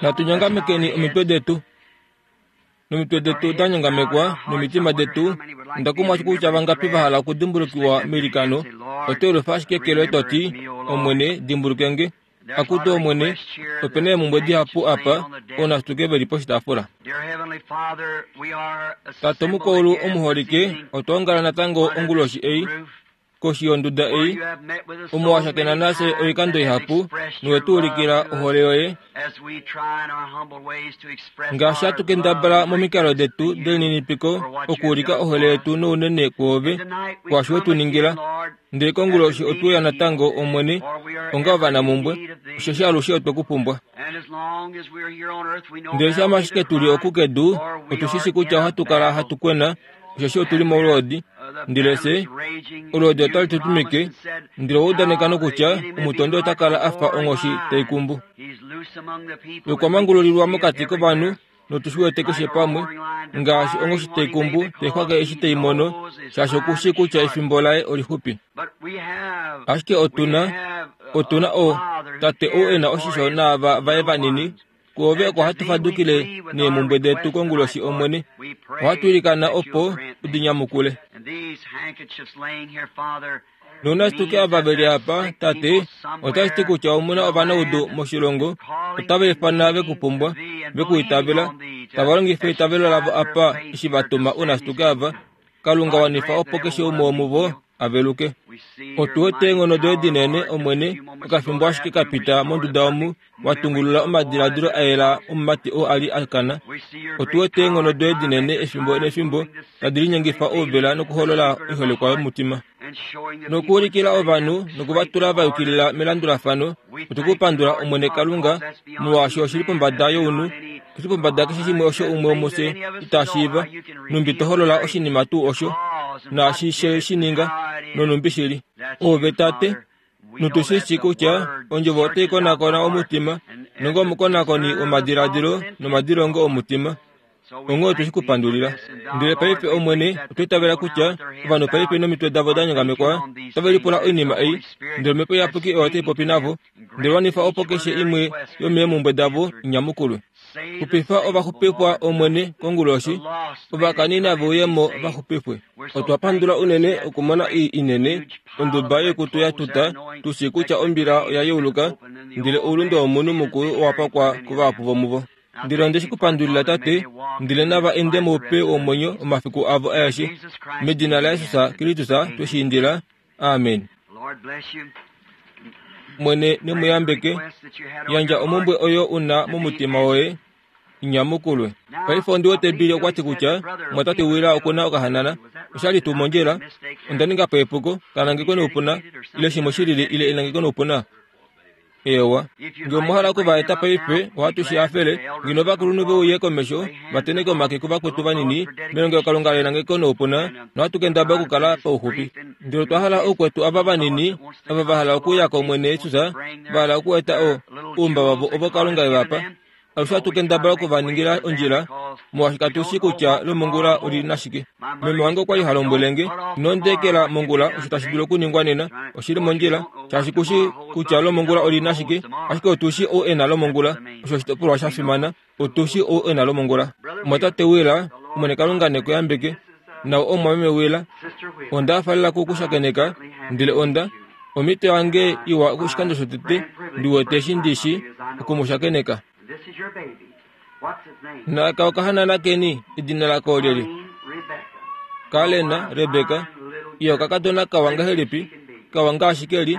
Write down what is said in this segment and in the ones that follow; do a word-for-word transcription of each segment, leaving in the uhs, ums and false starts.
Natu nyongamekeni omitwe detu. Nomitwe detu da nyongamekwa nomitima detu, onda kumwa kutya vangapi va hala okudimbulukiwa meilikano. Oto elufa ashike eke loye to ti, Omwene, dimbuluke nge. Akutu Omwene, ope na eemhumbwe dihapu apa, ounashituke ve li poshitaafula. Tate omukwaulu omuholike, otwa ongala natango onguloshi ei, koshi yonduda ei, omo wa shakena nafye oikando ihapu nowe tu ulikila ohole yoye, ngaashi hatu kendabala momikalo detu delininipiko okuulika ohole yetu nounene kwoove, kwaashi we tu ningila. Ndele konguloshi otwe uya natango, Omwene, onga ovanamumbwe, osheshi alushe otwe ku pumbwa. Ndele shama ashike tu li oku kedu, otu shi shi kutya ohatu kala hatu kwena, osheshi otu li molwoodi. Ndele fye, olwoodi otali tu tumike, ndele owa udaneka nokutya omutondi ota kala a fa onghoshi tai kumbu. Okwa mangululilwa mokati kovanhu, notu shi wete keshe pamwe, ngaashi onghoshi tai kumbu tai xwake eshi tai mono, shaashi oku shii kutya efimbo laye olixupi. Ashike otu na, otu na o, Tate ou e na oshisho naava vaye vanini, Kwoove oko hatu fadukile neemhumbwe detu konguloshi, Omwene. Ohatu ilikana opo u di nyamukule. Nounashituke ava ve li apa, Tate, otashi ti kutya omu na ovanaudu moshilongo, otava ifana ve ku pumbwa, ve ku itavela, tava longifa eitavelo lavo apa eshi va tuma ounashituke ava. Kalunga wanifa opo keshe umwe womuvo a veluke. Otu wete eenghono doye dinene, Omwene, okafimbo ashike ka pita monduda omu wa tungulula omadiladilo a yela omumati oo a li a kana. Otu wete eenghono doye dinene efimbo nefimbo tadi linyengifa ouvela nokuholola oiholekwa yomutima. Nokuulikila ovanhu noku va tula va yukilila melandulafano. Otu ku pandula, Omwene Kalunga, molwaashi oshi li pombada younhu, oshi li pombada keshe shimwe osho umwe womufye ita shiiva, nhumbi to holola oshinima tuu osho, naashi she shi ninga, nonhumbi shi li. Oove Tate, notu shi shii kutya Ondjovo otai konakona omutima, nonge omukonakoni womadiladilo nomadilongo omutima. Onghee otwe shi ku pandulila. Ndele paife, Omwene, otwa itavela kutya ovanhu paife nomitwe davo da nyongamekwa otave lipula oinima ei, ndele Omhepo Iyapuki oyo tai popi navo, ndele wanifa opo keshe imwe yomeemhumbwe davo i nyamukulwe. Xupifa ovaxupifwa, Omwene, konguloshi, ovakani nave uye mo va xupifwe. Otwa pandula unene okumona ei inene, onduba yoikutu ya tuta, tu shii kutya ombila oya yeuluka, ndele oulunde womunhu mukulu owa pakwa kuvahapu vomuvo. Ndele onde shi ku pandulila, Tate, ndele nava ende moupe womwenyo omafiku avo aeshe. Medina laJesus Kristus twe shi indila. Amen. Omwene ne mu yambeke. Yandja omhumbwe oyo u na momutima woye i nyamukulwe. Paife ondi wete Billy okwa ti kutya omwatate Willa oku na okahanana. Osha li tuu mondjila? Onda ninga po epuko, ka nangekwe noupuna, ile shimwe shi lili ile enangeko noupuna? Eewa, nge omwa hala oku va eta paife, ohatu shi hafele. Ngeno ovakulunhu ve uye komesho, va tenheke omake kuvakwetu vanini, melongelokalunga lenangeko noupuna, nohatu kendabala okukala pauxupi. Ndele otwa hala oukwetu ava vanini, ava va hala okuuya kOmwene Jesus, va hala okueta o, oumba wavo ovo Kalunga e va pa. Alushe ohatu kendabala oku va ningila ondjila, molwaashi katu shii kutya lomongula oli na shike. Meme wange okwa li ha lombwele nge, Ino ndeekela mongula osho tashi dulu okuningwa nena. Oshi li mondjila, shaashi ku shii kutya lomongula oli na shike, ashike otu shii ou e na lomongula. Osho oshitopolwa sha fimana. Otu shii ou e na lomongula. Omwatate Wheeler, Omwene Kalunga ne ku yambeke. Nau omumwameme Wheeler. Onda hafalela ku ku shakeneka, ndele onda Omhito yange iwa oshikando shotete ndi wete eshi ndi shi oku mu shakeneka. Naaka okahanana keni, edina lako olyelye? Kalena, Rebeka. Iya okakadona kawa ngahelipi, kawa ngaashi ke li.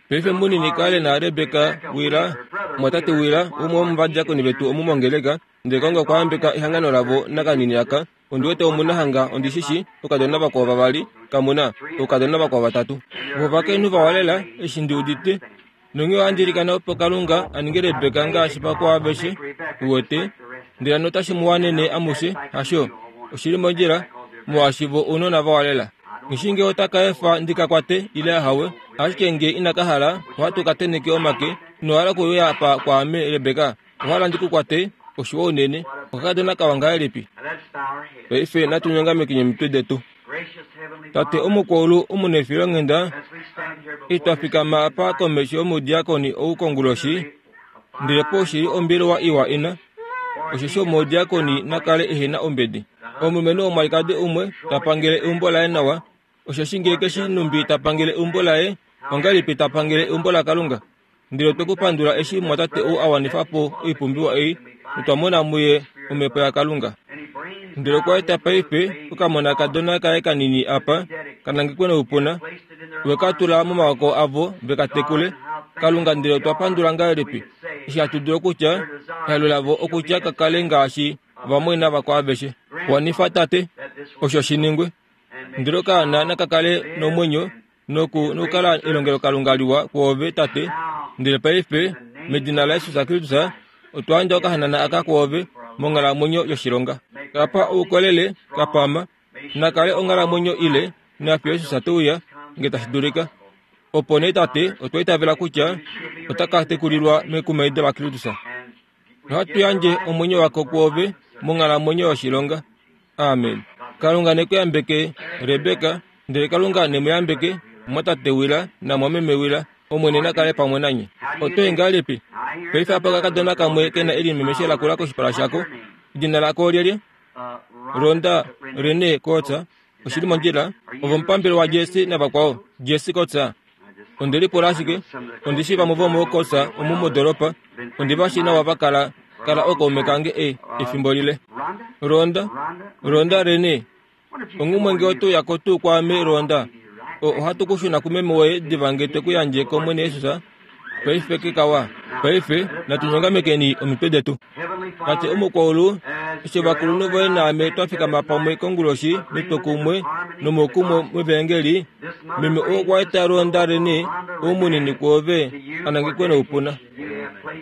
Paife munini Kalena Rebeka Wila, mwatate Wila, umwe womuvadiakoni vetu omu mongeleka, ndele Kalunga okwa yambeka ehangano lavo nakanini aka. Ondi wete omu na hanga, ondi shi shi, oukadona vakwao vavali, kamu na, oukadona vakwao vatatu. Vo ovakainhu vawa lela, eshi ndi udite. Nonghee ohandi ilikana opo Kalunga a ninge Rebeka ngaashi vakwao aveshe, uwete. Ndele hano otashi mu wanene amushe, hasho? Oshi li mondjila, molwaashi vo ounona vawa lela. Nghi shii nge ota ka efa ndi ka kwate, ile ahawe. Ashike nge ina ka hala, ohatu ka tenheke omake. Ino hala okuuya apa kwaame, Rebeka? Owa hala ndi ku kwate? Oshiwa unene. Okakadona kawa ngahelipi? Paife natu nyongamekeni omitwe detu. Tate omukwaulu omunefilonghenda, eshi twa fikama apa komesho yomudiakoni ou konguloshi, Ndele po shili ombelewa iwa ina osheshi omudiakoni nakale ehena ombedi. Omulumenhu omwalikadi umwe tapangele eumbo laye nawa, osheshi ngee keshi numbi tapangele eumbo laye, ongahelipi tapangele eumbo laKalunga? Ndele otwe ku pandula eshi mumwatate ou a wanifa po oipumbiwa ei, notwa mona muye omhepo yaKalunga. Ndele okwa eta paife okamonakadona kaye kanini apa, kanangekwe noupuna, we ka tula momawako avo ve ka tekule. Kalunga, ndele otwa pandula ngahelipi eshi hatu dulu okutya ehalo lavo okutya ka kale ngaashi vamwaina vakwao aveshe. Wanifa Tate, osho shi ningwe. Ndele okaana naka kale nomwenyo noku nokukala elongelokalunga liwa kwoove Tate. Ndele paife medina laJesus Kristus otwa yandja okahanana aka kwoove monghalamwenyo yoshilonga. Kapa oukolele, kapama, nakale onghalamwenyo ile nafiyo Jesus te uya nge tashi dulika. Opo nee Tate, otwa itavela kutya ota ka tekulilwa mekumaido laKristus. Nohatu yandje omwenyo wako kwoove monghalamwenyo yoshilonga. Amen. Kalunga ne ku yambeke Rebeka, ndele Kalunga ne mu yambeke mwatate wila namwameme wila. Omwene nakale pamwe nanye. Oto ngahelipi? Paife apa okakadona kamwe kena elimemeshe lakula koshipala shako. Edina lako olyelye? Ronda Rene Kotsa. Oshili mondjila. Ovo omupambele waJesse navakwao. Jesse Kotsa. Onde lipula ashike, ondi shi vamwe vomookotsa omu modoropa, ondi va shi nawa va kala kala okaume kange e efimbo lile. Ronda, Ronda Rene, ongumwe nge oto uyako tuu kwaame Ronda, ohatu ku shuna kumeme woye diva nge twe ku yandje kOmwene Jesus. Paife kekawa, paife natu nyongamekeni omitwe detu. Tate omukwaulu, eshi ovakulunhu voye naame twa fikama pamwe konguloshi metwokumwe nomoukumwe mevangeli, meme ou okwa eta Ronda Rene ou munini kwoove anangekwe noupuna.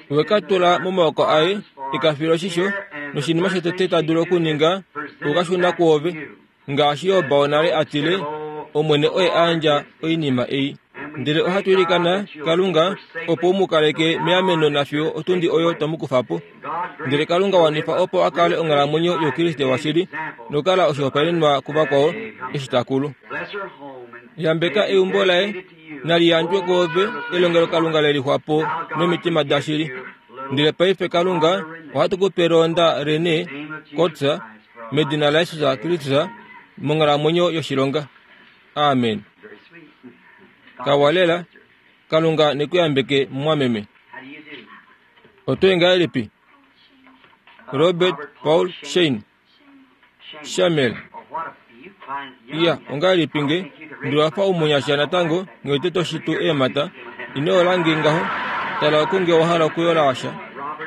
We ka tula momawoko aye e ka file oshisho, noshinima shotete ta dulu okuninga okukashuna kwoove. Ngaashi Job nale a tile, Omwene oye a yandja oinima ei. Ndele ohatu ilikana Kalunga opo u mu kaleke meameno nafiyo otundi oyo tomu kufa po. Ndele Kalunga wanifa opo a kale onghalamwenyo youKriste washili nokukala oshihopaenenwa kuvakwao eshi ta kulu. Yambeka eumbo laye, nali yandjwe kwoove elongelokalunga le lixwapo nomitima dashili. Ndele paife Kalunga, ohatu ku pe Ronda Rene Kotsa medina laJesus Kristus monghalamwenyo yoshilonga. Amen. Kawalela, Kalunga ne ku yambeke mumwameme. Oto ngahelipi? Robert Paul Shane Shamel. Iya, ongahelipi nge ndi wafa umunyasha natango nge toshitu eemhata. Ino yola ngaho, tala oku nge wa hala okuyola washa.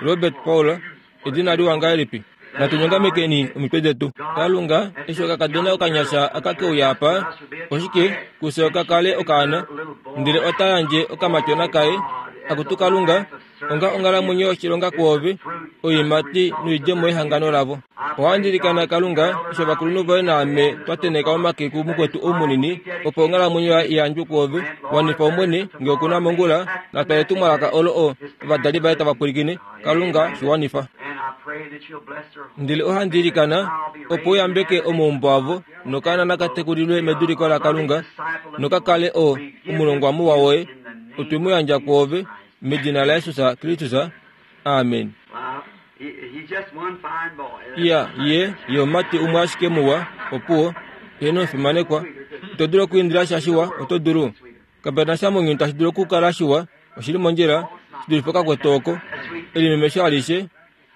Robert Paul, edina liwa ngahelipi? Natu nyongamekeni omitwe detu. Kalunga, eshi okakadona okanyasha aka keuya apa, oshike kufye okakale okaana, ndele ota yandje okamatyona kaye. Akutu Kalunga, onga onghalamwenyo yoshilonga kwoove, oiimati noidjemo yehangano lavo. Ohandi ilikana Kalunga, eshi ovakulunhu voye naame twa tenheka omake kumukwetu ou munini, opo onghalamwenyo yaye i yandjwe kwoove. Wanifa Omwene nge okuna mongula, natwale etumwalaka olo o ovadali vaye tava pwilikine. Kalunga, shi wanifa. Ndele ohandi ilikana opo u yambeke omaumbo avo, nokaana naka tekulilwe meduliko laKalunga, noka kale o omulongwa muwa woye. Otwe mu yandja kwoove medina laJesus Kristus. Amen. Iya, ye ye omumati umwe ashike muwa, opuwo, eheno omufimanekwa. Ito dulu okwiindila sha shiwa, oto dulu. Kapena sha mounyuni tashi dulu okukala shiwa, oshili mondjila, shi dulife okakwetu oko. Elimemesho alishe,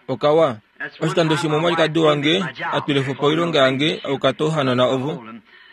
okawa. Oshikando shimwe omwalikadi wange a twile po oilonga yange aukata ouhanona ovo.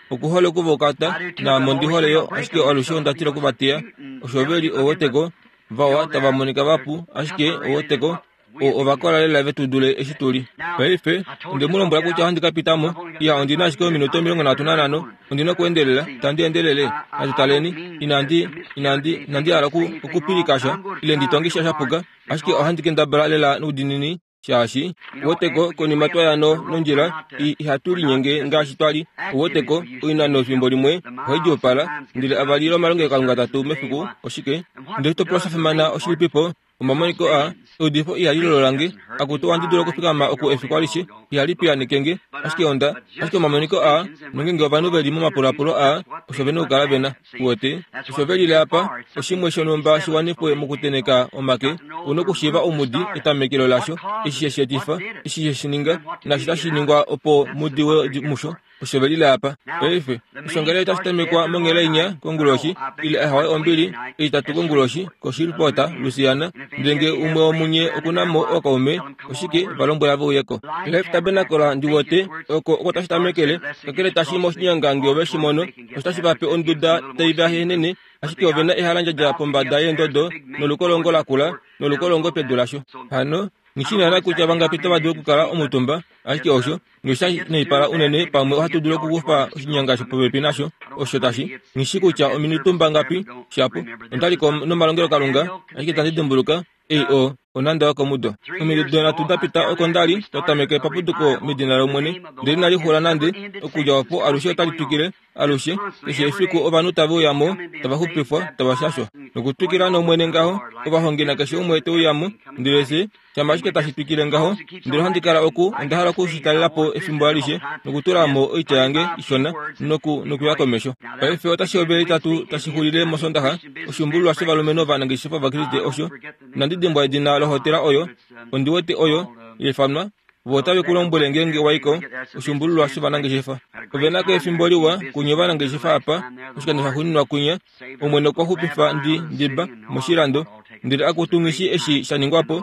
Okuhole okuvaukata, naame ondi hole yo, ashike alushe onda tila okuvatiya. Osho ve li oweteko, vawa tava monika vapu, ashike oweteko, ovakola lela ve tu dule eshi tuli. Paife, onde mu lombwela kutya ohandi ka pita mo. Iya, ondi na ashike ominute omilongo nhatu nanhano. Ondi na okuendelela, tandi endelele. Natu taleni. Inandi, inandi, inandi hala okupilika sha, ile ndi tonge sha shapuka, ashike ohandi kendabala lela noudinini shaashi oweteko konima twaya no nondjila ihatu linyenge ngaashi twali. Oweteko oinano efimbo limwe ohai djuupala, ndele avali lomalongelokalunga atatu mefiku oshike? Ndele oshitopolwa sha fimana oshilipipo? Omamoniko a eudifo ihali lololange akutu ohandi dulu okufikama oku efiku alishe ihali piyaanekenge ashike onda ashike omamoniko a nongenge ovanhu veli momapulapulo a osho vena okukala vena uwete osho velile apa oshimwe shonhumba shiwanifwe mokuteneka omake una okushiiva omudi etamekelo lasho eshi shesheetifa eshi sheshininga nashi tashi ningwa opo mudiwe musho osho velile apa paife oshongele otashi tamekwa monghela inya konguloshi ile ahawe ombili eitatu konguloshi koshilpota Louisiana ndele umwe womunye okunamo okaume oshike valombwela veuyeko Life Tabernacle ndiwote oko oko tashi tamekele kakele tashi moshinyanga nge ove shimono otashi vape onduda taivahenene ashike ovena ehalandjadja pombada yeendodo nolukolongo lakula nolukolongo pedu lasho hano nghishinana kutya vangapi tava dulu okukala omutumba ashike osho ngisha neipala unene pamwe ohatu dulu okukufa oshinyanga shopopepi nasho osho tashi nghishi kutya ominutumba ngapi shapo ondaliko nomalongelokalunga ashike tandi dimbuluka ei o onanda yokomudo omido nhatu dapita oko ndali twatameke paputuko medina lOmwene ndele inali xula nande okudja opo alushe otali twikile alushe keshe efiku ovanhu tave uyamo tava xupifwa tava shashwa nokutwikila nOmwene ngaho ovahongi nakeshe umwe te uyamo ndele se shama ashike tashi twikile ngaho ndele ohandi kala oku onda hala okushitalelapo efimbo alishe nokutulamo oitya yange ishona noku nokuya komesho paife otashi hovele itatu tashi xulile mosondaxa oshumbululwa shovalumenhu ovanangeshefa vakriste osho inandi dimbwa edina lohotela oyo ondi wete oyo yaifanwa vo otave ku lombwele ngeenge waiko oshumbululwa shovanangeshefa ovenako efimbo liwa kunye ovanangeshefa apa oshikando shaxuuninwa kunya Omwene okwa xupifa ndi ndiba moshilando ndele akutu nghishi eshi sha ningwapo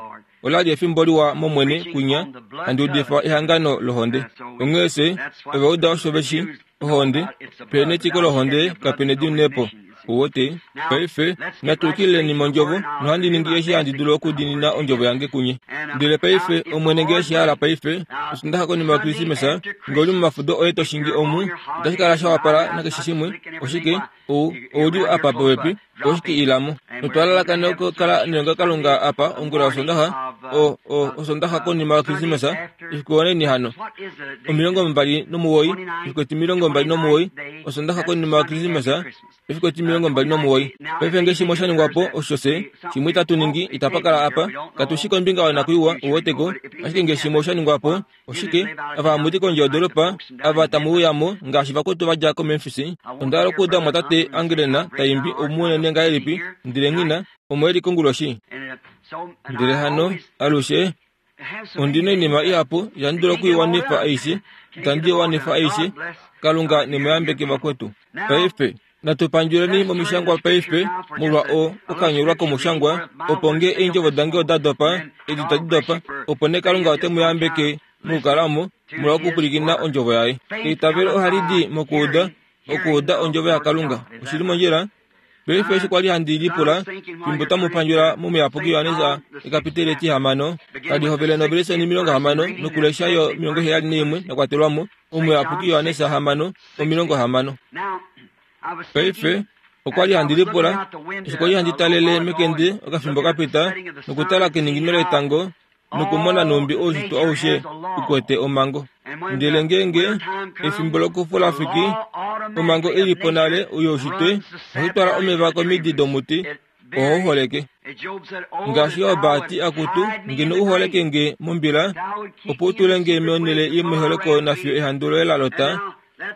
olali efimbo liwa mOmwene kunya handi udifa ehangano lohonde onghee se ova uda osho veshi ohonde pene etiko lohonde kapena ediunepo uwote paife natukileni mondjovo nohandi ningi eshi handi dulu okudinina ondjovo yange kunye ndele paife Omwene ngee eshi hala paife osondaxa konima yaKrisimesa nge uli momafudo oye toshingi omu otashi kala sha wapala nakeshe shimwe oshike ou ouli apa popepi oshike ilamo notwa lalakana okukala nelongelokalunga apa ongula yosondaxa o o osondaxa konima yaKrisimesa efiku oneni hano omilongo mbali nomuwoi efiku etimilongo mbali nomuwoi osondaxa konima yaKrisimesa efiku etimilongo mbali nomuwoi paife nge shimwe sha ningwapo osho se shimwe itatu ningi itapa kala apa katushi kombinga yonakwiiwa uweteko ashike nge shimwe osha ningwapo oshike ava hamuti kondje yodoropa ava tamu uyamo ngaashi vakwetu vadja koMemphis onda hala okuuda omwatate Angelena taimbi omunene ngahelipi ndele nghina omo eli konguloshi ndele hano alushe ondina oinima ihapu itandi dulu okuiwanifa aishe itandi iwanifa aishe Kalunga nemuyambeke vakwetu paife natupandjuleni momishangwa paife molwa o okanyolwa komushangwa opo nge eendjovo dange oda dopa edi tadi dopa opo ne Kalunga ote mu yambeke mokukalamo molwa okupwilikina ondjovo yaye eitavelo ohali di mokuuda okuuda ondjovo yaKalunga oshili mondjila paife eshi kwali handi lipula fimbo tamu pandjula momuyapuki Johannes ekapiteli etihamano tali hovele noveleseni omilongo hamano nokulesha yo omilongo heyali naimwe yakwatelwamo omuyapuki Johannes hamano omilongo hamano paife okwali handi lipula eshi kwali handi talele mekende okafimbo kapita nokutala keningino letango nokumona nhumbi oushitwe aushe ukwete omango ndele ngeenge efimbo lokufula fiki omango ilipo nale youshitwe ohayi twala omeva komidi domuti oho holeke ngaashi Job ati akutu ngeno u holeke nge mombila opo u tule nge monhele yomeholeko nafiyo ehandu loye la lota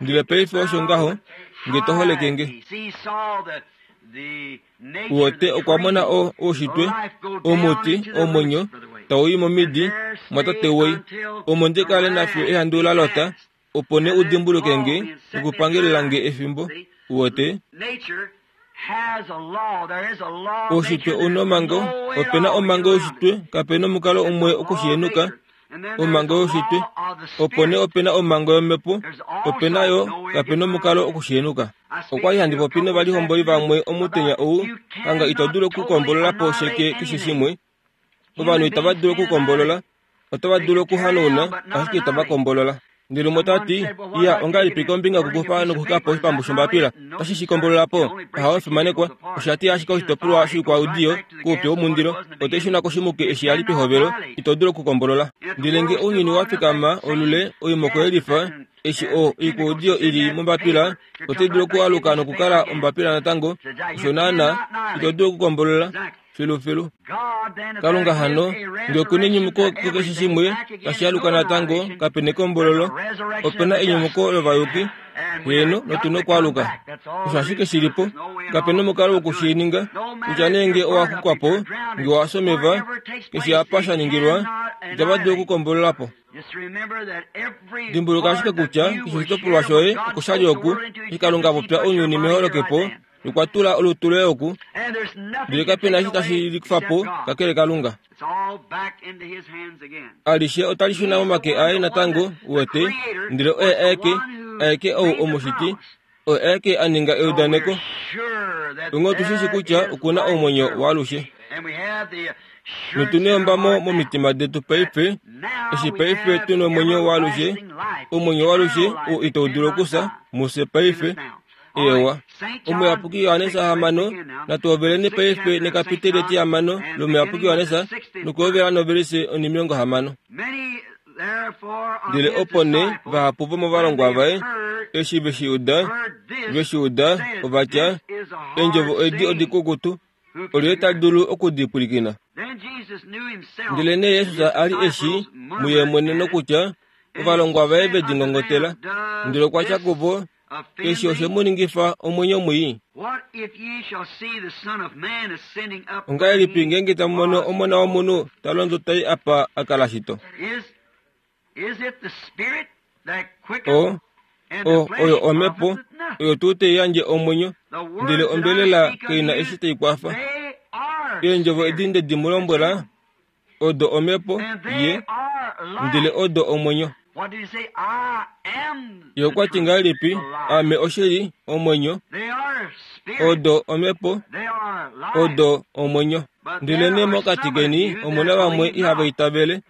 ndele paife osho ngaho nge to holeke nge uwote okwa mona o oushitwe omuti omwenyo tau i momidi mwatate woi omo ndi kale nafiyo ehandu la lota opo ne u dimbuluke nge nokupangelela nge efimbo uwote oushitwe una omango opena omango youshitwe kapena omukalo umwe okushihenuka omango youshitwe opo ne opena omango yomhepo opena yo kapena omukalo okushihenuka okwali handi popi novalihomboli vamwe omutenya ou hanga ito dulu okukombolola po sheke keshe shimwe ovanhu itava dulu okukombolola otava dulu okuhanauna ashike itava kombolola ndele umwe otati iya ongahelipi kombinga yokukufa nokuxwikapo oshipambu shombapila otashi shi kombolola po ahawe omufimanekwa osha ti ashike oshitopolwa shoikwaudiyo koupyu womundilo otai shuna koshimuke eshi yali pehovelo ito dulu okukombolola ndele nge ounyuni wa fikama olule oimoko yelifa eshi o oikwaudiyo ili mombapila otai dulu okualuka nokukala ombapila natango osho naana ito dulu okukombolola Filu filu. Kalunga hano, nge okuna enyumuko kukeshe shimwe tashi aluka natango, kapena ekombololo, opena enyumuko lovayuki, heeno, notuna okwaluka. Osho ashike shilipo, kapena omukalo wokushininga, kutya nee nge owaxukwapo, nge owafya omeva, keshe apa shaningilwa, itava dulu okukombololapo. Dimbuluka ashike kutya keshe oshitopolwa shoye okoshali oku, eshi Kalunga apopya ounyuni meholokepo, nokwa tula olutu loye oku, ndele kapena eshi tashi likufapo kakele Kalunga. Alishe otali shuna momake aye natango, uwete, ndele oye aeke, aeke ou omushiti, oye aeke a ninga eudaneko. Onghee otu shi shii kutya okuna omwenyo waalushe. Notuna eyombamo momitima detu paife, eshi paife tuna omwenyo waalushe, omwenyo waalushe ou itau dulu okufya, mufye paife. Eewa. Omuyapuki Johannes hamano, natuhoveleni paife nekapiteli etihamano lomuyapuki Johannes, nokuhovela novelise onimilongo hamano. Ndele opo nee vahapu vomovalongwa vaye, eshi ve shi uda, ve shi uda, ova tya, eendjovo edi odikukutu, olyelye ta dulu okudipwilikina? Ndelenee Jesus a li eshi muye mwene nokutya, ovalongwa vaye ve di ngongotela, ndele okwa tya kuvo, eshi oshe mu ningifa omwenyo mwii. Ongahelipi ngeenge tamu mono Omona wOmunhu ta londo tai apa a kala shito? O, o, oyo omhepo, oyo tuu tai yandje omwenyo, ndele ombelela kai na eshi tai kwafa. Eendjovo edi nde di mu lombwela, odo omhepo, ye, ndele odo omwenyo. Ye okwa ti ngahelipi, Aame oshili, omwenyo, odo omhepo, odo omwenyo. Ndelenee mokati keni omu na vamwe ihava itavele.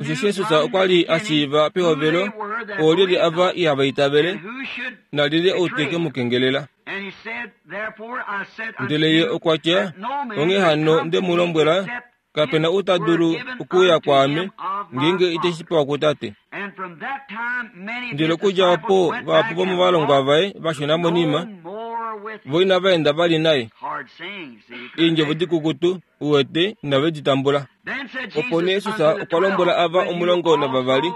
Osheshi Jesus okwa li a shiiva pehovelo oolyelye ava ihava itavele, nalyelye ou te ke mu kengelela. Ndele ye okwa tya, onghee hano nde mu lombwela, kapena ou ta dulu okuuya kwaame, ngeenge ite shi pewa kuTate. Ndele okudja opo vahapu vomovalongwa vaye va shuna monima, vo inava enda vali naye. Eendjovo dikukutu, uwete, inave di tambula. Opo nee Jesus okwa lombwela ava omulongo navavali,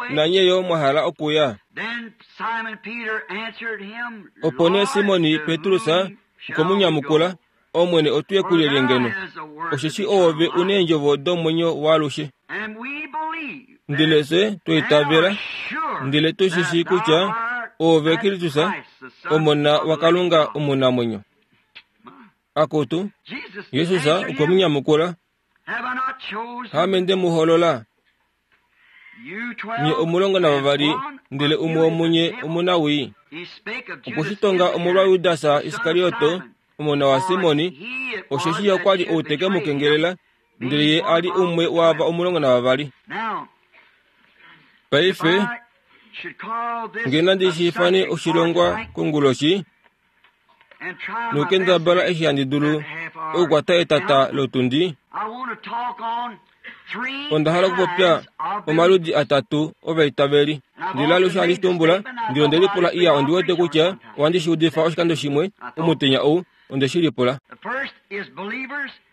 nanye yo mwa hala okuya? Opo nee Simon Petrus okwe mu nyamukula, Omwene otu ye kulyelye ngeno? Osheshi oove u neendjovo domwenyo waalushe. Ndele fye twa itavela, ndele tu shi shii kutya oove Kristus, Omona waKalunga omunamwenyo. Akutu, Jesus okwe mu nyamukula, Haame nde mu holola, nye omulongo navavali, ndele umwe womunye omunawii. Okwe shi tonga omolwaJudas Iskarioto, omona waSimon, osheshi ye okwa li ou te ke mu kengelela, ndele ye a li umwe waava omulongo navavali. Paife, nge nandi shi ifane oshilongwa konguloshi, nokukendabala eshi handi dulu okukwata etata lotundi, onda hala okupopya omaludi atatu ovaitaveli. Ndele alushe handi shi tumbula, ndele onde lipula iya ondi wete kutya ohandi shi udifa oshikando shimwe omutenya ou, onde shi lipula.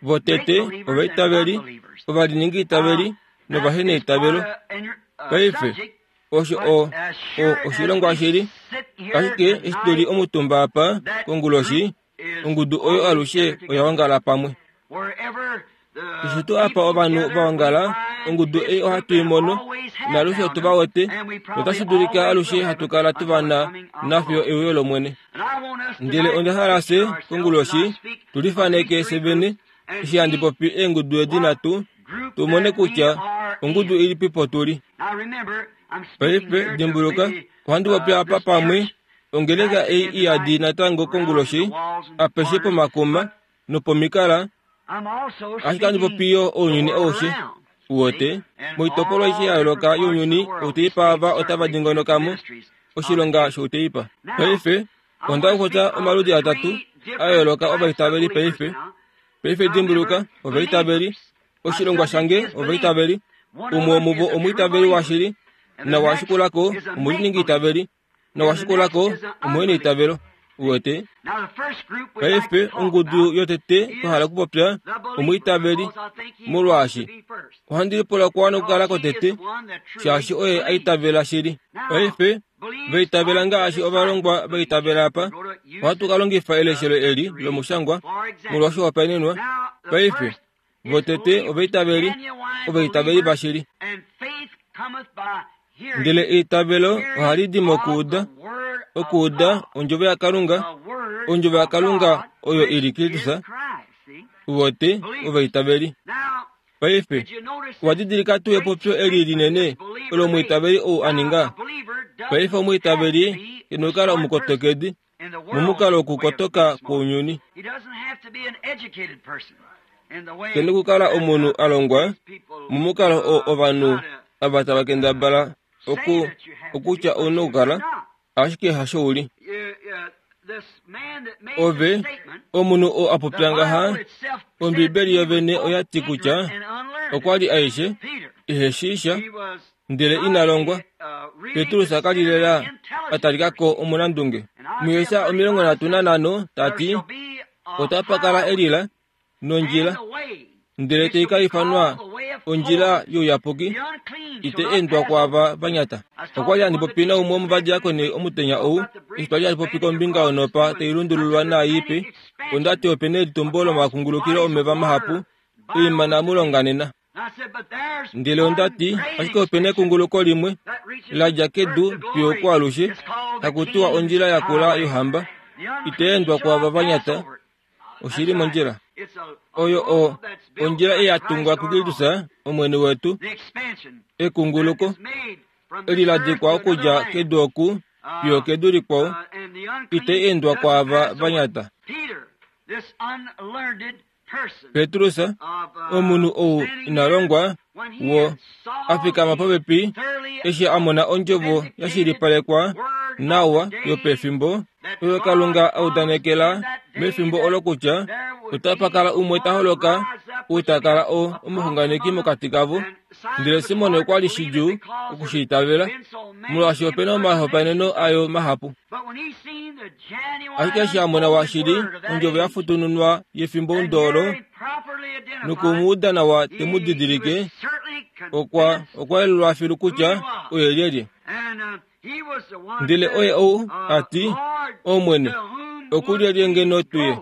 Votete ovaitaveli, ovaliningi itaveli novaheneitavelo. Paife, osho o, o oshilongwa shili, ashike eshi tu li omutumba apa konguloshi, ongudu oyo alushe oya ongala pamwe. Keshe tuu apa ovanhu va ongala, ongudu ei ohatu i mono, naalushe otu va wete, notashi dulika alushe hatu kala tu va na nafiyo euyo lOmwene. Ndele onda hala fye konguloshi tu lifaneke fye vene, eshi handi popi eengudu edi nhatu, tu mone kutya ongudu ilipi po tu li. Paife dimbuluka, ohandi popi apa pamwe, ongeleka ei iyadi natango konguloshi, apeshe pomakuma nopomikala, ashike handi popi yo ounyuni aushe. Uwete, moitopolwa aishe ya yooloka younyuni, outeipa ava otava dingonokamo oshilonga shouteipa. Paife, onda okupopya omaludi atatu a yooloka ovaitaveli paife. Paife dimbuluka, ovaitaveli, oshilongwa shange ovaitaveli, umwe womuvo omwiitaveli washili, nawashikulako omuliningi itaveli, nawashikulako omuheneitavelo. Uwete? Paife ongudu yotete twahala okupopya omwiitaveli, molwaashi ohandi lipula okwa okukala kotete, shaashi oye aitavela shili. Paife vaitavela ngaashi ovalongwa vaitavela apa, ohatu ka longifa eleshelo eli lomushangwa molwoshihopaenenwa. Paife votete ovaitaveli, ovaitaveli vashili. Ndele eitavelo ohali di mokuuda, okuuda ondjovo yaKalunga, ondjovo yaKalunga oyo ili Kristus. Vote ovaitaveli. Paife owa didilika tuu epopyo eli linene olo omwiitaveli ou a ninga? Paife omwiitaveli kena okukala omukotokedi momukalo wokukotoka kwounyuni. Kena okukala omunhu a longwa momukalo oo ovanhu ava tava kendabala oku okutya ouna okukala, ashike hasho uli. Ove omunhu oo a popya ngaha, Ombibeli yovene oya ti kutya okwa li aishe iheshiisha ndele ina longwa. Petrus ka li lela a talika ko omunandunge. Mujesaja omilongo nhatu nanhano tati otapa kala elila nondjila, ndele tai ka ifanwa ondjila youyapuki, ite endwa kwaava vanyata. Okwa li handi popi naumwe womovadiakoni omutenya ou, eshi twali hatu popi kombinga yonopa tai lundululwa naai ipe, onda ti opena elitumbo lomakungulukilo omeva mahapu oimana mulonga nena. Ndele onda ti ashike opena ekunguluko limwe la dja kedu fiyo kwaalushe, haku tiwa ondjila yakula yohamba, ite endwa kwaava vanyata. Oshili mondjila oyo o ondjila ei ya tungwa kuKristus Omwene wetu, ekunguluko eli la dikwa okudja kedu oku fiyo kedu likwao, ite endwa kwaava vanyata. Petrus, omunhu ou ina longwa, wo a fikama popepi eshi a mona ondjovo ya shilipalekwa nawa yopefimbo oyo Kalunga a udanekela mefimbo olo kutya otapa kala umwe ta holoka ou ta kala o omuxunganeki mokati kavo. Ndele Simon okwa li shidjuu okushiitavela, molwaashi opena omahopaeneno ayo mahapu. Ashike eshi a mona washili ondjovo ya futununwa yefimbo olo nokumuuda nawa te mu didilike, okwa okwa yelulwa filu kutya oye lyelye. Ndele oye ou a ti, Omwene, okulyelye ngeno tuye?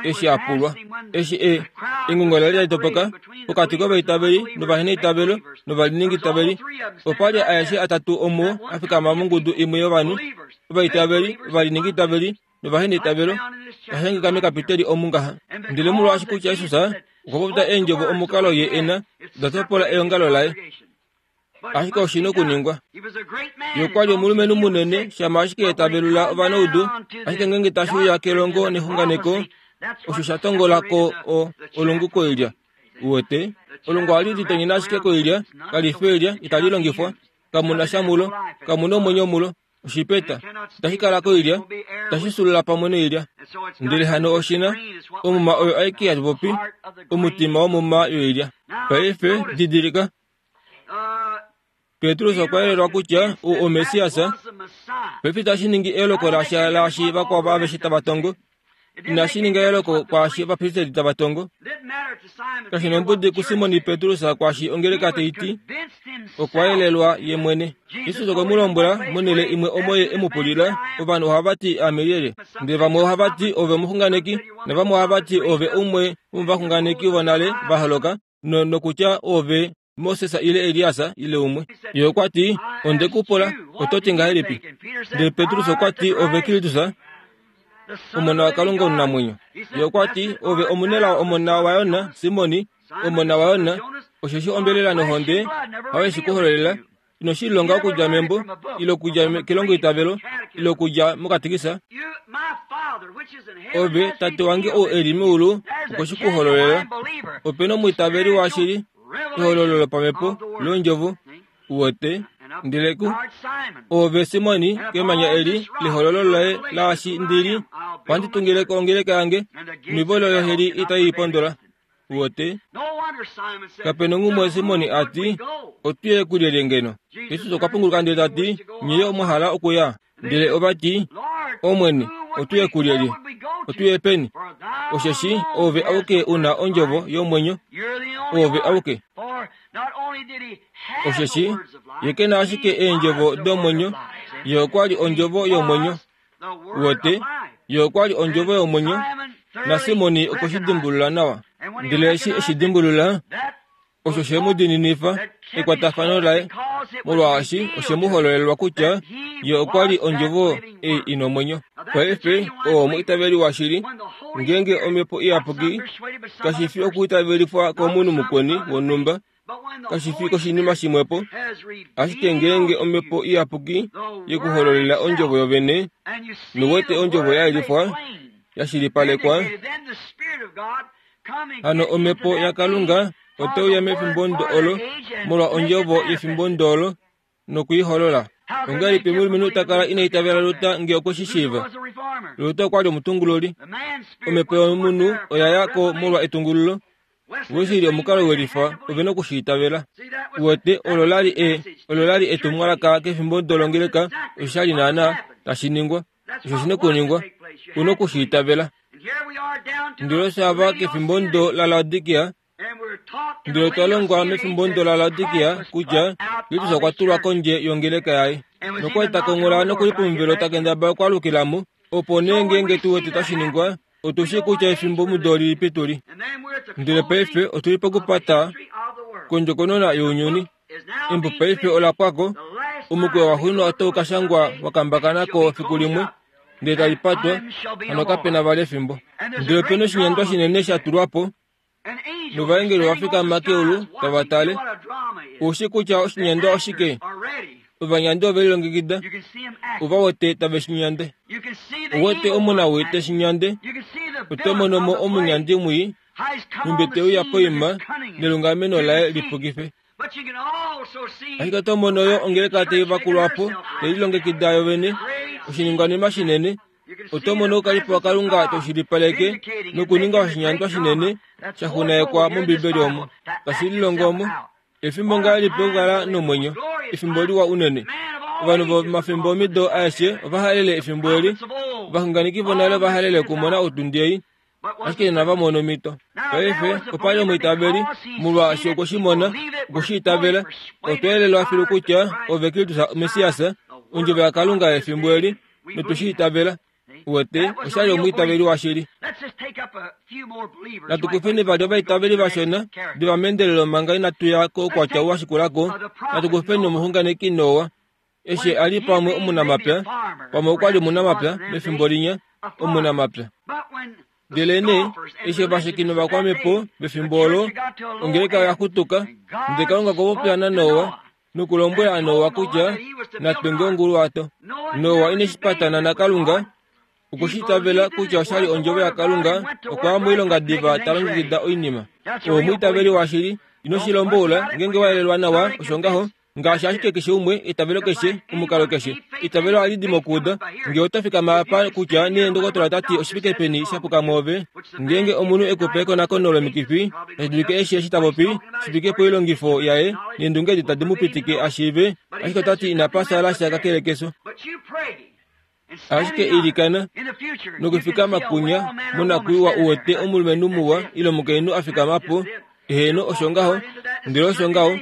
Eshi a pulwa, eshi e engungo la li la topoka pokati kovaitaveli novaheneitavelo novaliningitaveli, opa li aeshe atatu omuo a fikama mongudu imwe yovanhu, ovaitaveli, ovaliningitaveli novaheneitavelo, tashangika mekapiteli omu ngaha. Ndele molwaashi kutya Jesus okwa popya eendjovo omukalo ye ena da topola eongalo laye, ashike oshina okuningwa. Ye okwa li omulumenhu munene, shama ashike etavelula ovanaudu, ashike ngeenge tashi uya kelongo nexunganeko, osho sha tongola ko o olungu koilya. Uwete, olungu ohali litonyene ashike koilya, kali fi oilya, itali longifwa, kamuna sha mulo, kamuna omwenyo mulo. Oshipeta itashi kala koilya, itashi sulula pamwe noilya. Ndele hano oshina omuma oyo aike ya popi, omutima womuma yoilya. Paife didilika, Petrus okwa yelelwa kutya ou oMessias. Paife itashi ningi eoloko lasha laashi vakwao aveshe tava tongo, inashi ninga eoloko kwaashi ovapristeli tava tongo. Kashi nombudi kuSimon Petrus kwaashi ongeleka tai ti, okwa yelelwa ye mwene. Jesus okwe mu lombwela monhele imwe omo ye e mu pulila, ovanhu ohava ti ame lyelye, ndele vamwe ohava ti ove omuxunganeki, navamwe ohava ti ove umwe womovaxunganeki vonale va holoka, no nokutya ove Moses ile Elias ile umwe. Ye okwa ti, onde ku pula, oto ti ngahelipi? Ndele Petrus okwa ti, ove Kristus, omona waKalunga omunamwenyo. Ye okwa ti, ove omunelao omona waYona, Simoni, omona waYona, osheshi ombelela nohonde hayo shi ku hololela, ino shi lilonga okudja membo, ile okudja kelongoitavelo, ile okudja mokatikisa. Ove, tate wange ou e li meulu, okwe shi ku hololela. Opena omwiitaveli washili, ehololo lopamhepo londjovo, uwete. Ndele ku ove Simoni, kemanya eli lehololo loye laashi ndili, ohandi tungile ko ongeleka yange, noivolo yoheli itai pondola. Uwete, kapena ngumwe Simoni a ti, otuye kulyelye ngeno? Jesus okwa punguluka ndele ta ti, nye omwa hala okuya? Ndele ova ti, Omwene, Otuye kulyelye? Otuye peni? Osheshi ove auke una ondjovo yomwenyo, ove auke. Osheshi ye ke na ashike eendjovo domwenyo, ye okwa li ondjovo yomwenyo. Wete, ye okwa li ondjovo yomwenyo, naSimoni okwe shi dimbulula nawa. Ndele eshi eshi dimbulula, osho she mu dininifa ekwatafano laye, molwaashi oshe mu hololelwa kutya ye okwa li ondjovo ei ina omwenyo. Paife oo omwiitaveli washili, ngeenge omhepo iyapuki kashi fi okwiitavelifwa komunhu mukweni wonhumba, kashi fi koshinima shimwepo, ashike ngeenge omhepo iyapuki yekuhololela ondjovo yovene, nuwete ondjovo ya yelifwa, ya shilipalekwa, hano omhepo yaKalunga oteuya mefimbo olo molwa ondjovo yefimbo olo nokuiholola. Ongahelipi omulumenhu ta kala ina itavela Luta ngee okwe shi shiiva? Luta okwa li omutungululi. Omhepo yomunhu oya ya ko molwa etungululo. Wesley omukalo welifa ove na okushi itavela. Wete olo lali e olo lali etumwalaka kefimbo dolongeleka, osho sha li naana tashi ningwa, osho shina okuningwa, una okushi itavela. Ndele osho ava kefimbo ndo laLaodikia, ndele otwa longwa mefimbo ndo laLaodikia kutya Kristus okwa tulwa kondje yongeleka yaye. Nokwa li ta konghola nokuli pomuvelo ta kendabala okwaalukila mo, opo nee ngeenge tu wete tashi ningwa, otu shii kutya efimbo mudo lilipi tu li. Ndele paife otu li pokupata kondjokonona younyuni. Embo paife ola pwako, omukweyo waxuuninwa otau ka shangwa wa kambakana ko fiku limwe, ndele tali patwa, hano kape na vali efimbo. Ndele opena oshinyandwa shinene sha tulwa po, novaengeli ova fikama keulu tava tale. Oushi kutya oshinyandwa oshike? Ovanyandi ove lilongekida, ova wete tave shi nyande. Owete omunawii te shi nyande, oto mono mo omunyandi mwii, nhumbi te uya poima nelungameno laye lipukife. Ashike oto mono yo ongeleka tai vakulwa po, tai lilongekida yovene, oshiningwanima shinene. Oto mono oukalipo waKalunga toshilipaleke nokuninga oshinyandwa shinene sha xunaekwa mOmbibeli omo, tashi lilongo omo. Efimbo ngahelipi okukala nomwenyo, efimbo liwa unene. Ovanhu vomafimbo omido aeshe ova halele efimbo eli, ovaxunganeki vonale ova halele okumona otundi ei, ashike inava mona omhito. Paife opa li omwiitaveli, molwaashi okwe shi mona, okwe shi itavela, otwa yelelwa filu kutya ove Kristus Messias, ondjovo yaKalunga yefimbo eli, notu shi itavela. Wete, osha li omwiitaveli washili. Natu kufeni vali ovaitaveli vashona diva meendelelo manga inatu ya koukwatya wa shikulako. Natu kufeni omuxunganeki Noa, eshi a li pamwe omunamapya, pamwe okwa li omunamapya mefimbo linya, omunamapya. Ndele nee, eshi ovasheki novakwamhepo mefimbo olo, ongeleka oya xutuka, ndele Kalunga okwa popya naNoa nokulombwela Noa kutya natunge onguluwato. Noa ine shi patana naKalunga, okwe shi itavela kutya osha li ondjovo yaKalunga, okwa ya moilonga diva ta longekida oinima. Omwiitaveli washili, ino shi lomboula ngeenge wa yelelwa nawa, osho ngaho, ngaashi ashike keshe umwe, eitavelo keshe, omukalo keshe. Eitavelo ohali di mokuuda. Ngee oto fikama apa kutya nee ndokotola ta ti oshifike peni sha puka mwoove, ngeenge omunhu e ku pe ekonakono lomikifi, tashi dulika eshi eshi ta popi, shi fike poilongifo yaye neendunge edi tadi mu pitike a shiive, ashike ota ti inapa sala sha kakele keso. Ashike ilikana nokufikama kunya monakwiiwa u wete omulumenhu muwa ile omukainhu a fikama po, heeno osho ngaho, ndele osho ngaho,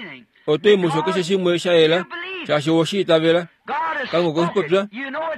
oto i musho keshe shimwe sha yela, shaashi owe shi itavela. Kalunga okwe shi popya,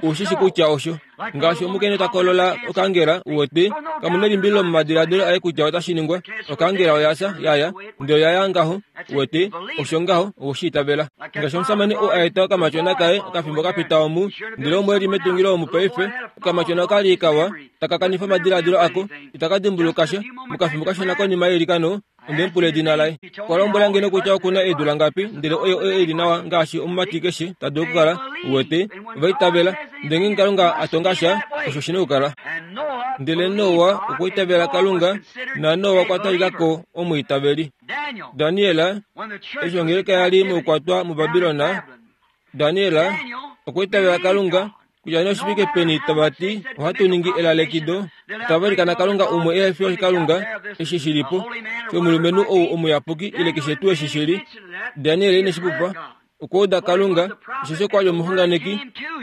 oushi shi kutya osho. Ngaashi omukainhu ta kolola okangela, u wete, kamu nelimbililo momadiladilo aye kutya otashi ningwa. Okangela oya fya, yaya, ndele oya ya ngaho, u wete, osho ngaho, owe shi itavela. Ngaashi omushamane oo a eta okamatyona kaye okafimbo ka pita omu, ndele omo e li metungilo omu paife, okamatyona oka li kawa, taka kanifa omadiladilo ako, itaka dimbuluka sha, mokafimbo kashona konima yeilikano, onde mu pula edina laye. Okwa lombwela nge nokutya oku na eedula ngapi, ndele oye oye e li nawa ngaashi omumati keshe ta dulu okukala, u wete, ova itavela. Ndele ngeenge Kalunga a tonga sha, osho shi na okukala. Ndele Noa okwa itavela Kalunga, naNoa okwa talika ko omwiitaveli. Daniel, eshi ongeleka ya li moukwatwa muBabilon, Daniel okwa itavela Kalunga, kutya nee oshifike peni tava ti ohatu ningi elalekido, tava ilikana Kalunga umwe ehe fi Kalunga, eshi shi li po, shomulumenhu ou omuyapuki ile keshe tuu eshi shi li. Daniel ine shi pupa, Okwa uda Kalunga, osheshi okwa li omuxunganeki,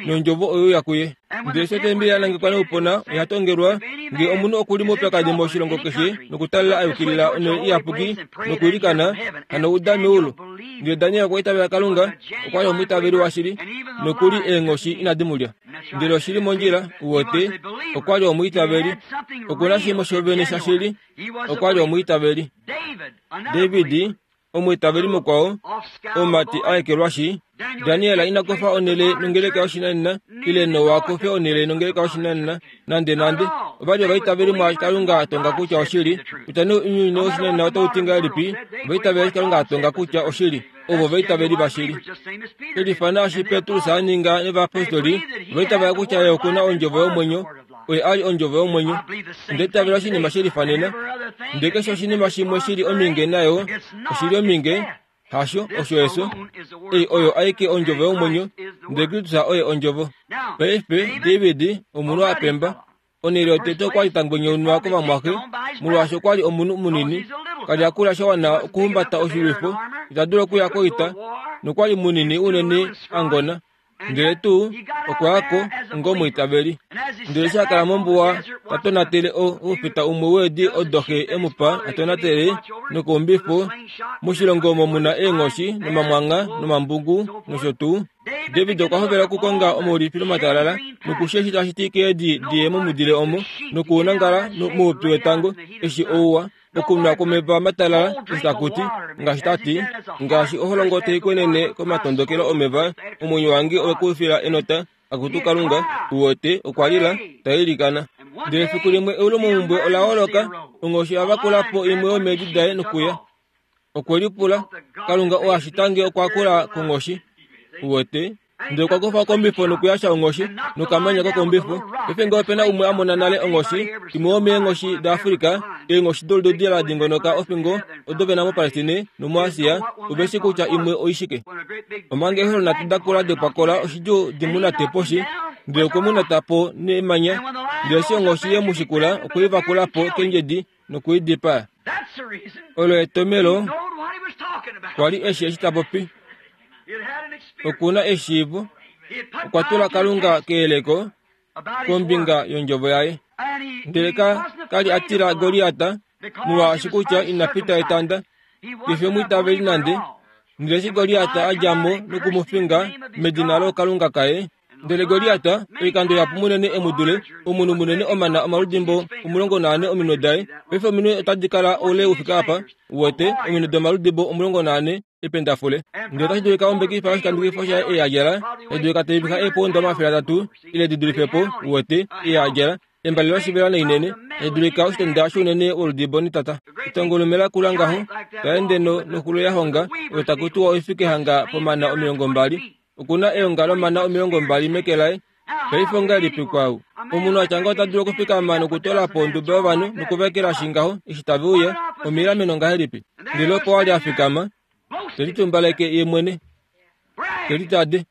nondjovo oyo ya kuye. Ndele eshi otembeli ya nangekwa noupuna oya tongelwa, ngee omunhu oku li moupyakadi moshilongo keshe nokutalela a yukilila onhele iyapuki nokwiilikana, hano uda meulu. Ndele Daniel okwa itavela Kalunga, okwa li omwiitaveli washili, nokuli eenghoshi inadi mu lya. Ndele oshili mondjila, uwete, okwa li omwiitaveli. Oku na shimwe shovene shashili, okwa li omwiitaveli. David, omwiitaveli mukwao, omumati a ekelwashi. Daniel ina kufa onhele nongeleka yoshinanena, ile Noa kufe onhele nongeleka yoshinanena, nande nande. Ova li ovaitaveli mwaashi Kalunga a tonga kutya oshili. Kutya nee ounyuni woshinanena otau ti ngahelipi, ovaitaveli eshi Kalunga a tonga kutya oshili, ovo ovaitaveli vashili. Elifana eshi Petrus a ninga novayapostoli, ovaitavela kutya ye oku na ondjovo yomwenyo, oye a li ondjovo yomwenyo. Onda itavela oshinima she lifanena. Ndele keshe oshinima shimwe shi li ominge nayo, oshi li ominge, hasho osho efyo. Ei oyo aike ondjovo yomwenyo, ndele Kristus oye ondjovo. Paife David, omunhu a pemba, onhele yotete okwa li ta ngwenyaunwa kovamwaxe, molwaashi okwa li omunhu munini, ka li a kula sha wana okuhumbata oshilwifo, ita dulu okuya koita, nokwa li munini unene a ngona. Ndele tuu okwa ya ko onga omwiitaveli. Ndele eshi a kala mombuwa ta tonatele oufita umwe weedi odo xe e mu pa a tonatele nokuumbifo, moshilongo omo mu na eenghoshi nomamwangha nomambungu nosho tuu, David okwa hovela okukonga omaulifilo matalala nokushi eshi tashi ti keedi di ye momudile omo nokuunangala moupyu wetango eshi ouwa okunwa kwomeva matalala eshi taku ti, ngaashi ta ti, ngaashi oholongo tai kwenene komatondokelo omeva, omwenyo wange owe ku fila enota, akutu Kalunga, uwete, okwa lila, ta ilikana. Ndele efiku limwe eulumomumbwe ola holoka, onghoshi oya vakula po imwe yomeedi daye nokuya. Okwe lipula, Kalunga oo a shita nge okwa kula konghoshi, uwete. Ndele okwa kufa okombifo nokuyasha onghoshi nokamanya kokombifo. Paife ngee ope na umwe a mona nale onghoshi, imwe yomeenghoshi daAfrika, eenghoshi dolududi la dingonoka ofingo odo ve na moPalestine nomuAsia, ove shi kutya imwe oishike. Omanga eeholo nhatu da kula dopwakola oshidjuu di mu nate poshi, ndele okwe mu nata po nemanya. Ndele eshi onghoshi ye mu shikula, okwe i vakula po kendjedi noku i dipaa. Olo etomelo kwa li eshi eshi ta popi. Oku na eshiivo, okwa tula Kalunga keyeleko kombinga yondjovo yaye. Ndele ka ka li a tila Goliat, molwaashi kutya ina pita etanda, kefi omwiitaveli nande. Ndele eshi Goliat a dja mo noku mu finga medina lookalunga kaye, ndele Goliat, oikando ihapu munene e mu dule, omunhu munene omana omaludimbo omulongo naane ominwe daye. Paife ominwe otadi kala oule u fike apa, uwete, ominwe domaludimbo omulongo naane ependafule. Ndele otashi dulika ombekifa yoshikandukifo shaye ei a djala, tashi dulika tai vixa eepounda omafele atatu ile di dulife po, uwete, ei a djala, embale loshivela nainene, tashi dulika oshitenda shounene woludimbo netata. Etongolume lakula ngaho, ta ende noxulo ya honga, oyo taku tiwa oifike hanga pomana omilongo mbali. Oku na eonga lomana omilongo mbali meke laye. Paife ongahelipi kwau? Omunhu a tya ngaho ota dulu okufikama nokutola po onduba yovanhu nokuvekelashi ngaho eshi tave uya, omilameno ngahelipi? Ndele opo a li a fikama, te litumbaleke ye mwene, te litade.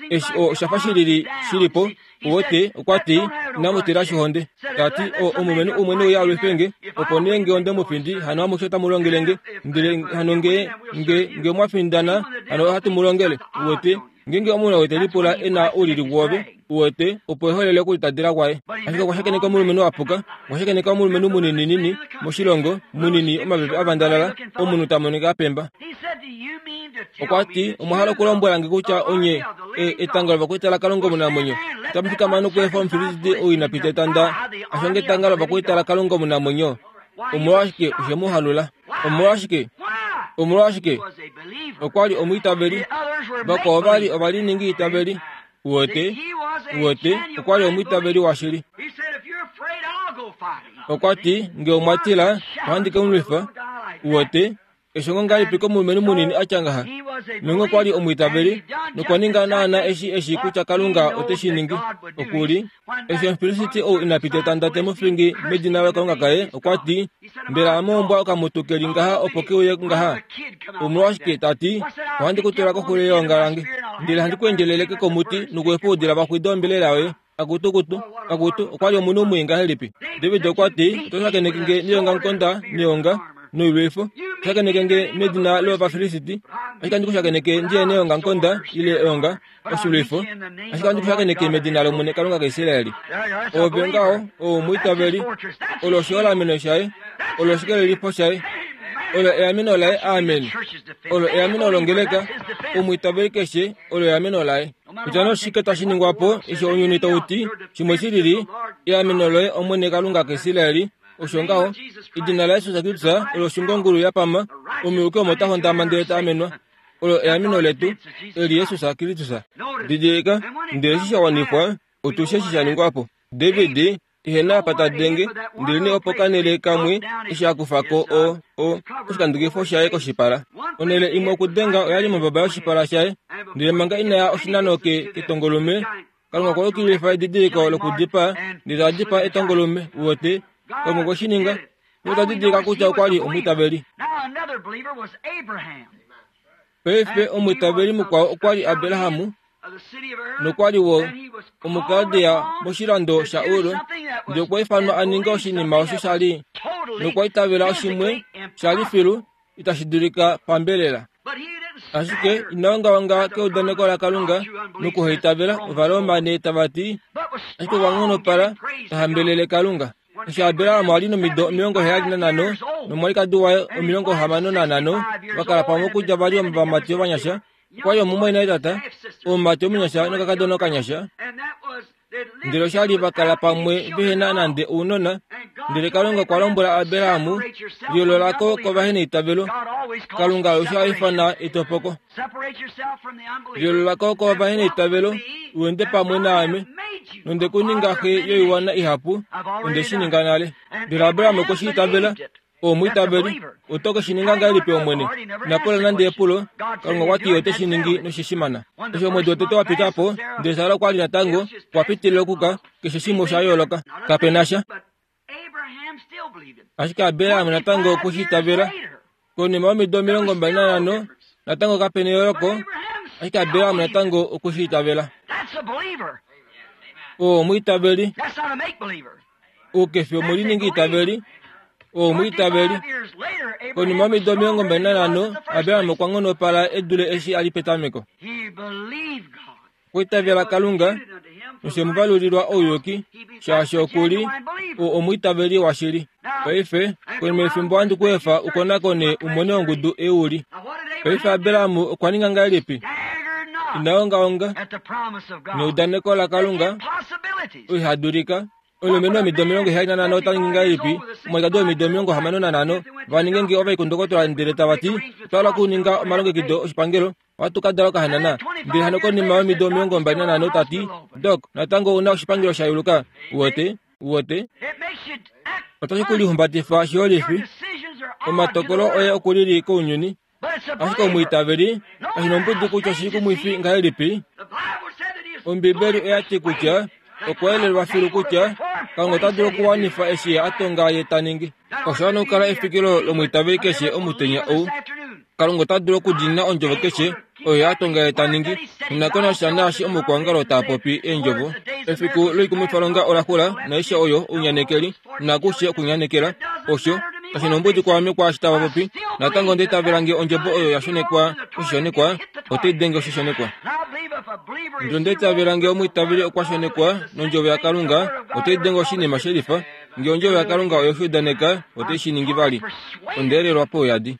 Eshi osha fa shilili shili po, uwete, okwa ti, inamu tila shihonde. Ta ti, o, omulumenhu umwe ne uya a lwife nge, opo nee nge onde mu findi, hano amushe otamu longele nge. Ndele hano nge, nge, nge mwa findana, hano ohatu mu longele. Uwete, ngeenge omunhu ou te lipula e na oulili woove, uwete, opo eholele okulitadila kwaye. Ashike okwa shakeneka omulumenhu a puka, okwa shakeneka omulumenhu munininini moshilongo, munini omapepe a vandalala, omunhu ta monika a pemba. Okwa ti, omwa hala okulombwela nge kutya onye e, etango lovakwaita laKalunga omunamwenyo, otamu fikama nokuefa Omufilisti ou ina pita etanda a shange etanga lovakwaita laKalunga omunamwenyo? Omolwashike oshe mu halula? Omolwashike? Omolwashike? Okwa li omwiitaveli. Vakwao ova li ovaliningi itaveli. Uwete, uwete, okwa li omwiitaveli washili. Okwa ti, nge omwa tila, ohandi ke mu lwifa. Uwete, eshongo ngahelipi komulumenhu munini a tya ngaha? Nonge okwa li omwiitaveli, nokwa ninga naana eshi eshi kutya Kalunga ote shi ningi. Oku li, eshi Omufilisti ou ina pita etanda te mu fingi medina laKalunga kaye, okwa ti, mbela ame ombwa okamutu ke li ngaha opo ke uye ngaha? Omolwashike ta ti, ohandi ku tula koxulo yeonga lange, ndele handi ku endjeleleke komuti nokuefa oudila va xwide ombelela yoye. Akutukutu, akutu, okwa li omunhu mwii ngahelipi? David okwa ti, oto shakeneke nge neongamukonda neonga, noilwifo. Shakeneke nge medina lOvafilisiti, ashike handi ku shakeneke ndiye neongamukonda ile eonga oshilwifo, ashike handi ku shakeneke medina lOmwene Kalunga kaIsraeli. Ove ngaho ou omwiitaveli, olo oshiholameno shaye, olo oshikelelifo shaye, olo eameno laye. Amen. Olo eameno longeleka, omwiitaveli keshe olo eameno laye. Kutya noshike tashi ningwa po eshi ounyuni tau ti shimwe shi lili, eameno loye Omwene Kalunga kaIsraeli. Osho ngaho, edina laJesus Kristus olo oshungongulu ya pama, omuyuki omo ta hondama ndele ta amenwa. Olo eameno letu, eli Jesus Kristus. Didilika, ndele eshi sha wanifwa, otushe eshi sha ningwa po. David ihe na apa ta denge, ndele nee opo kanele kamwe eshi a kufa ko o o oshikandukifo shaye koshipala. Onhele imwe okudenga oyali mombaba yoshipala shaye, ndele manga ina ya oshinano ke ketongolume, Kalunga okwa yukililifa edidiliko lokudipaa, ndele ta dipaa etongolume. Uwete, Kalunga okwe shi ninga. Nota didilika kutya okwa li omwiitaveli. Paife omwiitaveli mukwao okwa li Abraham, nokwa li wo Omukaldea moshilando shaUr, ndele okwa ifanwa a ninge oshinima osho sha li, nokwa itavela oshimwe sha li filu itashi dulika pambelela. Ashike ina ongaonga keudaneko laKalunga nokuhaitavela Ovaroma nee tava ti, ashike okwa nghonopala ta hambelele Kalunga. Eshi Abraham a li nomido omilongo heyali nanhano nomwalikadi waye omilongo hamano nanhano, va kala pamwe okudja va li ovamati ovanyasha. Okwa li omumwaina tata, omumati omunyasha nokakadona okanyasha. Ndele osha li va kala pamwe vehe na nande ounona. Ndele Kalunga okwa lombwela Abraham, liyoolola ko kovaheneitavelo. Kalunga alushe oha ifana etopoko. Liyoolola ko kovaheneitavelo, u ende pamwe naame, nonde ku ninga xe yoiwana ihapu, onde shi ninga nale. Ndele Abraham okwe shi itavela. Omwiitaveli, oto ke shi ninga ngahelipi Omwene? Ina pula nande epulo. Kalunga okwa ti ote shi ningi noshishimana. Eshi omwedi wotete wa pita po, ndele Sara okwa li natango okwa pitilila okuka, keshe shimwe osha yooloka. Kape na sha. Ashike Abraham natango okwe shi itavela. Konima yomido omilongo mbali nanhano, natango kape neyooloko, ashike Abraham natango okwe shi itavela. Oo omwiitaveli. Ou ke fi omuliningi itaveli. Omwiitaveli. Konima yomido omilongo mbali nanhano, Abraham okwa nghonopala e dule eshi a li petameko. Okwa itavela Kalunga, noshe mu valulilwa ouyuki, shaashi oku li o omwiitaveli washili. Paife, konima yefimbo ohandi ku efa u konakone u mone ongudu ei u li. Paife Abraham okwa ninga ngahelipi? Ina ongaonga neudaneko laKalunga, oiha dulika. Omulumenhu womido omilongo heyali nanhano ota ningi ngahelipi? Omwalikadi womido omilongo hamano nanhano va ninge nge ovaikundokotola ndele tava ti, otwa hala okuninga omalongekido oshipangelo, ohatu ka dala okahanana. Ndele hano konima yomido omilongo mbali nanhano ta ti, Dok, natango ou na oshipangelo sha yuluka. Uwete? Uwete? Otashi ku lihumbatifa shiholifi. Omatokolo oye oku lili kounyuni. Ashike omwiitaveli, kashi nombudi kutya oshi kumwifi ngahelipi, Ombibeli oya ti kutya okwa yelelwa filu kutya Kalunga ota dulu okuwanifa eshi a tonga ye ta ningi. Osha wana okukala efikilo lomwiitaveli keshe omutenya ou. Kalunga ota dulu okudiinina ondjovo keshe oyo a tonga ye ta ningi, nonakonasha naashi omukwaongalo taa popi eendjovo. Efiku loikumwifalonga ola xula, naaishe oyo ounyanekeli, nakushe okunyanekela. Osho kashi nombudi kwaame kwaashi tava popi. Natango onda itavela nge ondjovo oyo ya shonekwa koshishonekwa, otai denge oshishonekwa. Ndele onda itavela nge omwiitaveli okwa shonekwa nondjovo yaKalunga, otai denge oshinima shelifa. Nge ondjovo yaKalunga oye shi udaneka, otai shi ningi vali. Onda elelwa pouyadi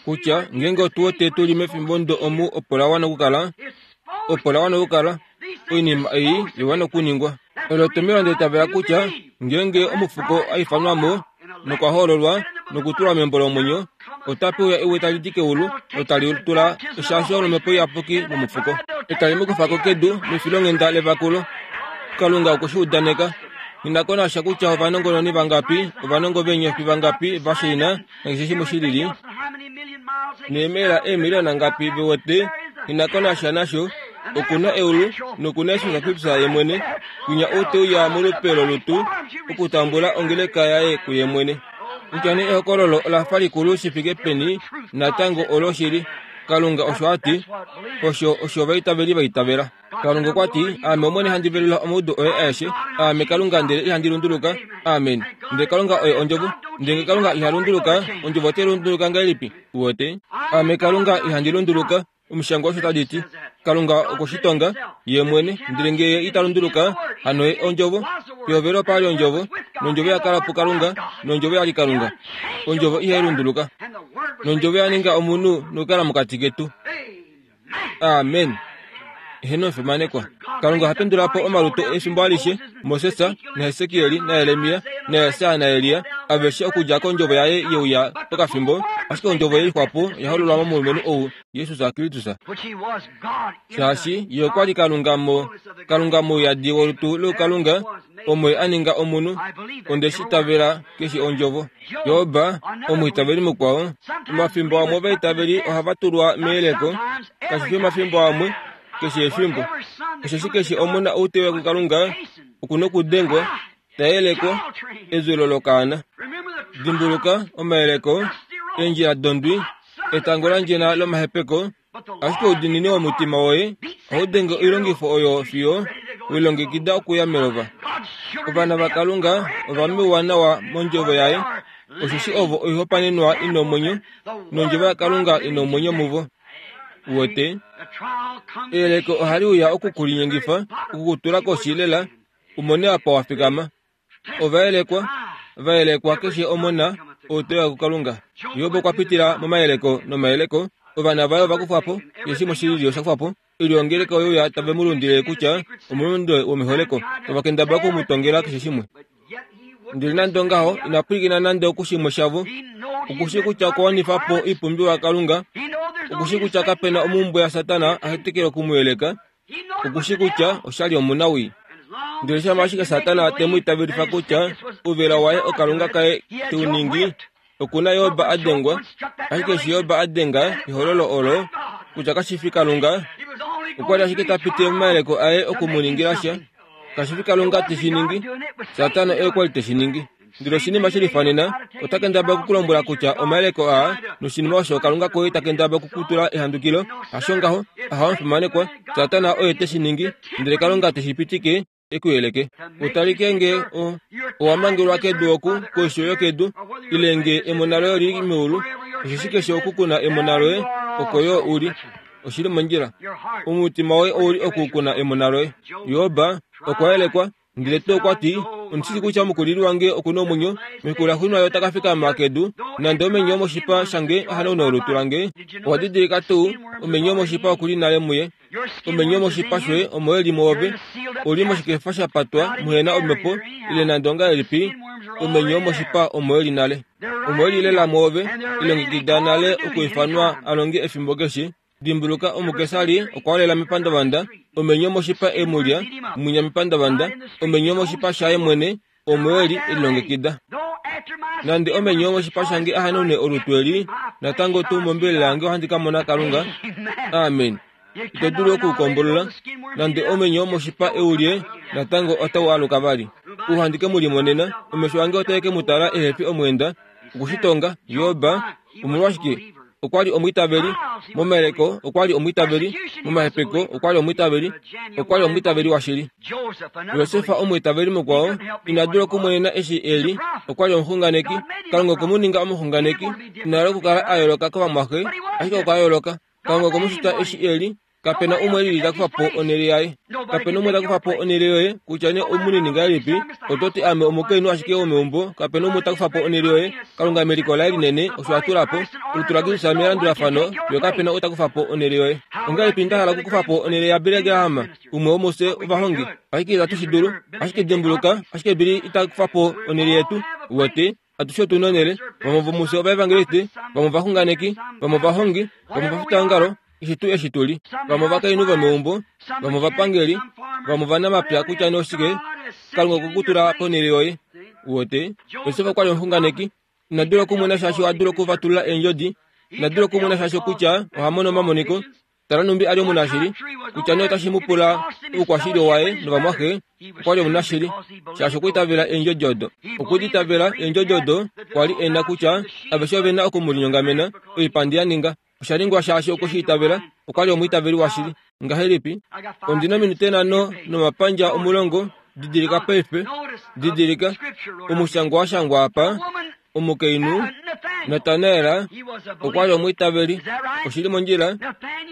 kutya ngeenge otu wete tu li mefimbo ndo omu opo la wana okukala, opo la wana okukala, oinima ei ya wana okuningwa. Olo etomhelo nda itavela kutya ngeenge omufuko a ifanwa mo nokwa hoololwa nokutulwa membo lomwenyo, ota pewa ewe tali di keulu notali tula eshasho lOmhepo Iyapuki momufuko, etali mu kufa ko kedu mefilonghenda levakulo. Kalunga okwe shi udaneka. Nghi ko nasha kutya ovanongononi vangapi, ovanongo veenyofi vangapi va shaina nakeshe shimwe shi lili, neemaila eemiliyona ngapi ve wete, nghi ko nasha nasho. Oku na eulu noku na Jesus Kristus ye mwene, winya ou te uya molupe lolutu okutambula ongeleka yaye kuye mwene. Kutya nee ehokololo ola fa likulu shi fike peni, natango oloshili. Kalunga osho a ti, osho osho ovaitaveli va itavela. Kalunga okwa ti, aame Omwene handi velula omaudu oye aeshe, aame Kalunga ndele ihandi lunduluka. Amen. Ndele Kalunga oye ondjovo. Ndele Kalunga iha lunduluka, ondjovo otai lunduluka ngahelipi? Uwete? Aame Kalunga ihandi lunduluka. Omushangwa osho tadi ti, Kalunga okushitonga ye mwene, ndele ngee ye ita lunduluka, hano ye ondjovo. Pehovelo opa li ondjovo, nondjovo ya kala puKalunga, nondjovo ya li Kalunga. Ondjovo ihai lunduluka. Nondjovo ya ninga omunhu nokukala mokati ketu. Amen. Eheno fimanekwa. Kalunga oha pendula po omalutu efimbo alishe, Moses naHesekiel naJeremia naJesaja naElia, aveshe okudja kondjovo yaye yeuya pokafimbo, ashike ondjovo ye lixwapo oya hololwa momulumenhu ou Jesus Kristus. Shaashi ye okwa li Kalunga mo Kalunga mouyadi wolutu loukalunga, omo ye a ninga omunhu, onde shi itavela keshe ondjovo. Job, omwiitaveli mukwao, omafimbo amwe ovaitaveli ohava tulwa meyeleko, kashi fi omafimbo amwe, keshe efimbo. Osheshi keshe omona ou te uya kuKalunga oku nokudengwa, ta yelekwa, ezulo lokaana. Dimbuluka omayeleko, eendjila dondwi, etango landjena lomahepeko, ashike oudiinini womutima woye ohau denge oilongifo oyo fiyo welongekida okuya melova. Ovana vaKalunga ova mewa nawa mondjovo yaye, osheshi ovo oihopaenenwa ina omwenyo, nondjovo yaKalunga ina omwenyo muvo. Uwete? Eyeleko ohali uya okukulinyengifa, okukutula koshi lela, umone apa wa fikama. Ovayelekwa, vayelekwa keshe omona ou te uya kuKalunga. Job okwa pitila momayeleko nomayeleko, ovana vaye ova kufwa po, keshe shimwe shilili osha kufwa po. Oilyo oyo ya tave mu lundile kutya omulunde womeholeko, tava kendabala oku mu tongela keshe shimwe. Ndele nande ongaho, ina pwilikina nande okushimwe shavo. Okushi kutya okwa wanifa po oipumbiwa yaKalunga, okushi kutya kapena omumbwe yaSatana a hetekele oku mu yeleka, okushi kutya oshali omunawii. Ndele shama ashike Satana te mu itavelifa kutya ouvela waye okalunga kaye teu ningi, okuna Job a dengwa, ashike eshi Job a denga ehololo olo kutya kashi fi Kalunga, okwa li ashike ta pitile momayeleko aye oku mu ningila sha. Kashi fi Kalunga te shi ningi, Satana oye kwa li te shi ningi. Ndele oshinima she lifanena, ota kendabala okukulombwela kutya omayeleko aa noshinima osho Kalunga koye ta kendabala okukutula ehandukilo, hasho ngaho, ahawa omufimanekwa, Satana oye te shi ningi, ndele Kalunga te shi pitike e ku yeleke. Utalike nge o owa mangelwa kedu oku koisho yokedu, ile nge emona loye oli li meulu, osheshi keshe oku kuna emona loye, oko yo u li. Oshili mondjila. Omutima woye ouli oku kuna emona loye. Job okwa yelekwa, ndele tuu okwa ti, ondishi kutya omukulili wange oku na omwenyo, mefiku laxuuninwa ye ota ka fikama kedu, nande omenye womoshipa shange a hanaune olutu lange. Owa didilika tuu, omenye womoshipa oku li nale muye. Omenye womoshipa shoye omo e li mwoove, uli moshikefa sha patwa muhena omhepo, ile nande ongahelipi, omenye womoshipa omo e li nale. Omo e li lela mwoove, ilongekida nale okuifanwa a longe efimbo keshe. Dimbuluka omukesari okwa lela mepandavanda, omenye womoshipa e mu lya, mwinya mepandavanda, omenye womoshipa shaye mwene, omo e li elilongekida. Nande omenye womoshipa shange a hanaune olutu eli, natango tuu mombelela yange ohandi ka mona Kalunga. Amen. Ito dulu okuukombolola. Nande omenye womoshipa e u lye, natango otau aluka vali. Ou ke mu limonena, omesho ange otae ke mu tala ehe fi omweenda. Okushitonga, Job, omolwashike? Okwa li omwiitaveli, momayeleko okwa li omwiitaveli, momahepeko okwa li omwiitaveli, okwa li omwiitaveli washili. Josef omwiitaveli mukwao, ina dula okumonena eshi e li, okwa li omuxunganeki. Kalunga okwe mu ninga omuxunganeki, ina hala okukala a yooloka kovamwaxe, ashike okwa yooloka. Kalunga okwe mu shita eshi e li, kapena umwe lili ta kufa po onhele yaye. Kapena umwe ta kufa po onhele yoye, kutya nee omunini ngahelipi, oto ti ame omukainhu ashike womeumbo, kapena umwe ta kufa po onhele yoye. Kalunga meliko laye linene osho a tula po, olutu laKristus melandulafano, yo kapena ou ta kufa po onhele yoye. Ongahelipi nda hala okukufa po onhele yaBilly Graham, umwe womufye ovahongi, ashike itatu shi dulu, ashike dimbuluka, ashike Billy ita kufa po onhele yetu. Uwete, atushe otu na onhele, vamwe vomufye ovaevangelisti, vamwe ovaxunganeki, vamwe ovahongi, vamwe ovafitaongalo, eshi tuu eshi tu li, vamwe ovakainhu vomeumbo, vamwe ovapangeli, vamwe ovanamapya, kutya nee oshike, Kalunga okwe ku tula ponhele yoye. Uwete, Josef okwa li omuxunganeki, ina dula okumona shaashi oha dulu okufatulula eendjodi, ina dula okumona shaashi kutya oha mono omamoniko. Tala numbi a li omunashili, kutya nee otashi mu pula oukwashili waye novamwaxe, okwa li omunashili, shaashi okwa itavela eendjodi odo. Okwe di itavela eendjodi odo kwa li e na kutya aveshe ove na oku mu linyongamena, oipandi ya ninga. Osha ningwa shaashi okwe shi itavela, okwa li omwiitaveli washili. Ngahelipi? Ondi na ominute nhano nomapandja omulongo. Didilika paife. Didilika. Omushangwa wa shangwa apa. Omukainhu Natanael okwa li omwiitaveli. Oshili mondjila.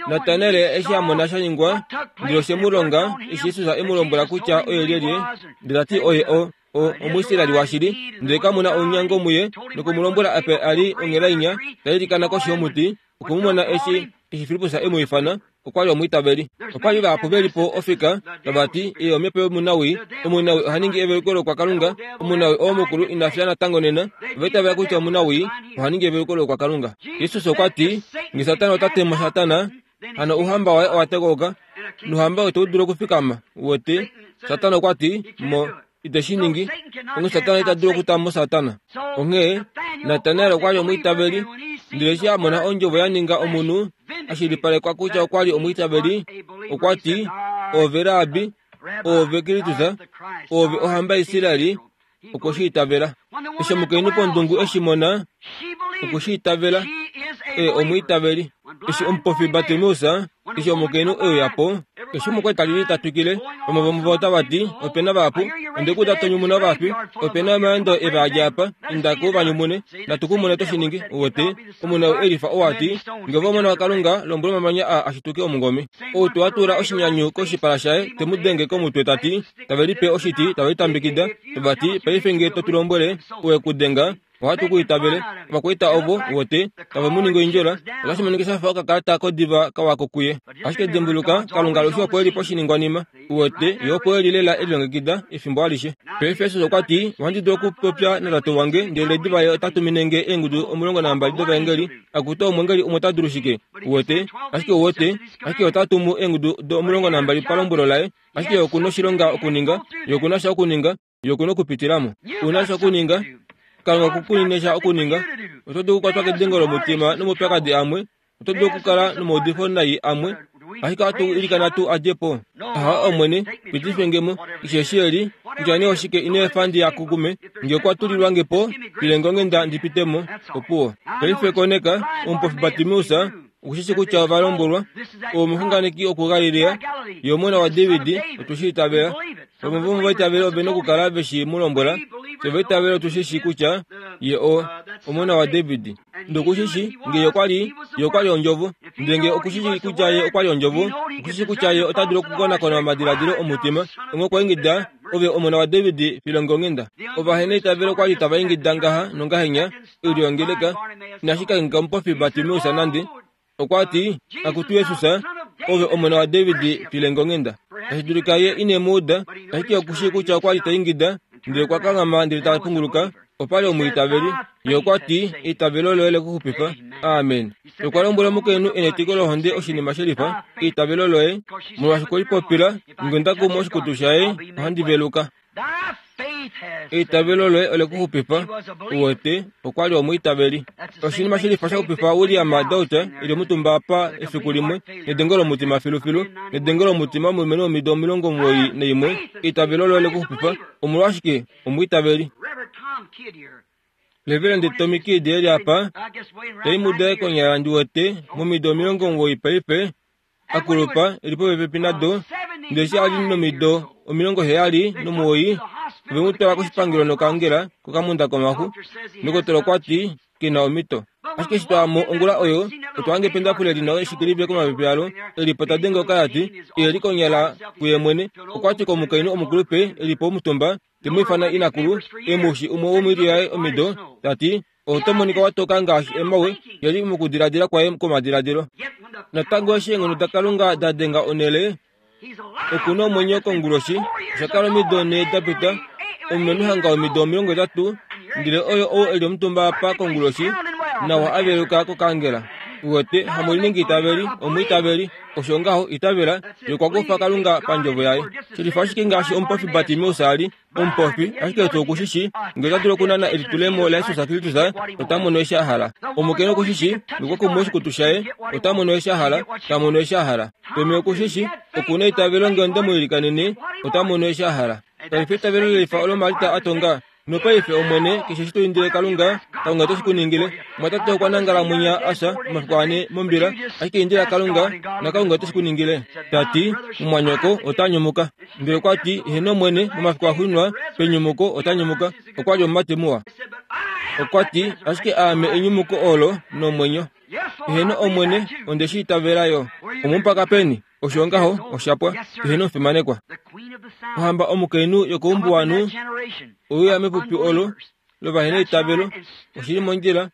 Natanael eshi a mona sha ningwa, ndele oshe mu longa eshi Jesus e mu lombwela kutya oye lyelye, ndele ta ti oye o o Omuisraeli washili, ndele kamuna ounyango muye, noku mu lombwela ape a li onghelainya ta ilikana koshi yomuti. Okwe mu mona eshi eshi Filippus e mu ifana, okwa li omwiitaveli. Opa li vahapu ve li po ofika tava ti, "Ye omhepo yomunawii, omunawii oha ningi eveluko lokwakalunga, omunawii oo mukulu ina fya natango nena." Ova itavela kutya omunawii oha ningi eveluko lokwakalunga. Jesus okwa ti, "Nge Satana ota temo Satana, hano ouhamba waye owa tekauka, nouhamba itau dulu okufikama." Uwete? Satana okwa ti, "Mo ite shi ningi." Onghee Satana ita dulu okutamo Satana. Onghee Natanael okwa li omwiitaveli, ndele eshi a mona ondjovo ya ninga omunhu, a shilipalekwa kutya okwa li omwiitaveli, okwa ti, "Oove Rabbi, oove Kristus, oove ohamba yaIsraeli." Okwe shi itavela. Eshi omukainhu pondungu eshi mona, okwe shi itavela. E omwiitaveli. Eshi omupofi Bartimeus, eshi omukainhu e uya po, eshi omukwaita li ta twikile, vamwe vomuvo otava ti, "Ope na vahapu, onde ku ta tonyumuna ovafi, ope na omaendo e va dja apa, inda ko va nyumune, natu ku mone to shi ningi." Uwete, omunhu elifa owa ti, "Nge ove omona waKalunga, lombwela omamanya aa a shituke omungome." Ou to tula oshinyanyu koshipala shaye, te mu denge komutwe ta ti, tave lipe oshiti, tave litambikida, tava ti, "Paife nge to tu lombwele, owe ku denga, ohatu ku itavele." Ovakwaita ovo, uwete, tave mu ningi oindjola. Otashi monika sha fa okakalata kodiva kawako kuye. Ashike dimbuluka, Kalunga alushe opo e li poshiningwanima. Uwete, ye opo e li lela e lilongekida efimbo alishe. Paife Jesus okwa ti, "Ohandi dulu okupopya naTate wange, ndele diva ye ota tumine nge eengudu omulongo nambali dovaengeli." Akutu omwengeli umwe ota dulu shike? Uwete, ashike uwete, ashike ota tumu eengudu omulongo nambali palombwelo laye. Ashike oku na oshilonga okuninga, ye oku na sha okuninga, ye oku na okupitilamo. Una sha okuninga, Kalunga okukunine sha okuninga. Oto dulu okukwatwa kedengo lomutima nomaupyakadi amwe, oto dulu okukala nomaudifo nai amwe, ashike ohatu ilikana tu a dje po. Ahawe Omwene, pitife nge mo, keshe eshi eli, kutya nee oshike ino efa ndi akukume, nge okwa tulilwa nge po, file nge onghenda ndi pite mo. Opuwo. Paife koneka, omupofi Bartimeus okushishi kutya ova lombwelwa, omuxunganeki okuGalilea, ye omona waDavid, otu shi itavela. Vamwe vomovaitaveli ove na okukala ve shi mu lombwela. Fye ovaitaveli otu shi shi kutya ye o omona waDavid. Ndele okushishi nge ye okwa li, ye okwa li ondjovo. Ndele nge okushishi kutya ye okwa li ondjovo, okushishi kutya ye ota dulu okukonakona omadiladilo omutima. Onghee okwa ingida, "Ove omona waDavid, file nge onghenda." Ovaheneitavelo okwa li tava ingida ngaha nongahenya, oilyo yongeleka, inashi kangheka omupofi Bartimeus nande. Okwa ti, "Akutu Jesus, ove omona waDavid, file nge onghenda." Tashi dulika ye ine mu uda, ashike okushii kutya okwa li ta ingida, ndele okwa kanghama ndele ta punguluka. Opa li omwiitaveli. Ye okwa ti, "Eitavelo loye le ku xupifa." Amen. Okwa lombwela omukainhu e netiko lohonde oshinima shelifa, "Eitavelo loye," molwaashi okwe lipopila, "Nge onda kumu oshikutu shaye, ohandi veluka." Eitavelo loye ole ku xupifa. Uwete, okwa li omwiitaveli. Oshinima shelifa sha xupifa William Doughty e li omutumba apa efiku limwe, nedengo lomutima filufilu, nedengo lomutima omulumenhu womido omilongo omuwoi naimwe. Eitavelo loye le ku xupifa. Omolwashike? Omwiitaveli. Reverend Tommy Kidd e li apa, taimude konyala ndi wete, momido omilongo omuwoi paife, akulupa, e li popepi nado, ndele eshi a li nomido omilongo heyali nomuwoi, ove mu twala koshipangelo nokangela kokamunda komaxu. Ndokotola okwa ti, ke na omito. Ashike eshi twaya mo ongula oyo, otwa hanga ependafule li na oshikilive komapepe alo, e li po ta denge okayati, e li konyala kuye mwene. Okwa ti komukainhu omukulupe e li po omutumba, te mu ifana inakulu, emushi umwe womoilyo yaye omido, ta ti, "Oto monika wa toka ngaashi emawe," ye li mokudiladila kwaye kwomadiladilo. Natango eshi eenghono daKalunga da denga onhele, oku na omwenyo konguloshi, osha kala omido nhee da pita, omulumenhu hanga womido omilongo hetatu, ndele oyo ou e li omutumba apa konguloshi, nawa a veluka kokangela. Uwete, hamuliningi itaveli, omwiitaveli. Osho ngaho, itavela, ye okwa kufa Kalunga pandjovo yaye. Shelifa ashike ngaashi omupofi Bartimeus a li omupofi, ashike otu okushishi, nge ota dulu okunana elitulemo laJesus Kristus, ota mono eshi a hala. Omukainhu okushishi, nge okwa kumu oshikutu shaye, ota mono eshi a hala, ta mono eshi a hala. Tommy okushishi, oku na eitavelo nge onde mu ilikanene, ota mono eshi a hala. Kali fi eitavelo lelifa olo Marta a tonga, Nopaife Omwene, keshe eshi to indile Kalunga, Kalunga ote shi ku ningile. Mwatate okwa nangala mwinya asha omafiku ane mombila, ashike indila Kalunga, naKalunga ote shi ku ningile. Ta ti, mumwanyoko ota nyumuka. Ndele okwa ti, Heeno Omwene, momafiku axuuninwa, penyumuko ota nyumuka. Okwa li omumati muwa. Okwa ti, ashike aame enyumuko olo nomwenyo. Heeno Omwene, onde shi itavela yo. Omumupaka peni? Osho ngaho, oshapwa. Heeno omufimanekwa. Ohamba omukainhu yokoumbuwanhu ouya mepupi olo lovaheneitavelo, oshili mondjila,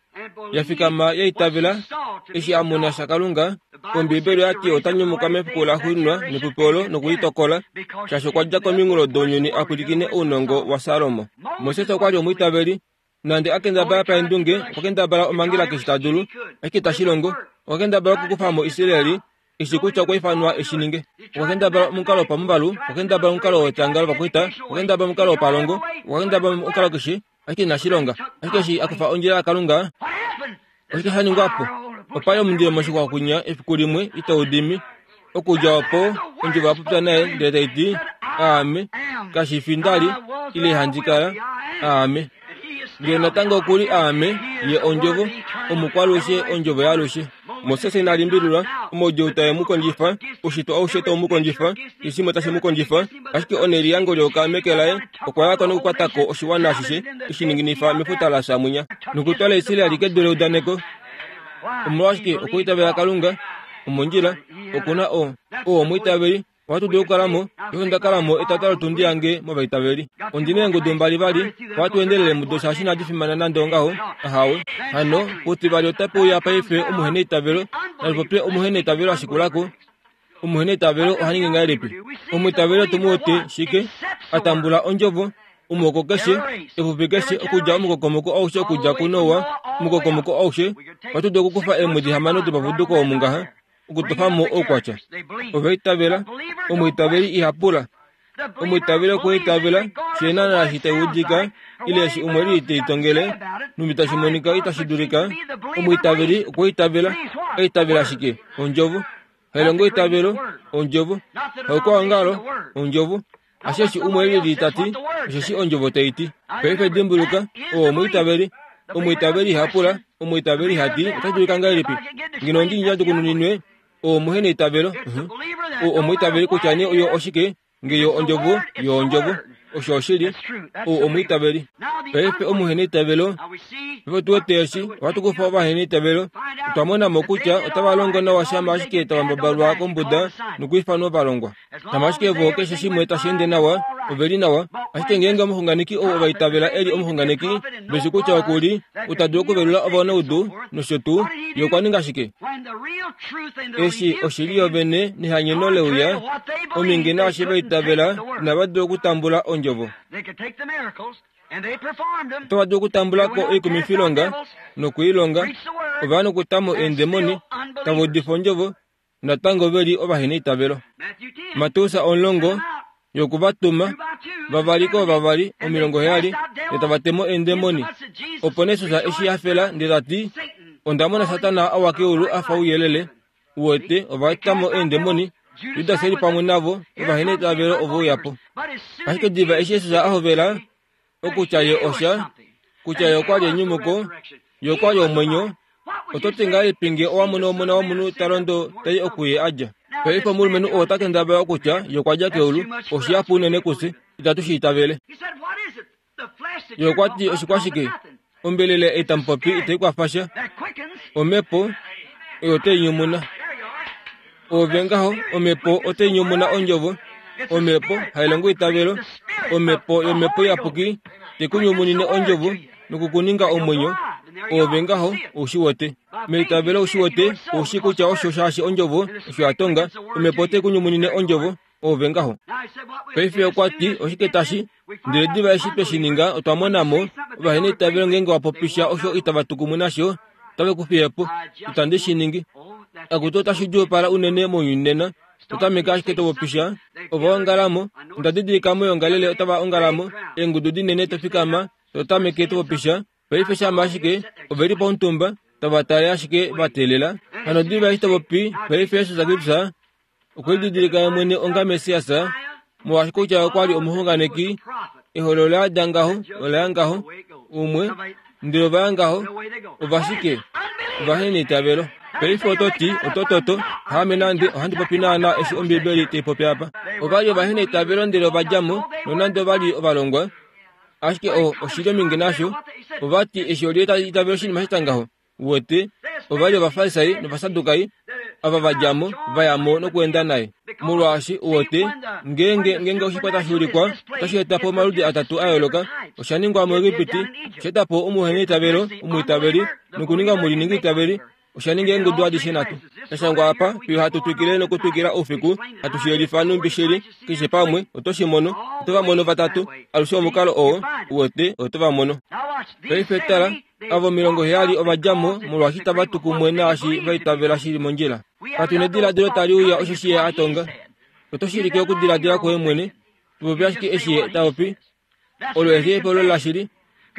ya fikama ya itavela eshi a mona shaKalunga. Ombiibeli oya ti ota nyumuka mefiku laxuuninwa nepupi olo nokulitokola, shaashi okwa dja kominghulo dounyuni a pwilikine ounongo waSalomo. Moses okwa li omwiitaveli, nande a kendabala paendunge, okwa kendabala omhangela keshe ta dulu, ashike itashi longo. Okwa kendabala okukufa mo Israeli, eshi kutya okwa ifanwa eshi ninge. Okwa kendabala omukalo wopamuvalu, okwa kendabala omukalo wetanga lovakwaita, okwa kendabala omukalo wopalongo, okwa kendabala omukalo keshe, ashike inashi longa. Ashike eshi a kufa ondjila yaKalunga, oshike sha ningwa po? Opa li omundilo moshixwa kwinya efiku limwe itau dimi. Okudja opo, ondjovo ya popya naye ndele tai ti, Aame, kashi fi nda li, ile handi kala, aame. Ndele natango oku li aame, ye ondjovo, omukwalushe, ondjovo yaalushe. Moses ina limbililwa, omaudjuu tae mu kondjifa, oushitwe aushe tau mu kondjifa, keshe shimwe tashi mu kondjifa, ashike oneliyango leyoka meke laye, okwa ya ko nokukwata ko oshiwana ashishe, eshi ninginifa mefuta la fya mwinya, nokutwala Israeli kedu leudaneko. Omolwashike okwiitavela Kalunga? Omondjila, oku na o, oo omwiitaveli, ohatu dulu okukala mo, ihe onda kala mo etata lotundi yange movaitaveli. Ondi na eengudu mbali vali, ohatu endelele mudo shaashi inadi fimana nande ongaho, ahawe. Hano, putivali otape uya paife omuheneitavelo, nalupopye omuheneitavelo ashikulako. Omuheneitavelo oha ningi ngahelipi? Omwiitaveli otu mu wete shike? A tambula ondjovo, omuhoko keshe, epupi keshe, okudja omukokomoko aushe okudja kuNoa, omukokomoko aushe, ohatu dulu okukufa eemwedi hamano dopapuduko omu ngaha, okutofa mo oukwatya. Ova itavela, omwiitaveli iha pula. Omwiitaveli okwa itavela, she naana eshi tai udika, ile eshi umwe li te litongele, numbi tashi monika itashi dulika. Omwiitaveli okwa itavela, a itavela shike? Ondjovo. Hailongo eitavelo, ondjovo. Haukwaongalo, ondjovo. Ashe eshi umwe lili ta ti, osheshi ondjovo tai ti. Paife dimbuluka, oo omwiitaveli. Omwiitaveli iha pula, omwiitaveli iha ti, otashi dulika ngahelipi? Ngeno ondi ndjadjukununinwe, oo muheneitavelo. Oo omwiitaveli kutya nee oyo oshike, nge yo ondjovo, yo ondjovo. Osho oshili, oo omwiitaveli. Paife omuheneitavelo, paife tu wete eshi, ohatu kufa ovaheneitavelo. Otwa mona mo kutya otava longo nawa shama ashike tava mbabalwa kombuda nokwiifanwa ovalongwa. Shama ashike vo keshe shimwe tashi ende nawa, ove li nawa. Ashike ngeenge omuxunganeki ou ova itavela e li omuxunganeki, veshi kutya oku li, ou ta dulu okuvelula ovanaudu nosho tuu, ye okwa ninga shike? Eshi oshili yovene nehanyeno leuya, ominge naashi va itavela inava dula okutambula ondjovo. Otava dulu okutambula ko oikumifilonga nokuilonga, ova ya nokuta mo eendemoni, tava udifa ondjovo, natango ve li ovaheneitavelo. Mateus omulongo yoku va tuma, vavali koovavali omilongo heyali, ndele tava te mo eendemoni. Opo nee Jesus eshi hafela ndele ta ti, onda mona Satana a wa keulu a fa ouyelele. U wete, ova eta mo eendemoni, Judas e li pamwe navo, ovaheneitavelo ove uya po. Ashike diva eshi Jesus a hovela okutya ye osha, kutya ye okwa li enyumuko, ye okwa li omwenyo, oto ti ngahelipi nge owa mono omona womunhu ta londo tai oku ye a dja? Paife omulumenhu oo ota kendabala okutya ye okwa dja keulu, oshihapu unene kufye, itatu shi itavele. Ye okwa ti oshikwashike? Ombelela ei tamu popi itai kwafa sha. Omhepo oyo otai nyumuna. Ove ngaho, omhepo otai nyumuna ondjovo. Omhepo hailongo eitavelo. Omhepo yomhepo iyapuki te ku nyumunine ondjovo nokukuninga omwenyo. Ove ngaho, ou shi wete. Meitavelo ou shi wete, ou shi kutya osho shaashi ondjovo osho ya tonga. Omhepo otai ku nyumunine ondjovo. Ove ngaho. Paife okwa ti oshike tashi? Ndele diva eshi twe shi ninga, otwa mona mo ovaheneitavelo ngeenge wa popisha osho itava tu kumwe nasho, otave ku fiye po. Itandi shi ningi. Akutu otashi djuupala unene mounyuni nena. Otameka ashike to popisha, ova ongala mo. Onda didilika moyoongalele otava ongala mo, eengudu dinene to fikama, to tameke to popisha. Paife shama ashike ove li pomutumba, tava tale ashike va teelela. Hano diva eshi to popi, paife Jesus Kristus okwe lididilika ye mwene onga Messias, molwaashi kutya okwa li omuxunganeki, Eholo ola yada ngaho, ola ya ngaho, umwe, ndele ova ya ngaho, ovashike, ovaheneitavelo. Paife oto ti, otototo, haame nande ohandi popi naana eshi Ombibeli tai popi apa. Ova li ovaheneitavelo ndele ova dja mo, nonande ova li ovalongwa. Ashike o oshili ominge nasho, ova ti eshi olye ta itavela oshinima sha ngaho. Uwete, ova li Ovafarisai nOvasadukai, ava va dja mo, va ya mo nokweenda naye. Molwaashi uwete, ngeenge ngeenge oshikwa tashi ulikwa, otashi eta po omaludi atatu a yooloka. Osha ningwa muEgipiti, osha eta po omuheneitavelo, omwiitaveli, nokuninga omuliningiitaveli. Osha ninga eengudu adishe nhatu. Tashangwa apa, fiyo hatu twikile nokutwikila oufiku, hatu shi yelifa numbi shili, keshe pamwe, oto shi mono, oto va mono vatatu, alushe omukalo oo, uwete, oto va mono. Paife tala, avo omilongo heyali ova dja mo, molwaashi tava tu kumwe naashi va itavela shili mondjila. Katu nediladilo tali uya osho shi ye a tonga. Oto shilike okudiladila kwoye mwene, tupopi ashike eshi ye ta popi. Olo elihepolo lashili.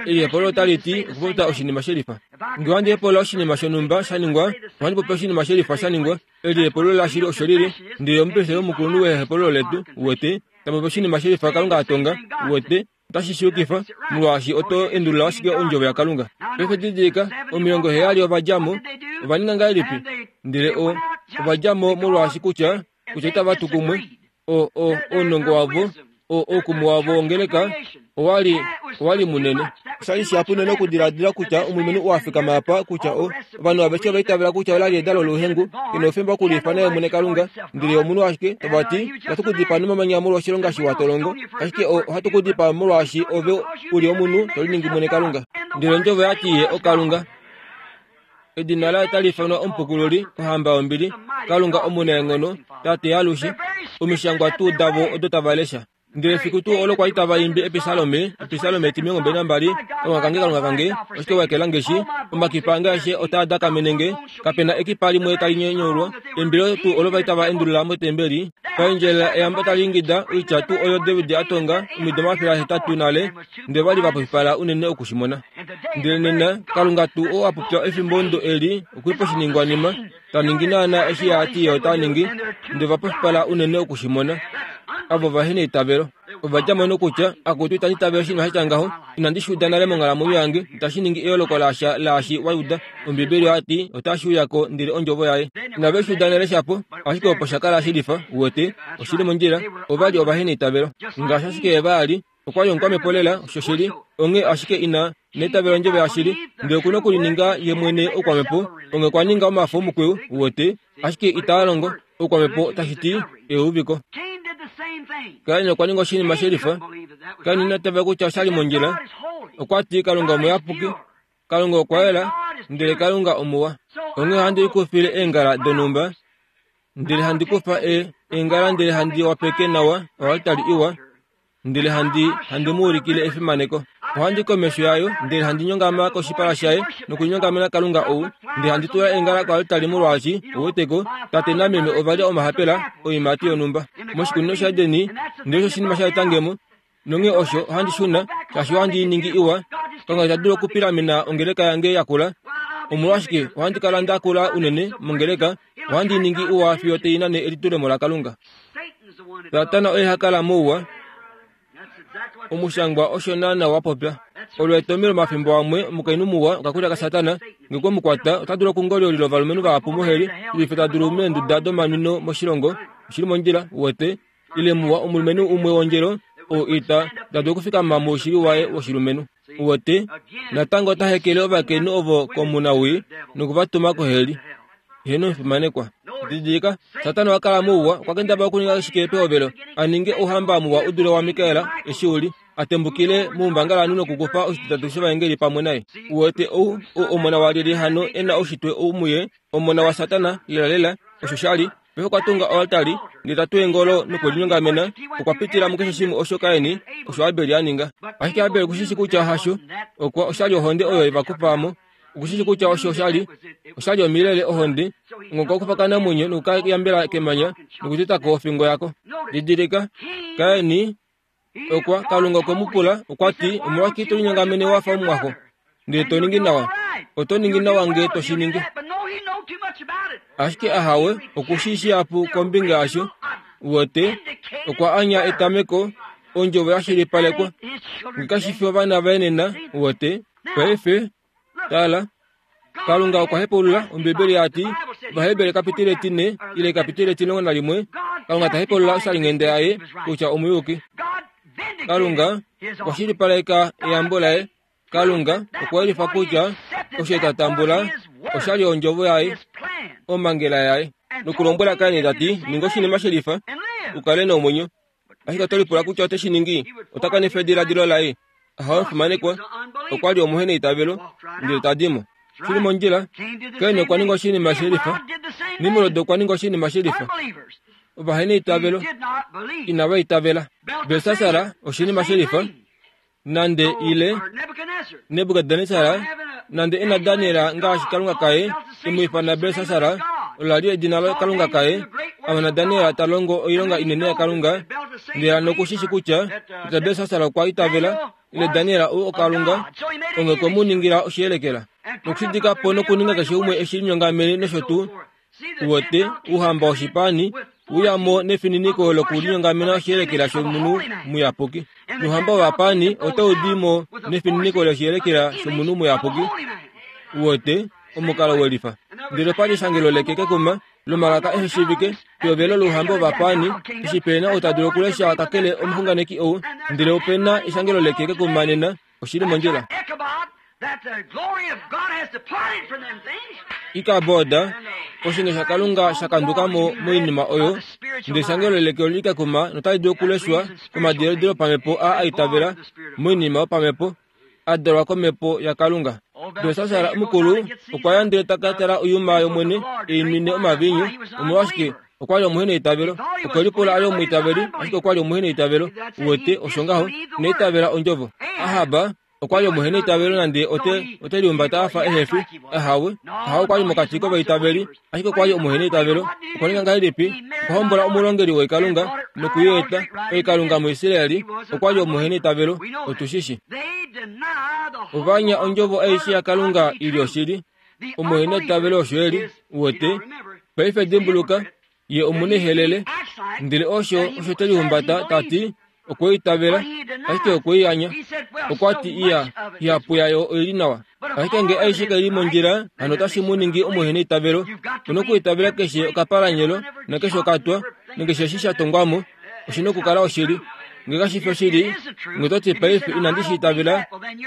Elihepolo otali ti okupopya oshinima shelifa. Nge ohandi hepola oshinima shonhumba sha ningwa, ohandi popi oshinima shelifa sha ningwa. Elihepolo lashili osho lili, ndele omupristeli omukulunhu wehepolo letu, uwete, ta popi oshinima shelifa Kalunga a tonga, uwete, otashi shi yukifa, molwaashi oto endulula ashike ondjovo yaKalunga. Paife didilika, omilongo heyali ova dja mo, ova ninga ngahelipi? Ndele o ova dja mo molwaashi kutya, kutya itava tu kumwe, o o ounongo wavo, o oukumwe wavo wongeleka, owali owali munene. Oshali shihapu unene okudiladila kutya omulumenhu oo a fikama apa kutya o ovanhu aveshe ova itavela kutya ola li edalo louhengu, ke na oufemba okuliifana ye mwene Kalunga, ndele omunhu ashike, tava ti, ohatu ku dipaa nomamanya molwa oshilonga shiwa to longo, ashike o ohatu ku dipaa molwaashi ove u li omunhu to liningi mwene Kalunga. Ndele ondjovo ya ti ye oKalunga. Edina laye otali ifanwa Omupukululi, Ohamba yombili, Kalunga omunaenghono, Tate yalushe. Omishangwa tuu davo odo tava lesha. Ndele efiku tuu olo kwali tava imbi episalome, episalome etimilongo mbali nambali, Kalunga kange, Kalunga kange, oshike wa ekela nge shi? Omakipa ange aeshe otaa dakamene nge, kape na ekipa limwe tali nyenyaulwa. Eimbilo tuu olo vali tava endulula motembeli, paendjelela eyambo tali ingida, oitya tuu oyo David a tonga omido omafele ahetatu nale, ndele vali va pofipala unene oku shi mona. Ndele nena, Kalunga tuu oo a popya efimbo ndo eli okuli poshiningwanima, ta ningi naana eshi a ti ye ota ningi, ndele va pofipala unene oku shi mona. Avo vahe neitavelo. Ova dja mo nokutya, akutu itandi itavele oshinima sha tya ngaho, inandi shi uda nale monghalamwenyo yange, itashi ningi eyooloko lasha laashi wa uda. Ombibeli oya ti, otashi uya ko ndele ondjovo yaye. Inave shi uda nale shapo, ashike opo sha kala shilifa, uwete, oshili mondjila, ova li ovahe neitavelo. Ngaashi ashike Eva a li, okwa li omukwamhepo lela, osho shili, onghee ashike ina neitavelo ondjovo yashili, ndele okuna okulininga ye mwene oukwamhepo, onghee okwa ninga omafo omukwiyu, uwete, ashike itaa longo. Oukwamhepo tashi ti euviko. Kain okwa ninga oshinima shelifa. Kain ina tava kutya oshali mondjila. Okwa ti Kalunga omuyapuki, Kalunga okwa yela, ndele Kalunga omuwa. Onghee ohandi likufile eengala donhumba, ndele handi kufa e eengala ndele handi wapeke nawa oaltari iwa, ndele handi handi mu ulikile efimaneko. Ohandi komesho yayo, ndele handi nyongama koshipala shaye nokunyongamena Kalunga ou, ndele handi tula eengala koaltari molwaashi, uweteko, tate nameme ova lya omahapela oiimati yonhumba moshikunino shaEdeni, ndele osho oshinima sha eta nge mo. Nonghee osho ohandi shuna, shaashi ohandi i ningi iwa. Kalunga ita dulu okupilamena ongeleka yange yakula. Omolwashike ohandi kala nda kula unene mongeleka, ohandi i ningi iwa fiyo tai nane elitulemo laKalunga. Satana oye ha kala mouwa. Omushangwa osho naana wa popya. Olo etomhelo omafimbo amwe omukainhu muwa okakulya kaSatana, nge kwe mu kwata, ota dulu okungoliolila ovalumenhu vahapu moheli, shilife ta dulu meenduda domanwino moshilongo. Oshili mondjila, uwete, ile muwa omulumenhu umwe wondjelo, oo ita ta dulu okufikama moushili waye woshilumenhu. Uwete, natango ota hekele ovakainhu ovo komunawii noku va tuma koheli. Heeno omufimanekwa. Didilika, Satana okwa kala mouwa, okwa kendabala okuninga shike pehovelo, a ninge ouhamba muwa u dule waMikael eshi u li, a tembukile moumbangalanhu nokukufa oshititatu shovaengeli pamwe naye. Uwete ou, ou omona walyelye hano e na oushitwe ou muye, omona waSatana, lelalela, osho sha li. Paife okwa tunga oaltari, ndele ta tu eengolo nokulinyongamena, okwa pitila mukeshe shimwe osho Kain, osho Abel a ninga. Ashike Abel oku shi shii kutya hasho, okwa oshali ohonde oyo ye va kufa mo. Oku shi shii kutya osho oshali, oshali omilele ohonde, okwa kufa okanamwenyo noku ka yambela kemanya nokuteta ko ofingo yako. Didilika, Kain okwa, Kalunga okwe mu pula, okwa ti, omolwashike to linyongamene wa fa omumwaxo, ndele to ningi nawa? Oto ningi nawa nge to shi ningi. Ashike ahawe, oku shi shihapu kombinga yasho. Uwete, okwa anya etameko, Ondjovo ya shilipalekwa. Ngekashi ovana vaye nena wote. Paife tala Kalunga okwa hepaulula Ombibeli yati Vaheberi kapitile tine ile kapitile tilongo na limwe. Kalunga ta hepaulula oshalinghenda yaye kutya omuyuki. Kalunga okwa shilipaleka eyambo laye. Kalunga okwa yelifa kutya osho tatambula oshali ondjovo yaye omangela yaye nokulombwela Kaini tati ninga oshinima shelifa ukale nomwenyo. Ashike otolipula kutya ote shi ningi otakanifa ediladilo laye. Ahawe mfumanekwa okwa li omuhena eitavelo ndele tadimo. Shili mondjila Kaini okwa ninga oshinima shelifa. Nimrod okwa ninga oshinima shelifa. Ovahena eitavelo inava itavela. Belsasar oshinima shelifa. Nande ile Nebukadnesar nande ena Daniel ngaashi Kalunga kaye imwifana Belsasar ola li edina la Kalunga kaye. Amana Daniel ta longo oilonga inene ya Kalunga ndele nokushishi kutya kutya Belsasar okwa itavela ile Daniel ou okalunga onge kwemuningira oshiyelekela nokushidika po nokuninga keshe umwe eshinyongamene nosho tuu wote uhamba woshipani uyamo nefininiko lokulinyongamena oshiyelekela shomunhu muyapuki. Nohamba wovapani otaudimo nefininiko loshiyelekela shomunhu muyapuki wote omukalo welifa. Ndele opali eshangelo leke kekuma lomalaka eheshivike peovelo louhamba wovapani eshi pena otadulu okulesha kakele omuxunganeki ou. Ndele opena eshangelo leke kekuma nena oshili mondjila. Ikaboda oshinge shakalunga shakandukamo moinima oyo ndele eshangelo leke oli kekuma notali dulu okuleshwa komadiladilo pamhepo a aitavela moinima yopamhepo a dalwa komhepo yaKalunga. Belsasar mukulu okwa ya ndele taka tala oyuma yomwene einwine omavinyu. Omolwashike okwa li omuhena eitavelo. Okwe lipula ali omwiitaveli ashike okwa li omuhena eitavelo. Uwete osho ngaho neitavela ondjovo. Ahaba okwa li omuhena eitavelo nande ote ote liumbata afa ehefi. Ahawe ahawe okwa li mokati kovaitaveli ashike okwa li omuhena eitavelo. Okwa ninga ngahelipi? Okwa hombola omulongeli woikalunga nokuyeeta oikalunga muIsraeli. Okwa li omuhena eitavelo. Otushishi ovanya ondjovo aishe yaKalunga ili oshili. Omuhena eitavelo osho eli. Uwete paife dimbuluka ye omunehelele ndele osho osho te lihumbata tati okweitavela ashike okweiyanya. Okwa ti iya ihapu yayo oili nawa ashike nge aishe kaili mondjila hano otashi mu ningi omuhena eitavelo. Onokuitavela keshe okapalanyelo nakeshe okatwa nakeshe eshi sha tongwamo oshina okukala oshili. Nge kashifi oshili nge toti paife inandi shi itavela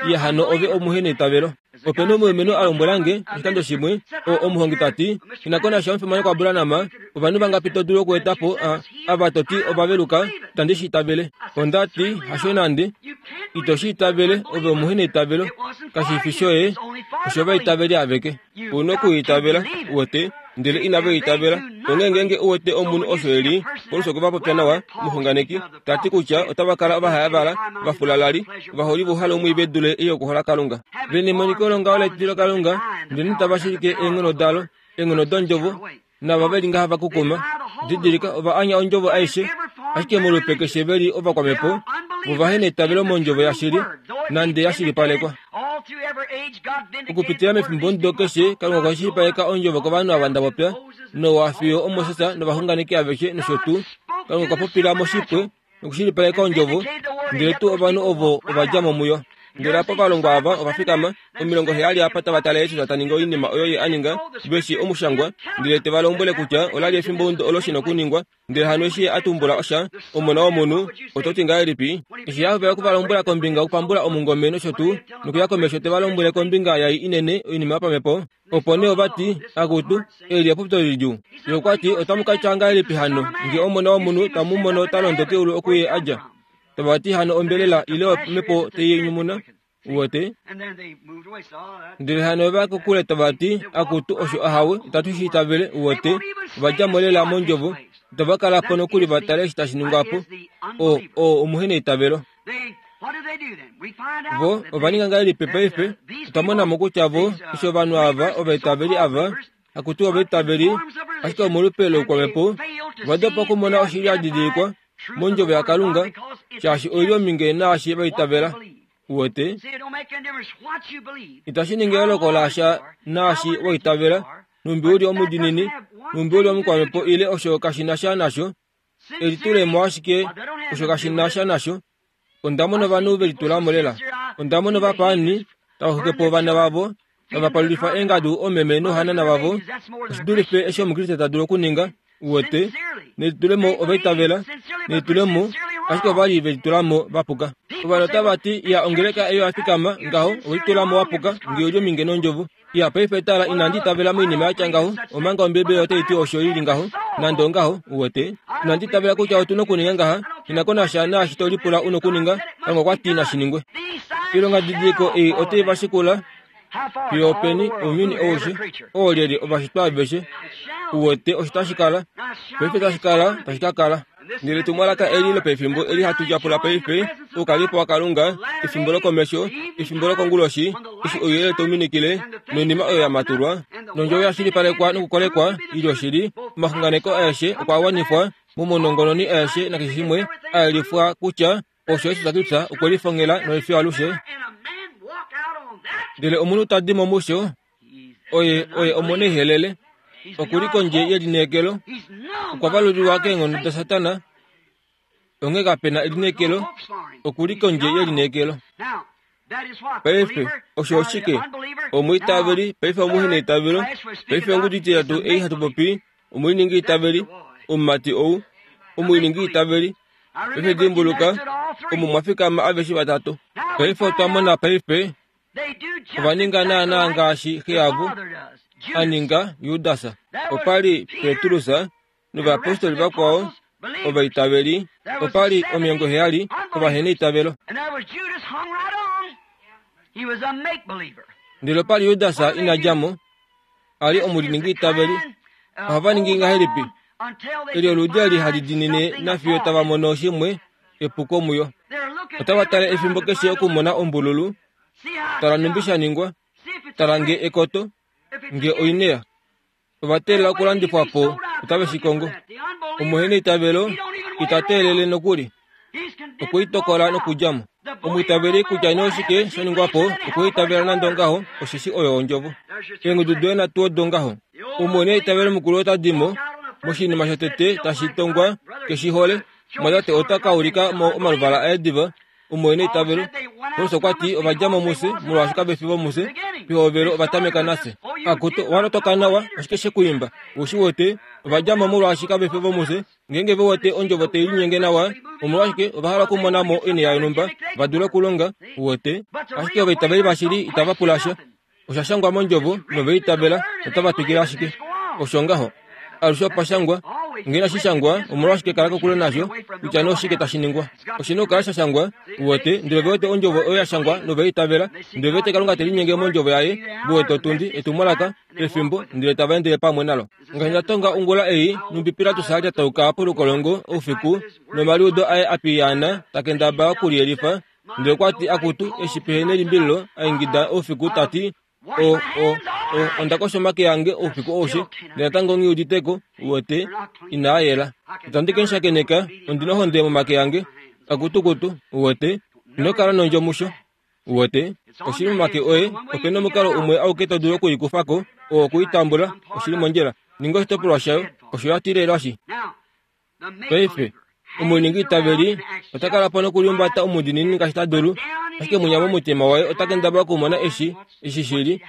iya hano ove omuhena eitavelo. Opena omulumenhu a lombwelange oshikando shimwe o omuhongi tati inakona sha omufimanekwa Abraham ovanhu vangapi to dulu okueta po ava toti ovaveluka itandi shi itavele. Ondati hasho nande ito shi itavele ove omuhena eitavelo kashifi shoye osho vaitaveli aveke. Una okuitavela uwete ndele inava itavela. Onge ngenge uwete omunhu osho eli Paulus okwa popya nawa muxunganeki tati kutya otava kala ovahayavala vafulalali ovaholi vohalo omwiive dule iyo okuhola Kalunga vene emoniko longaho letilo Kalunga ndele tava shilike eenghono dalo eenghono dondjovo nava veli ngaha vakukuma. Didilika ova anya ondjovo aishe ashike molupe keshe veli ovakwamhepo vovahena eitavelo mondjovo yashili nande yashilipalekwa. Okupitila mefimbo ndo keshe Kalunga okwa shilipaleka ondjovo kovanhu ava ndapopya Noa fiyo oMoses novaxunganeki aveshe nosho tuu. Kalunga okwa popila moshipwe nokushilipaleka ondjovo ndele tuu ovanhu ovo ova dja mo muyo. Ndele apa ovalongwa ava ova fikama omilongo heyali apa tava tale Jesus ta ningi oinima oyo ye a ninga veshi omushangwa ndele te va lombwele kutya ola li efimbo olo shina okuningwa. Ndele hano eshi a tumbula osha omona womunhu ototi ngahelipi eshi a hovela okuvalombwela kombinga okupambula omungome nosho tuu nokuya komesho te va lombwele kombinga yai inene oinima yopamhepo. Opo nee ovati akutu eli epopyo lidjuu. Ye okwa ti otamu ka tya ngahelipi hano nge omona womunhu tamu mono ta londo keulu okuye a dja? Tavati hano ombelela ile omhepo tei nyumuna uwete. Ndele hano ova kokule tavati akutu osho ahawe itatu shi itavele uwete. Ova dja mo lela mondjovo itava kala po nokuli va tale eshi tashi ningwa po. O o omuhena eitavelo. Vo ova ninga ngahelipi paife? Otwa mona mo kutya vo eshi ovanhu ava ovaitaveli ava akutu ovaitaveli ashike omolupe loukwamhepo ova dopa okumona oshili ya didilikwa mondjovo yaKalunga shaashi oili ominge naashi vaitavela. Uwete itashi ningi eyooloko lasha naashi waitavela numbi uli omudinini numbi uli omukwamhepo ile osho kashi na sha nasho elitulemo ashike osho kashi na sha nasho. Onda mona ovanhu ve litula mo lela. Onda mona ovapaani tava xwike po ovana vavo, tava palulifa eengadu omeme nohanana vavo. Oshidulife eshi Omukriste ta dulu okuninga, uwete, nelitulemo ovaitavela, nelitulemo, ashike ova li ve litulamo vapuka. Ovanhu otava ti, ya ongeleka eyo ya fikama ngaho, ove litulamo wapuka, nge uli ominge nondjovo. Ya paife tala inandi itavela moinima yatya ngaho, omanga Ombibeli otai ti osho ili ngaho, nande ongaho, uwete. Inandi itavela kutya otu nokuninga ngaha, inakonasha naashi to lipula u nokuninga, Kalunga okwa ti nashi ningwe. Oilonga didiliko ei otai va shikula fiyo openi ounyuni aushe, oolyelye ovashitwa aveshe, uwete osho tashi kala, paife tashi kala, tashi ka kala. Ndele etumwalaka eli lopefimbo eli hatu tyapula paife, oukalipo waKalunga, efimbo lokomesho, efimbo lokonguloshi, eshi ouyelele tau minikile, noinima oyo ya matulwa, nondjovo ya shilipalekwa nokukolekwa, ili oshili, omaxunganeko aeshe okwa wanifwa, momonongononi aeshe nakeshe shimwe, a yelifwa kutya osho Jesus Kristus okwe lifongela nolifyo alushe. Ndele omunhu ta di mo musho, oye oye omoneihelele, okuli kondje yelineekelo, okwa valulilwa keenghono daSatana, onghee kapena elineekelo, okuli kondje yelineekelo. Paife osho oshike? Omwiitaveli, paife omuheneitavelo, paife ongudu ititatu ei hatu popi, omwiiningi itaveli, omumati ou, omwiiningi itaveli, paife dimbuluka, omo mwa fikama aveshe vatatu. Paife otwa mona paife, ova ninga naanaa ngaashi xe yavo a ninga Judas. Opa li Petrus novayapostoli vakwao ovaitaveli, opa li omilongo heyali ovaheneitavelo. Ndele opa li Judas ina dja mo, a li omuliningi itaveli. Ohava ningi ngahelipi? Eli oludi eli hali dinine nafiyo tava mono shimwe epuko muyo. Otava tale efimbo keshe okumona ombululu, tala numbi sha ningwa, tala nge ekoto, nge oinea. Ova teelela okulandifwa po, otave shi kongo. Omuheneitavelo ita teelele nokuli, okweitokola nokudja mo. Omwiitaveli kutya nee oshike sha ningwa po, okweitavela nande ongaho, osheshi oyo ondjovo. Eengudu doye nhatu odo ngaho. Omuheneitavelo mukulu ota di mo, moshinima shotete tashi tongwa keshi hole, mwatate ota ka ulika mo omaluvala aye diva, omuheneitavelo. Paulus okwa ti ova dja mo mufye, molwaashi kave fi vomufye, pehovelo ova tameka nafye. Akutu, owa lotoka nawa, oshike she ku imba? Ou shi wete, ova dja mo molwaashi kave fi vomufye. Ngeenge ve wete ondjovo tai linyenge nawa, omolwashike ova hala okumona mo oinima yonhumba va dule okulonga, u wete. Ashike ovaitaveli vashili itava pula sha. Osha shangwa mondjovo noveitavela, otava twikile ashike. Osho ngaho. Alushe opa shangwa, ngee inashi shangwa, omolwashike kala kokule nasho, kutya nee oshike tashi ningwa. Oshi na okukala sha shangwa, u wete, ndele ve wete ondjovo oyo ya shangwa noveitavela, ndele ve wete Kalunga te linyenge mondjovo yaye, ve wete otundi, etumwalaka, efimbo, ndele tava endele pamwe nalo. Ngaashi nda tonga ongula ei, numbi Pilatus a lyatauka polukolongo oufiku, nomaliudo aye a piyaana, ta kendabala okuliyelifa, ndele okwa ti akutu, eshi pehe nelimbililo, a ingida oufiku ta ti, o, o, o, onda kosha omake ange oufiku aushe, ndele natango nghi uditeko, uwete, inaa yela. Itandi ke mu shakeneka, ondi nohonde momake ange, akutukutu, uwete, ino kala nondjo musho. Uwete, oshili momake oye, ope na omukalo umwe auke to dulu okuikufa ko, oo okuitambula, oshili mondjila. Ninga oshitopolwa shayo, osho ya tilelwashi. Paife, omuningi itaveli ota kala po nokuliumbata omudiinini ngaashi ta dulu, ashike mwinya momutima waye ota kendabala okumona eshi, eshi shili,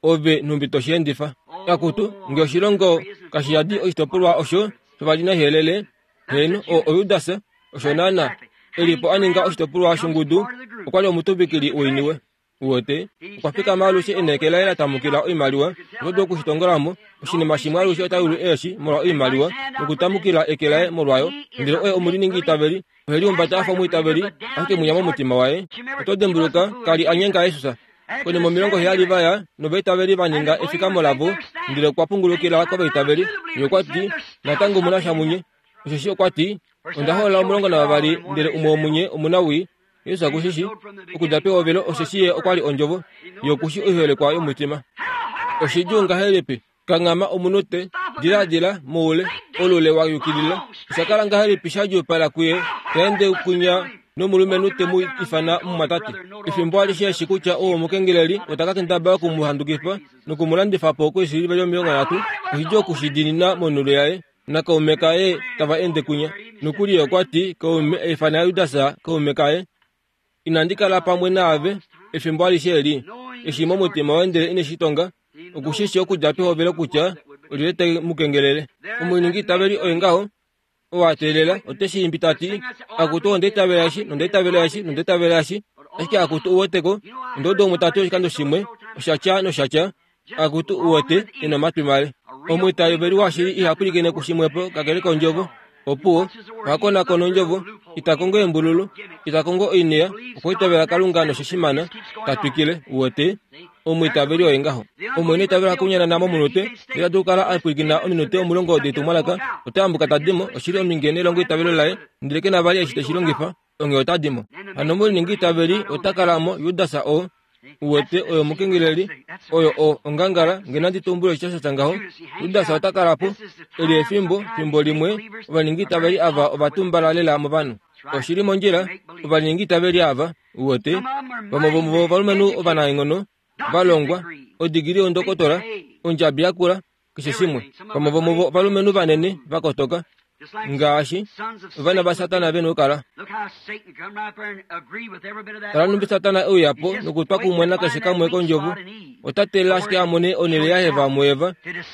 ove nhumbi to shi endifa. Akutu, nge oshilongo kashi yadi oshitopolwa osho shovalinahelele, heeno, o oJudas, osho naana, e li po a ninga oshitopolwa shongudu, okwa li omutuvikili woiniwe. Uwete, okwa fikama alushe e na eke laye la tamukila oimaliwa, oto dulu okushitongola mo, oshinima shimwe alushe ota yulu eeshi molwa oimaliwa, nokutamukila eke laye molwayo, ndele oye omuliningi itaveli, ohe liumbata a fa omwiitaveli, ashike mwinya momutima waye. Oto dimbuluka, ka li a nyenga Jesus. Konima omilongo heyali va ya, novaitaveli va ninga efikamo lavo, ndele okwa pungulukila kovaitaveli, ye okwa ti, natango omu na sha munye. Osheshi okwa ti, onda hoolola omulongo navavali, ndele umwe womunye omunawii. Jesus oku shi shii, okudja pehovelo, osheshi ye okwa li ondjovo, ye oku shii oiholekwa yomutima. Oshidjuu ngahelipi? Kanghama omunute, diladila moule, olule wa yukilila. Osha kala ngahelipi sha djuupala kuye, ta ende kunya nomulumenhu te mu ifana mumwatate. Efimbo alishe eshi kutya oo omukengeleli ota ka kendabala oku mu handukifa noku mu landifa po koisiliveli omilongo nhatu, oshidjuu oku shi diinina monhulo yaye. Nakaume kaye tava ende kunya. Nokuli ye okwa ti, kaume, a ifana Judas kaume kaye. Inandi kala pamwe naave efimbo alishe eli, eshi momutima woye ndele ine shi tonga, okushishi okudja pehovelo kutya olyelye te mu kengelele. Omuningi itaveli oye ngaho, oo a teelela, ote shi imbi tati, akutu onda itavela eshi, nonda itavela eshi, nonda itavela eshi, ashike akutu uweteko, onda uda umwe tati oshikando shimwe, osha tya nosha tya, akutu uwete, ena omatwi male. Omwiitaveli washili iha pwilikine kushimwepo kakele kondjovo. Opuwo, oha konakona ondjovo, ita kongo embululu, ita kongo oinea, okwa itavela Kalunga noshishimana, ta twikile, uwete, omwiitaveli oye ngaho. Omwene itavela kunyanana momunute, ndele atu kala a pwilikina ominute omulongo detumwalaka, ota ambuka ta dimo, oshili ominge nelongo itavelo laye, ndele ke na vali eshi teshi longifa, onghee ota dimo. Hano omuningi itaveli ota kala mo Judas oo, uwete oyo mukengeleli, oyo o ongangala, nge nandi tumbule osha sha ngaho, Judas ota kala po, eli efimbo, fimbo limwe, ovaningi itaveli ava ovatumbala lela movanhu. Oshili mondjila, ovaningi itaveli ava, uwete, vamwe vomuvo ovalumenhu ovanaenghono, valongwa, odigili yondokotola, ondjabi yakula, keshe shimwe. Vamwe vomuvo ovalumenhu vanene, vakotoka, ngaashi ovana vaSatana vena okukala. Tala numbi Satana euya po nokutwa kumwe nakeshe kamwe kondjovo, ota teelela ashike a mone onhele yaHeva muEva,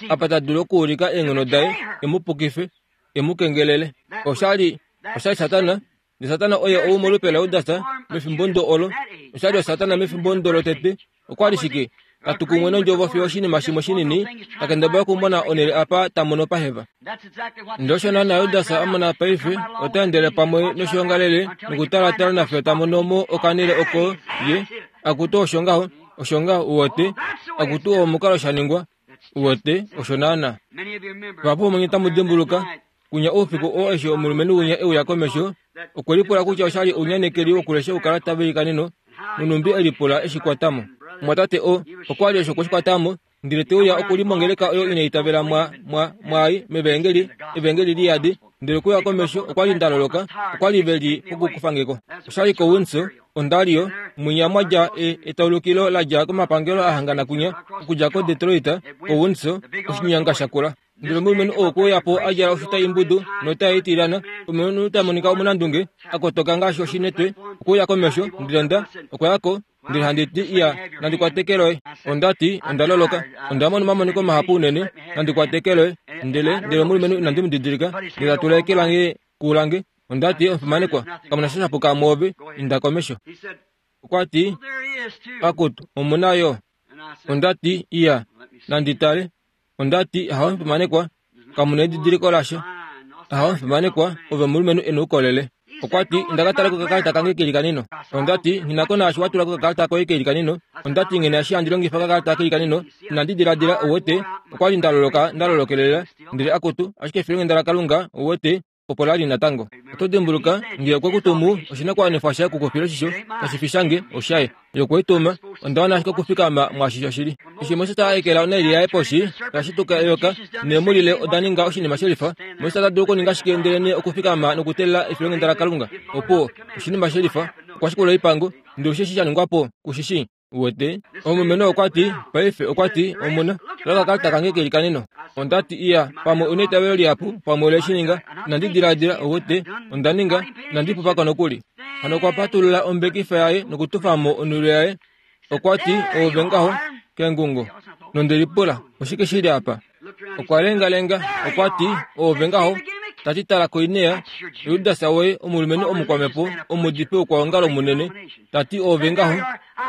apa ta dulu okuulika eenghono daye, e mu pukife, e mu kengelele. Oshali, oshali Satana, ndele Satana oye ou molupe laJudas mefimbo ndo olo. Oshali oSatana mefimbo ndo lotete. Okwa li shike? Ta kumwe nondjovo fiyo oshinima shimwe shinini, ta kendabala okumona onhele apa ta mono paHeva. Ndele osho naana Judas a mona paife, ota endele pamwe noshiongalele nokutalatala nafiyo ta mono mo okanhele oko ye, akutu osho ngaho, osho ngaho uwete, akutu oo omukalo sha ningwa, uwete, osho naana. Vahapu vomunye tamu dimbuluka, kunya oufiku oo eshi omulumenhu winya euya komesho, okwe lipula kutya oshali ounyanekeli wokulesha oukalata veilikaneno, nonumbi e lipula eshi kwatamo. Mwatate o, okwa li osho kweshi kwatamo, ndele te uya okulimongeleka oyo ina itavela mwa, mwa, mwai, mevengeli, evengeli liyadi, ndele okuya komesho okwa li ndaloloka, okwa li ve li pokukufangeko. Oshali koWindsor, Ontario, mwinya mwadja e, etaulukilo ladja komapangelo a hangana kunya, okudja koDetroit, koWindsor, oshinyanga shakula. Ndele omulumenhu oo okwe uya po a djala oshuta imbudu nota itilana, omulumenhu ta monika omunandunge, a kotoka ngaashi oshinetwe, okwe uya komesho, ndele nda, okwa ya ko, ndele handi ti iya, nandi kwate loye. Onda ti, onda loloka, onda mona omamoniko mahapu unene, nandi kwate loye. Ndele, ndele omulumenhu inandi mu didilika, ndele ta tula eke lange kulange. Onda ti, omufimanekwa, kamuna sha shapuka mwoove, inda komesho. Okwa ti, akutu, omuna yo. Onda ti, iya, nandi tale. Onda ti, ahawe omufimanekwa, kamuna edidiliko lasha. Ahawe omufimanekwa, ove omulumenhu e na oukolele. Okwa ti, inda ka tale kokakalata kange keilikaneno. Onda ti, nghi na ko naashi wa tula kokakalata koye keilikaneno. Onda ti, nghi na eshi handi longifa okakalata keilikaneno, inandi diladila, uwete, okwa li nda loloka, nda lolokelela, ndele akutu, ashike efilonghenda laKalunga, uwete, opo la li natango. Oto dimbuluka, nge okwe ku tumu, oshinakuwanifwa shaye okukufila oshisho, kashi fi shange, oshaye. Ye okwe i tuma, onda wana ashike okufikama mwaashi shoshili. Eshi Moses a ekela onhaili yaye poshi, oya shituka eyoka, neemulile oda ninga oshinima shelifa. Moses ota dulu okuninga shike ndele okufikama nokuteelela efilonghenda laKalunga? Opuwo, oshinima shelifa, okwa shikula oipango, ndele osheshi sha ningwa po, kushishi. Uwete, omulumenhu okwa ti, paife okwa ti, omuna, tula okakalata kange keilikaneno. Onda ti, iya, pamwe una eitavelo lihapu, pamwe ole shi ninga, inandi diladila, uwete, onda ninga, inandi pupako nokuli. Hano okwa patulula ombekifa yaye nokutufa mo onhulo yaye. Okwa ti, oove ngaho, kengungo. Nonde lipula, oshike shili apa? Okwa lengalenga, okwa ti, oove ngaho, ta ti tala koinea, Judas woye omulumenhu omukwamhepo, omudipi wokwaongalo munene, ta ti oove ngaho,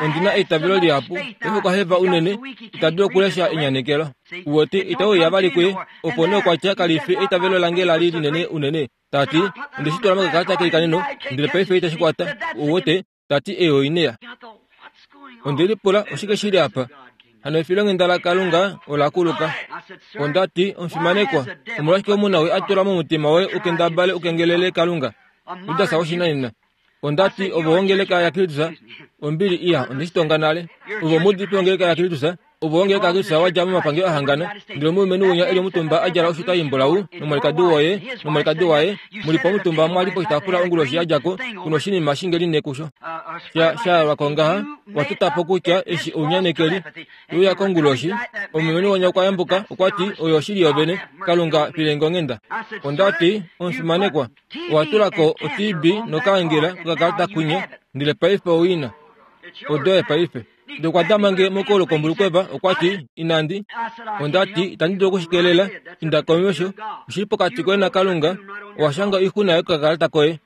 ondi na eitavelo lihapu, paife okwa heva unene, ita dulu okulesha enyanekelo. Uwete, ita uya vali kuye, opo nee okwa tya kalifi eitavelo lange la li linene unene, ta ti, onde shi tula mokakalata keilikaneno, ndele paife itashi kwata, uwete, ta ti eyo oinea. Onde lipula, oshike shili apa? Hano efilonghenda laKalunga ola kuluka. Onda ti, omufimanekwa, omolwashike omunawi a tula momutima woye ukendabale ukengelele Kalunga? Judas woshinanena. Onda ti, ovo wongeleka yaKristus, ombili iya, onde shi tonga nale. Ovo omudipi wongeleka yaKristus, ovo wongeleka yaKristus wa dja momapangelo a hangana, ndele omulumenhu winya e li omutumba a djala oshuta imbulau, nomwalikadi woye, nomwalikadi waye, muli po omutumba mwa li poshitaafula onguloshi ya dja ko, kuna oshinima shingeli nekusho. Sha, sha yalwa ko ngaha, wa tota po kutya eshi ounyanekeli, te uya konguloshi, omulumenhu winya okwa yambuka, okwa ti, oyo oshili yovene, Kalunga filenge onghenda. Onda ti, omufimanekwa, owa tula ko o T B nokaangela kokakalata kunye, Ndele paife owina. Odoye paife. Ndele okwa dama nge mokolo kombulukweva, okwa ti, inandi. Onda ti, itandi dulu okushikelela, inda komesho, oshili pokati koye naKalunga, owa shanga oixuna yokakalata koye.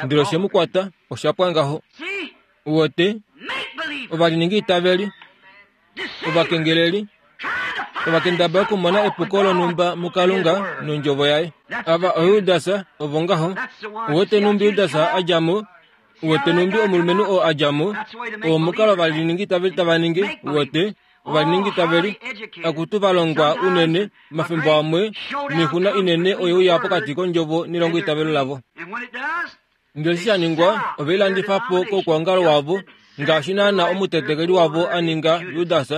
Ndele oshe mu kwata, osha pwa ngaho. Uwete, ovaliningi itaveli, ovakengeleli, ovakendabala okumona epuko lonhumba muKalunga nondjovo yaye. Ava oJudas, ovo ngaho. Uwete numbi Judas a dja mo, uwete numbi omulumenhu oo a dja mo, oo omukalo ovaliningi itaveli tava ningi, uwete, ovaliningi itaveli, akutu va longwa unene, omafimbo amwe, noixuna inene oye uya pokati kondjovo nelongo itavelo lavo. Ndele eshi sha ningwa, ove lilandifa po koukwaongalo wavo, ngaashi naana omutetekeli wavo a ninga Judas.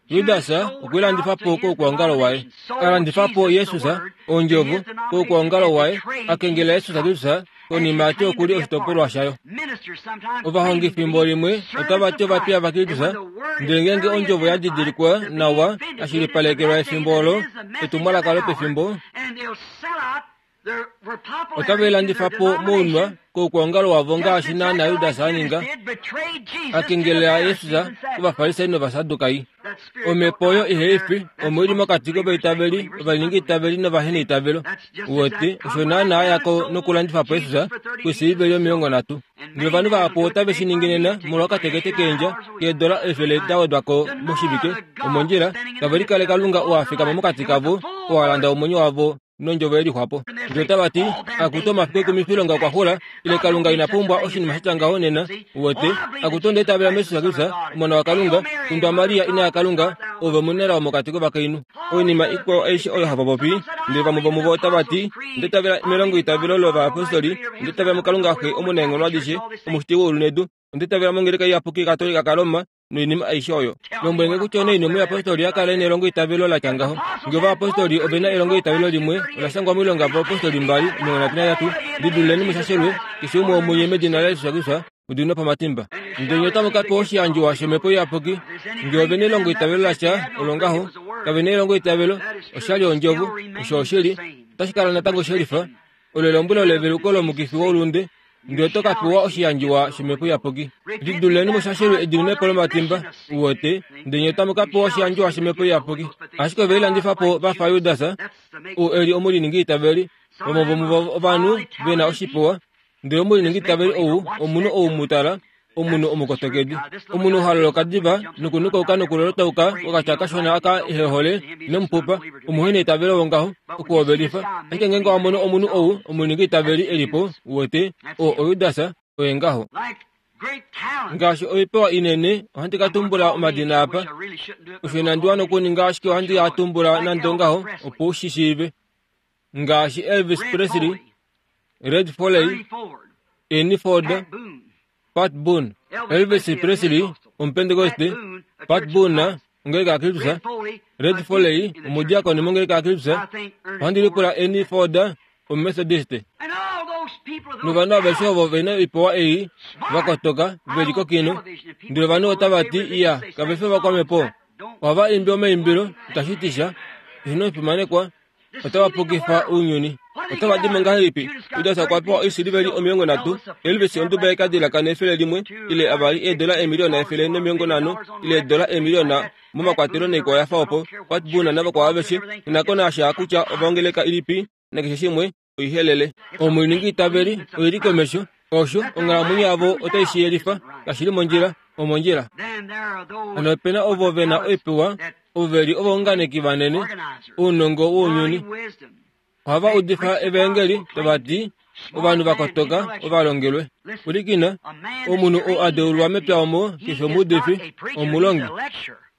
Judas okwe lilandifa po koukwaongalo waye. A landifa po Jesus, ondjovo, koukwaongalo waye, a kengela Jesus Kristus, konima ati okuli oshitopolwa shayo. Ovahongi fimbo limwe otava ti ovapiya vaKristus, ndele ngeenge ondjovo ya didilikwa nawa, ya shilipalekelwa efimbo olo, etumwalaka lopefimbo, otave lilandifa po mounwa koukwaongalo wavo ngaashi naana Judas a ninga, a kengelela Jesus kovafarisai novasadukai. Omhepo oyo ihaifi omo ili mokati kovaitaveli, ovaliningi itaveli novaheneitavelo. Uwete, osho naana ya ko nokulandifa po Jesus kwisiliveli omilongo nhatu. Ndele ovanhu vahapu otave shi ningi nena molwa okatekete keendja keedola efele da wedwa ko moshivike, omondjila, tave likale Kalunga oo a fikama mokati kavo, oo a landa omwenyo wavo nondjovo yelixwapo. Ndele otava ti, akutu omafiku ekumifilonga okwa xula, ile Kalunga ina pumbwa oshinima sha ngaho nena. Uwete, akutu onda itavela muJesus Kristus, Omona waKalunga, kundwa Maria ina yaKalunga, ove omunelao mokati kovakainhu. Oinima ikwao aishe oyo hava popi, ndele vamwe vomuvo otava ti, onda itavela melongo itavelo lovayapostoli, onda itavela muKalunga Xe omunaenghono adishe, omushiti weulu nedu, onda itavela mongeleka iyapuki Katolika kaRoma, noinima aishe oyo. Lombwele nge kutya onaini omuyapostoli a kala nelongo itavelo la tya ngaho. Ngee ovayapostoli ove na elongo itavelo limwe, ola shangwa moilonga yovayapostoli mbali omilongo nhatu nahetatu, lidululeni mushashelwe, keshe umwe womunye medina laJesus Kristus, mu diminwe po omatimba. Ndele nye otamu ka pewa oshiyandjiwa shOmhepo Iyapuki. Ngee ove na elongo itavelo la sha, olo ngaho, kave na elongo itavelo, oshali ondjovo, osho oshili, otashi kala natango shelifa, olo elombwelo leveluko lomukifi woulunde, ndele oto ka pewa oshiyandjiwa shOmhepo Iyapuki. Lidululeni mushashelwe ediminepo lomatimba, uwete, ndele nye otamu ka pewa oshiyandjiwa shOmhepo Iyapuki. Ashike ove lilandifa po va fa Judas, oo e li omuliningi itaveli, vamwe vomuvo ovanhu ve na oshipewa, ndele omuliningi itaveli ou omunhu ou mu tala, omunhu omukotokedi. Omunhu ha loloka diva nokunukauka nokulolotauka okatya kashona aka ehehole nomupupa, omuhena eitavelo wongaho, okuhovelifa. Ashike ngeenge wa mono omunhu ou omuliningi itaveli e li po, uwete, oo oJudas, oye ngaho. Ngaashi oipewa inene, ohandi ka tumbula omadina apa. Osho inandi wana okuninga, ashike ohandi a tumbula nande ongaho, opo u shi shiive. Ngaashi Elvis Presley, Red Foley, Ernie Ford, Pat Boone. Elvis Presley, Omupentekoste, Pat Boone, ongeleka yaKristus, Red Foley, omudiakoni mongeleka yaKristus, ohandi lipula Ernie Ford, Omumethodiste. Novanhu aveshe ovo ve na oipewa ei, vakotoka, ve li kokino, ndele ovanhu otava ti, iya, kave fi ovakwamhepo. Ohava imbi omaimbilo, itashi ti sha, eshi nomufimanekwa, otava pukifa ounyuni. Otava di mo ngahelipi? Judas okwa pewa oisiliveli omilongo nhatu, Elvis onduba yekadilaka nefele limwe, ile avali eedola eemiliyona efele nomilongo nhano, ile eedola eemiliyona momakwatelo naikwao ya fa opo, Pat Boone navakwao aveshe, inako nasha kutya ovaongeleka ilipi, nakeshe shimwe, oihelele. Omuliningi itaveli oili komesho, osho onghalamwenyo yavo otai shi yelifa, kashi li mondjila, omondjila. Hano ope na ovo ve na oipewa, ovo ve li ovaunganeki vanene, ounongo wounyuni. Ohava udifa evaengeli, tava ti, ovanhu vakotoka, ovalongelwe. Pwilikina, omunhu oo a deulwa mepya omo, keshe omuudifi, omulongi.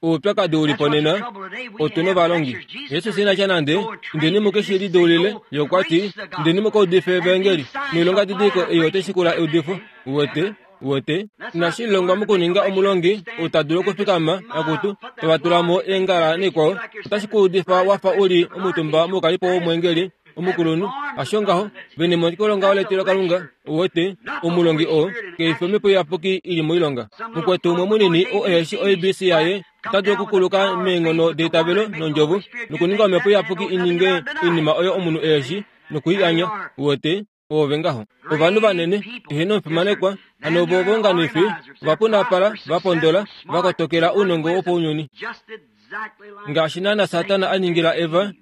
Oupyakadi u li po nena, otu novalongi. Jesus ina tya nande, indeni mu ke shi lideulile, ye okwa ti, indeni mu ka udife evaengeli, noilonga didiliko ei otai shikula eudifo. Uwete, uwete, inashi longwa mokuninga omulongi ou ta dulu okufikama, akutu, tava tula mo eengala naikwao, otashi ku udifa wa fa u li omutumba moukalipo womweengeli omukulunhu. Hasho ngaho, vene moikolonga letilo Kalunga, uwete, omulongi oo, keifi omhepo iyapuki ili moilonga. Mukwetu umwe munini oo eheshi O B C yaye, ota dulu okukuluka meenghono deitavelo nondjovo, nokuninga omhepo iyapuki i ninge oinima oyo omunhu eheshi, nokuianya. Uwete, Oove ngaho ovanhu vanene eheno omufimanekwa hano ovo vonganifi ovapunapala vapondola vakotokela ounongo wopounyuni ngaashi naana Satana a ningila Eva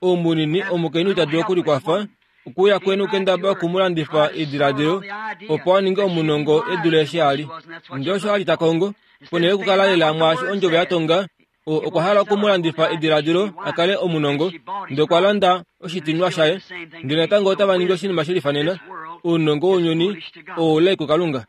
oumunini omukainhu ita dulu okulikwafa okuuya kweni kendaba okumulandifa ediladilo opo a ninge omunongo e dule eshi ali ndee osho ali ta kongo ponhele yokukala lela mwaashi ondjovo ya tonga okwa hala okumulandifa ediladilo a kale omunongo ndee okwa landa oshitinwa shaye ndele natango otava ningi oshinima shelifanena ounongo wounyuni oulai kuKalunga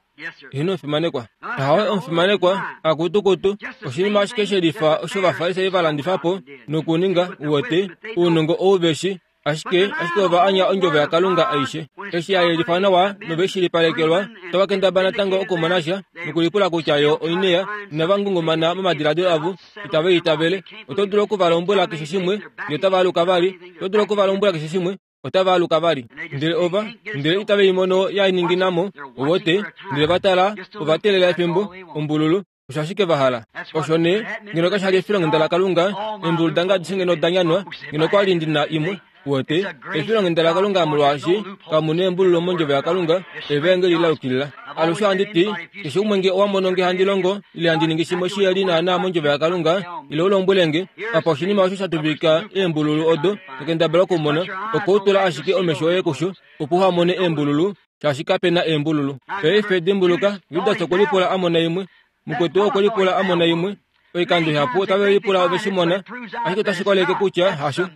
eheno omufimanekwa hawe omufimanekwa akutukutu oshinima ashike shelifa osho Ovafarisai va landifa po nokuninga uwete ounongo ou veshi ashike ashike ova anya ondjovo yaKalunga aishe eshi ya yelifa nawa noveshilipalekelwa otava kendaba natango okumona sha nokulipula kutya yo oineya inava ngungumana momadiladilo avo itava itavele oto dulu okuvalombwela keshe shimwe ndele otava aluka vali oto dulu okuvalombwela keshe shimwe otava aluka vali ndele ova ndele itava imono ya ninginamo owote ndele vatala ova teelela efimbo ombululu osho ashike vahala osho nee ngeno kashali efilonghenda laKalunga eembulu dange adishe ngeno danyanwa ngeno kwali ndina imwe wote efilonghenda laKalunga molwaashi kamu neembululo mondjovo yaKalunga evaengeli la yukilila alushe ohandi ti keshe umwe nge owa mono nge handi longo ile handi ningi shimwe shiyeli naana mondjovo yaKalunga ile u lombwele nge apa oshinima osho sha tuvika eembululu odo tokendabala okumona okoutula ashike omesho oye kusho opo uhamone eembululu shaashi kapena eembululu paife dimbuluka Judas okwe lipula a mona imwe mukwetu okwe lipula a mona imwe oikando ihapu otave lipula ove shi mona ashike otashi koleke kutya hasho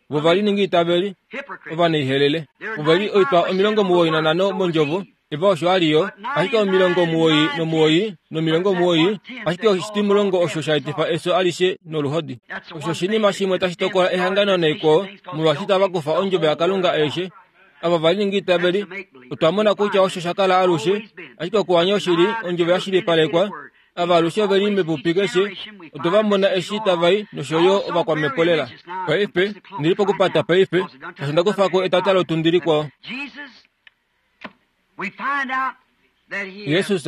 vo vali ningi itaveli ovanaihelele ova li oitwa omilongo muwoi nanhano mondjovo Eva osho ali yo ashike omilongo muwoi nomuwoi nomilongo muwoi ashike oshitimulongo osho sha etifa efyo alishe noluhodi osho oshinima shimwe tashi tokola ehangano naikwao molwaashi itava kufa ondjovo yaKalunga aishe ava vali ningi itaveli otwa mona kutya osho sha kala alushe ashike okuwanya oshili ondjovo ya shilipalekwa ava alushe oveli mepupi keshe otwa mona eshi tavai nosho yo ovakwamhepo lela paife ndili pokupata paife osho ndakufako etata lotundi likwao Yesus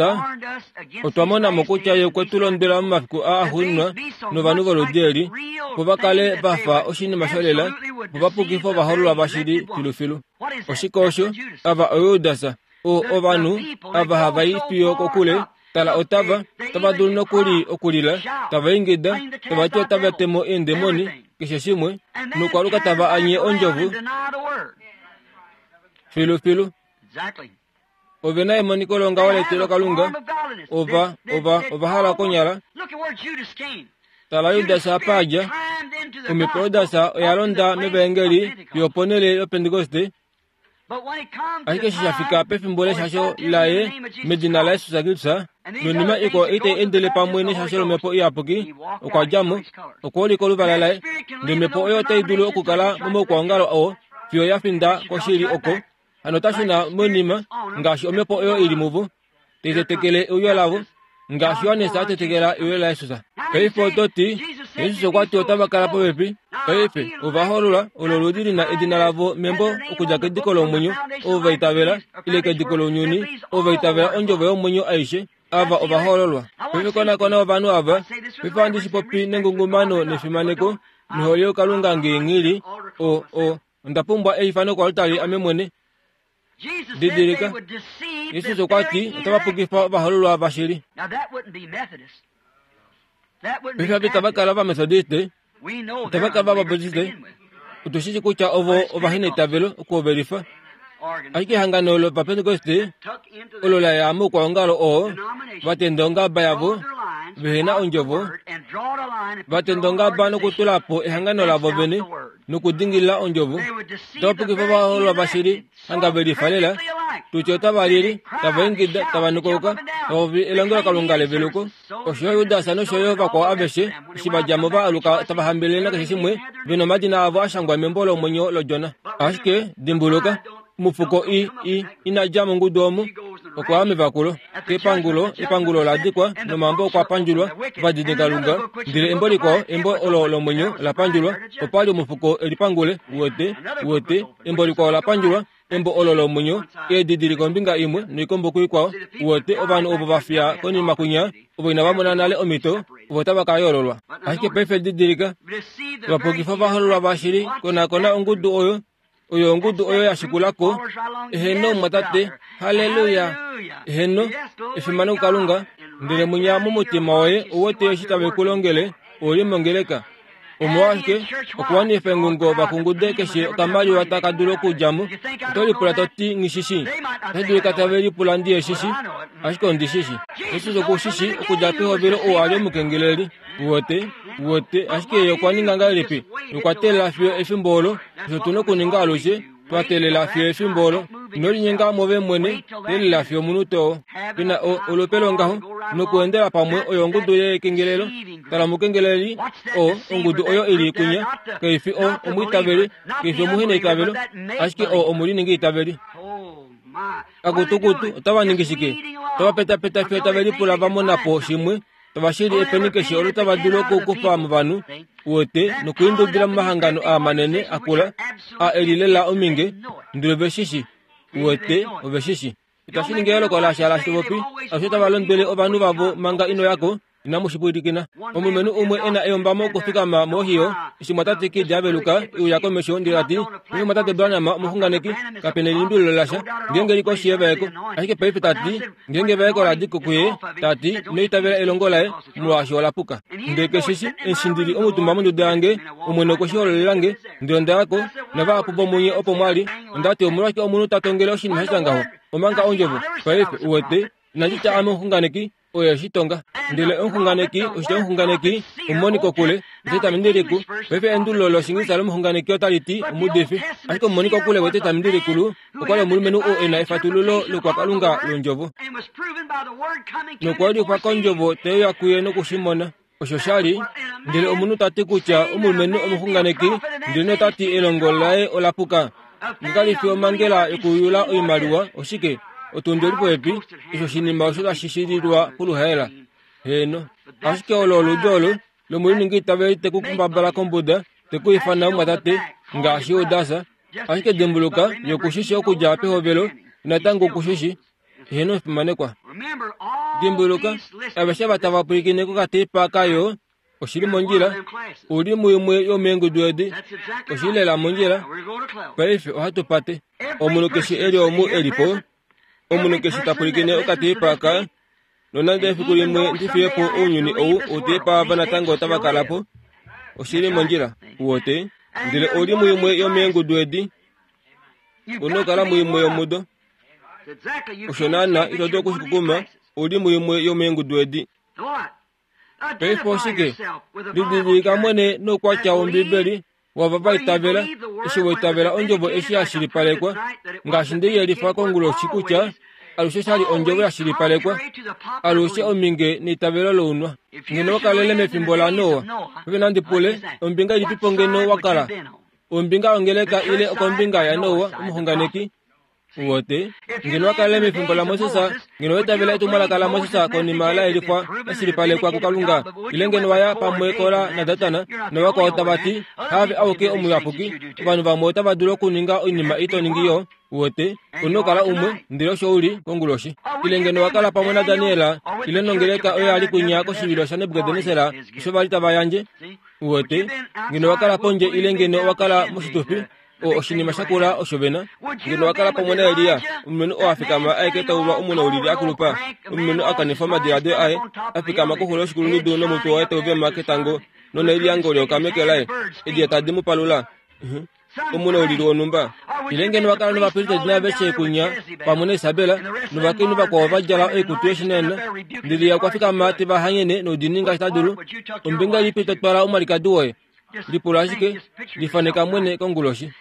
otwa mona mo kutya ye okwe tu londwela momafiku aa axuuninwa novanhu voludi eli opo va kale va fa oshinima sholela opo va pukife ovahoololwa vashili filufilu oshike osho ava oJudas o ovanhu ava hava i fiyo kokule tala otava otava dulu nokuli okulila tava ingida tava ti otava temo eendemoni keshe shimwe nokwaluka tava anye ondjovo filufilu ove na emoniko longaho letilokalunga ova ova ova hala konyala tala Judas apa adja omhepo Judas oya londa mevaengeli yoponhele yoPentekoste ashike eshi shafika pefimbo leshasho laye medina laJesus Kristus nonima ikwao itai endele pamwe neshasho lomhepo iyapuki okwa dja mo okwa ulika oluvala laye ndele omhepo oyo otai dulu okukala momaukwaongalo oo fiyo ya finda koshili oko hano otashuna monima ngaashi omhepo oyo ili muvo taitetekele euyo lavo ngaashi Johannes a tetekela euyo laJesus paife oto ti Jesus okwa ti otava kala popepi paife ovahoololwa olo oludi lina edina lavo membo okudja kediko lomwenyo ovo va itavela ile kediko lounyuni ovo va itavela ondjovo yomwenyo aishe ava ovahoololwa paife konakona ovanhu ava paife ohandi shi popi nengungumano nefimaneko nohole yokalunga ngeenghili o o onda pumbwa eifano koaltari ame mwene didilika Jesus okwa ti otava pukifa ovahoololwa vashili paife ava itava kala Ovametodiste itava kala Ovabaptiste otu shi shi kutya ovo ovaheneitavelo okuhovelifa ashike ehangano lOvapentekoste olo la ya moukwaongalo oo va tenda ongaba yavo vehena ondjovo va tenda ongaba nokutula po ehangano lavo vene nokudingilila ondjovo otava pukifa ovahoololwa vashili hanga velifa lela tutye otava lili tava ingida tava nukuluka tava popi elongelokalunga leveluko osho yo Judas nosho yo vakwao aveshe eshi va dja mo va aluka tava hambelele nakeshe shimwe vena omadina avo a shangwa membo lomwenyo lOdjona ashike dimbuluka omufuko i i ina dja mongudu omo okwa ya mevakulo kepangulo epangulo ola dikwa nomambo okwa pandjulwa ovadinikalunga ndele embo likwao embo olo lomwenyo la pandjulwa opa li omufuko elipangule uwete uwete embo likwao la pandjulwa embo olo lomwenyo eedidiliko ombinga imwe noikombo kuikwao uwete ovanhu ovo va fiya konima kwinya ovo inava mona nale omhito ovo otava ka yoololwa ashike paife didilika vapukifa ovahoololwa vashili konakona ongudu oyo Oyo ongudu oyo ya shikulako. Eheno mwatate, haleluya. Eheno, efimano kuKalunga. Ndele munya momutima woye uwete eshi tave ku longele, uli mongeleka. Omolwashike okuwanifa engungo vakungude keshe okamaliwa taka dulu okudja mo. Oto lipula to ti nghishishi. Otashi dulika tave lipula ndi eshishi, ashike ondishishi. Jesus okushishi okudja pehovelo ou a li omukengeleli. Uwete, uwete, ashike ye okwa ninga ngahelipi? Okwa teelela fiyo efimbo olo. Osho tu na okuninga alushe, twa teelela fiyo efimbo olo. Ino linyenga move mwene, teelela fiyo omunute oo. Pena olupe longaho nokuendela pamwe oyo ongudu yekengelelo. Tala omukengeleli o ongudu oyo ili kunya, kaifi o omwiitaveli, kaifi omuheneitavelo, ashike o omuliningi itaveli. Akutukutu otava ningi shike? Otava petapeta fiyo tave lipula va mona po shimwe. Tava shili epeni keshe olo tava dulu okukufa movanhu, uwete, nokuindubila momahangano aa manene akula, a elilela ominge, ndele ove shishi, uwete, ove shishi. Itashi ningi eyooloko lasha lasha popi, alushe tava londwele ovanhu vavo manga ino yako, inamu shi pwilikina. Omulumenhu umwe e na eyombamo okufikama moHio, eshi mwatate Kid a veluka, e uya komesho ndele ta ti, Meme mwatate Branham omuxunganeki, kape nelimbililo lasha, ngeenge li koshi yevaeko. Ashike paife ta ti, ngeenge evaeko la di ko kuye, ta ti, ino itavela elongo laye, molwaashi ola puka. Ndele keshishi, eshi ndi li omutumba monduda yange, Omwene okwe shi hololela nge, ndele onda ya ko, navahapu vomunye opo mwa li, onda ti omolwashike omunhu ta tongele oshinima sha tya ngaho, omanga ondjovo, paife, uwete, inandi tya ame omuxunganeki, oye shi tonga. Ndele omuxunganeki, oshitya omuxunganeki, omumoni kokule, etestamenti likulu. Paife endululo lOshiingilisa lomuxunganeki otali ti omuudifi, ashike omumoni kokule wEtestamenti likulu okwa li omulumenhu oo e na efatululo lokwakalunga londjovo. Nokwa ulikwa kondjovo te uya kuye noku shi mona. Osho sha li, ndele omunhu ta ti kutya omulumenhu omuxunganeki, ndele nota ti elongo laye ola puka. Ngekali fi omhangela yokuyula oimaliwa, oshike? Otundi oli popepi, osho oshinima osho tashi shililwa poluhaela. Heeno. Ashike olo oludi olo lomuliningi itaveli te ku kumbabala kombuda, te ku ifana omumwatate, ngaashi Judas. Ashike dimbuluka, ye okushishi okudja pehovelo, natango okushishi. Heeno omufimanekwa. Dimbuluka, aveshe ava tava pwilikine kokateipa kayo, oshili mondjila, uli muimwe yomeengudu edi, oshili lela mondjila. Paife ohatu pate. Omunhu keshe e li omu e li po, omunhu keshe ta pwilikine okateipa ka, nonande efiku limwe ndi fiye po ounyuni ou, outeipa ava natango otava kala po. Oshili mondjila, uwete, ndele ouli muimwe yomeengudu edi, una okukala muimwe yomudo. Osho naana ito dulu okushikukuma, ouli muimwe yomeengudu edi. Paife oshike? Lididilika mwene noukwatya wOmbibeli wava va itavela, eshi wa itavela ondjovo eshi ya shilipalekwa, ngaashi nde yelifa konguloshi kutya alushe sha li ondjovo ya shilipalekwa, alushe ominge neitavelo lounwa. Ngeno wa kalele mefimbo laNoa, paife nandi pule, ombinga ilipipo ngeno wa kala? Ombinga yongeleka ile okombinga yaNoa omuxunganeki? Uwete, ngeno wa kalele mefimbo laMoses, ngeno wa itavela etumwalaka laMoses konima la yelifwa la shilipalekwa kuKalunga, ile ngeno wa ya pamwe Kora naDatan navakwao tava ti, haave auke omuyapuki, ovanhu vamwe otava dulu okuninga oinima ito ningi yo. Uwete, una okukala umwe, ndele osho uli konguloshi. Ile ngeno wa kala pamwe naDaniel, ile nongeleka oyo ya li kunya koshivilo shaNebukadnesar osho va li tava yandje. Uwete, ngeno wa kala pondje ile ngeno wa kala moshitufi, o oshinima shakula osho vena. Ngeno wa kala pamwe naElia, omulumenhu oo a fikama aeke taulwa omunaulili akulupa, omulumenhu a kanifa omadiladilo aye, a fikama koxulo yoshikulundudu nomutwe waye tau vema ketango, nonelyango leyoka meke laye, ediya tadi mu palula. Omunaulili wonhumba. Ile ngeno wa kala novapristeli naaveshe kunya pamwe naIsabel, novakainhu vakwao va djala oikutu yoshinena, ndele ye okwa fikama te va hanyene noudiinini ngaashi ta dulu. Ombinga ilipi to twala omwalikadi woye? Lipula ashike, lifaneka mwene konguloshi.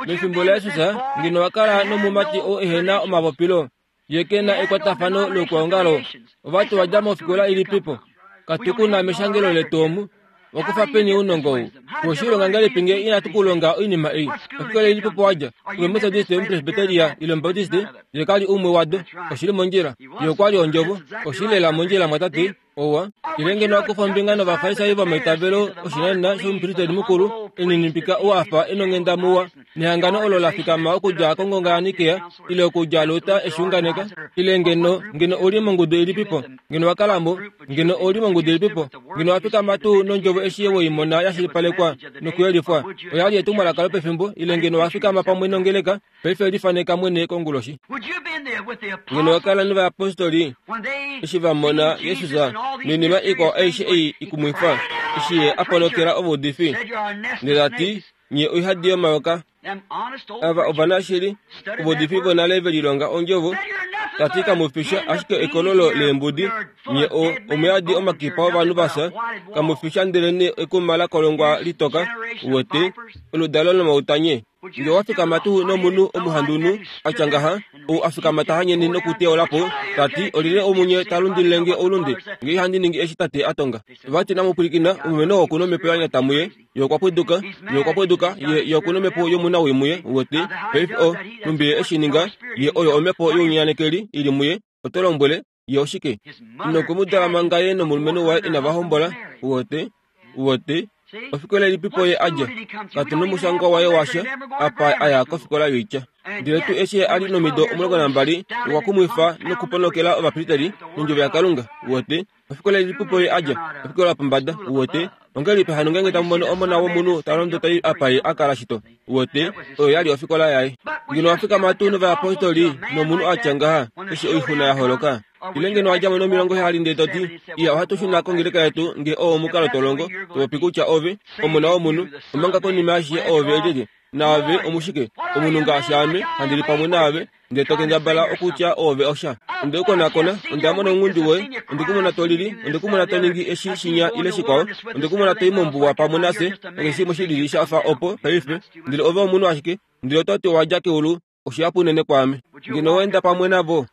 Mefimbo laJesus, ngeno wa kala nomumati oo ehe na omapopilo, ye ke na ekwatafano loukwaongalo, ovati wa dja mofikola ilipipo? Katu na meshangelo letu omu. Wakufa peni ounongo ou? Oshilonga ngahelipi nge inatu kulonga oinima ei? Ofikola ilipipo wa dja? Ove Methodist, Omupresbyteria ile Omubaptist? Ye ka li umwe wado. Oshili mondjila. Ye okwa li ondjovo. Oshili lela mondjila mwatate. Owa ile ngeno wakufa ombinga novafarisai vomaitavelo oshinanena shomupristeli mukulu eninipika ou afa enonghenda muwa nehangano olo la fikama okudja kongonga yaNikea ile okudja Luther eshiunganeka ile ngeno ngeno uli mongudu ilipipo ngeno wakalamo ngeno uli mongudu ilipipo ngeno wafikama tuu nondjovo eshi weimona yashilipalekwa nokuyelifwa oyali etumwalaka lopefimbo ile ngeno wafikama pamwe nongeleka paife lifaneka mwene konguloshi ngeno wakala novayapostoli eshi vamona Jesus noinima ikwao aishe ei ikumwifa eshi ye aponokela ovaudifi ndele ati nye oihadi yomayoka ava ovanashili ovaudifi vonale velilonga ondjovo tati kamufisha ashike ekololo leembudi nye o omuyadi omakipa ovanhu vasa kamufisha ndele ekuma lakolongwa litoka wete oludalo lomautanye nge wafikama tuu nomunhu omuhandunhu atya ngaha ou afikama tahanyeni nokuteolapo tati olyelye omunye talundililenge oulunde nge ihandi ningi eshi tate atonga vati namupwilikina omulumenhu oo okuna omhepo yanyata muye ye okwa pwiduka ye okwa pwiduka ye ye okuna omhepo yomunawii muye wete paife o numbi ye eshi ninga ye oyo omhepo younyanekeli ili muye oto lombwele ye oshike inokumudala manga ye nomulumenhu waye inava hombola wote wote ofikola ilipipo ye adja katuna omushangwa waye washa apa aya kofikola yoitya ndele tuu eshi ali nomido omulongo nambali okwa kumwifa nokuponokela ovapristeli nondjovo yaKalunga wote ofikola ilipipo ye adja ofikola yopombada wote ongelipi hano ngenge tamumono omona womunhu talondo tai apa ye akala shito wote oyo yali ofikola yaye ngeno wafikama tuu novayapostoli nomunhu atya ngaha eshi oixuna yaholoka ile ngeno wadjamo nomilongo heyali ndele toti iya ohatu shuna kongeleka yetu nge oo omukalo tolongo topopi kutya ove omona womunhu omanga konima ashishe oove elyelye naave omushike omunhu ngaashi ame handi li pamwe naave ndele tokendabala okutya oove osha onde kukonakona onda mona ounghundi woye onde kumona tolili onde kumona toningi eshi shinya ile shikwao onde kumona toi mombuwa pamwe nafye nakeshe shimwe shilili shafa opo paife ndele ove omunhu ashike ndele ototi owadja keulu oshihapu unene kwaame ngeno waenda pamwe navo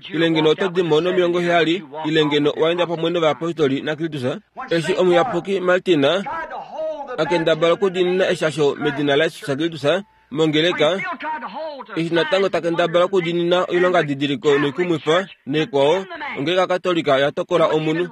ile ngeno oto dimo nomilongo heyali ile ngeno waenda pamwe novayapostoli naKristus eshi omuyapuki Martina akendabala okudiinina eshasho medina laJesus Kristus mongeleka eshi natango takendabala okudiinina oilongadidiliko noikumwifa naikwao ongeleka Katolika yatokola omunhu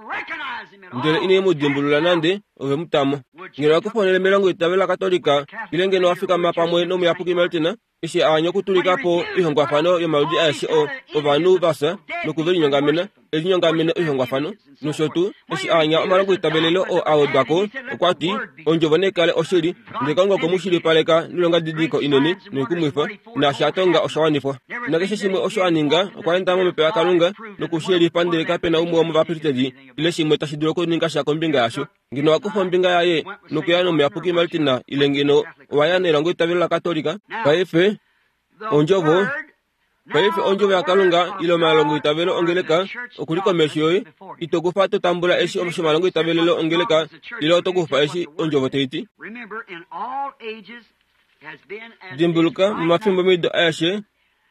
ndele ine mu dimbulula nande ove mutamo ngeno wakufa onhele melongo itavelo laKatolika ile ngeno wafikama pamwe nomuyapuki Martina eshi aanya okutulikapo oihongwafano yomaludi aeshe o ovanhu vafya nokuvelinyongamena elinyongamene oihongwafano nosho tuu eshi aanya omalongo itavelelo oo awedwako okwati ondjovo naikale oshili ndele Kalunga okwe mu shilipaleka noilongadidiliko inene noikumwifa naashi atonga osha wanifwa nakeshe shimwe osho aninga okwa enda momhepo yaKalunga nokushiyelifa ndele kapena umwe womovapristeli ile shimwe tashi dulu okuninga sha kombinga yasho ngeno wakufa ombinga yaye nokuya nomuyapuki Martina ile ngeno owaya nelongo itavelo laKatolika paife ondjovo paife ondjovo yaKalunga ile omalongo itavelo ongeleka okuli komesho yoye ito kufa to tambula eshi shomalongo itavelelo ongeleka ile oto kufa eshi ondjovo taiti dimbuluka momafimbo mido aeshe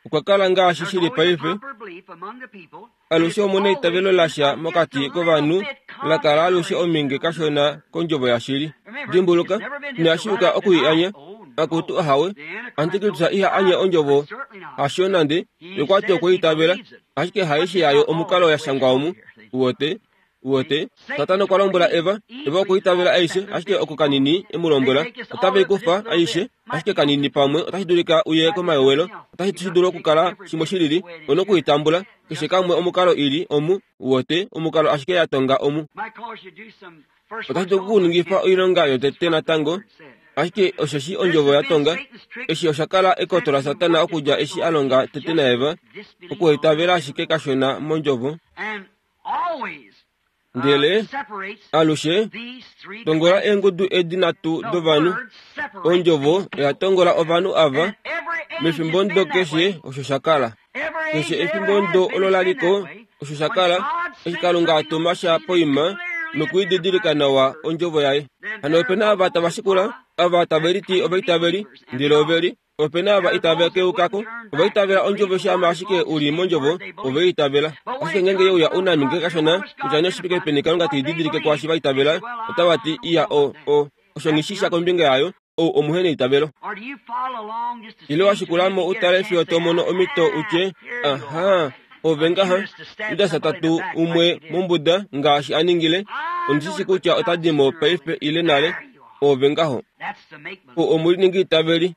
okwa kala ngaashi shili paife alushe omuna eitavelo lasha mokati kovanhu lakala alushe ominge kashona kondjovo yashili dimbuluka inashiuka okuianya akutu ahawe antikristu iha anye ondjovo hasho nande yokwati okweitavela ashike haishi yayo omukalo yashangwa omu uwote uwote Satana okwa lombwela Eva Eva okweitavela aishe ashike oko kanini emulombwela otave ikufa aishe ashike kanini pamwe otashi dulika uye komayowelo otashi shi dulu okukala shimwe shilili onokuitambula keshe kamwe omukalo ili omu uwote omukalo ashike yatonga omu otashi dulu okukuningifa oilonga yotete natango ashike osheshi ondjovo yatonga eshi osha kala ekoto laSatana okudja eshi alonga tete naEva okuitavela ashike kashona mondjovo ndele alushe tongola eengudu edi nhatu dovanhu ondjovo oya tongola ovanhu ava mefimbo ndo keshe osho sha kala keshe efimbo ndo olo laliko osho sha kala eshi Kalunga atuma sha poima nokuididilika nawa ondjovo yaye hano opena ava tava shikula ava tave liti ovaitaveli ndele oveli opena ava itave keukako ovaitavela ondjovo shama ashike uli mondjovo oveitavela ashike ngenge yeuya unaminge kashona kutya neshipike peni Kalunga teididilike kwaashi vaitavela otava ti iya o o osho nghishisha kombinga yayo ou omuhe neitavelo ile washikulamo utale fiyo tomono omito utye aha Ove ngaha Judas tatu umwe mombuda ngaashi a ningile. Ondishi kutya ota di mo paife ile nale. Ove ngaho. O omuliningi itaveli.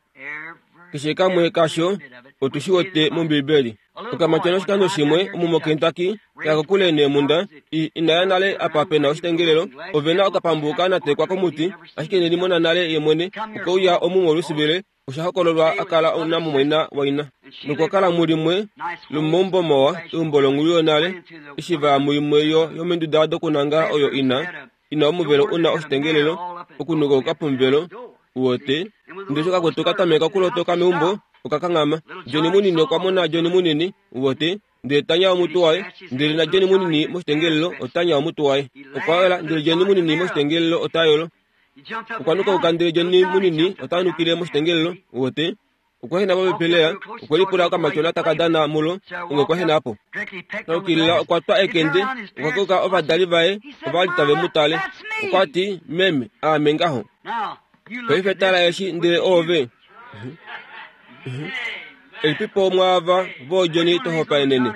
Keshe kamwe kasho otushi wete mOmbibeli. Okamatyona oshikando shimwe omu moKentucky kaya kokule neemunda inaya nale apa pena oshitengelelo. Ove na okapambu kanatekwa komuti, ashike ineli mona nale ye mwene. Okeuya omu moLouisville, osha hokololwa a kala namumwaina waina. Nokwa kala mulimwe lomomaumbo mawa, eumbo longhulu yonale, eshi va ya muimwe yomenduda dokunangala oyo ina ina omuvelo una oshitengelelo, okunukauka pomuvelo wote. Ndele eshi okakwetu katameka okulotoka meumbo, okakanghama. Johnny munini okwa mona Johnny munini wote, ndele tanya omutwe waye, ndele na Johnny munini moshitengelelo otanya omutwe waye. Okwa yola, ndele Johnny munini moshitengelelo ota yolo. Okwa nukauka, ndele Johnny munini ota nukile moshitengelelo wote. Okwa hena popepi lela, okwe lipula okamatyona taka dana mulo, onge okwa hena po. Taukilila okwa twa ekende, okwa keuka ovadali vaye ova li tave mu tale. Okwa ti, meme, aame ngaho. Paife tala eshi ndele ove. Elipipo mwaava vooJohnny to hopaenene.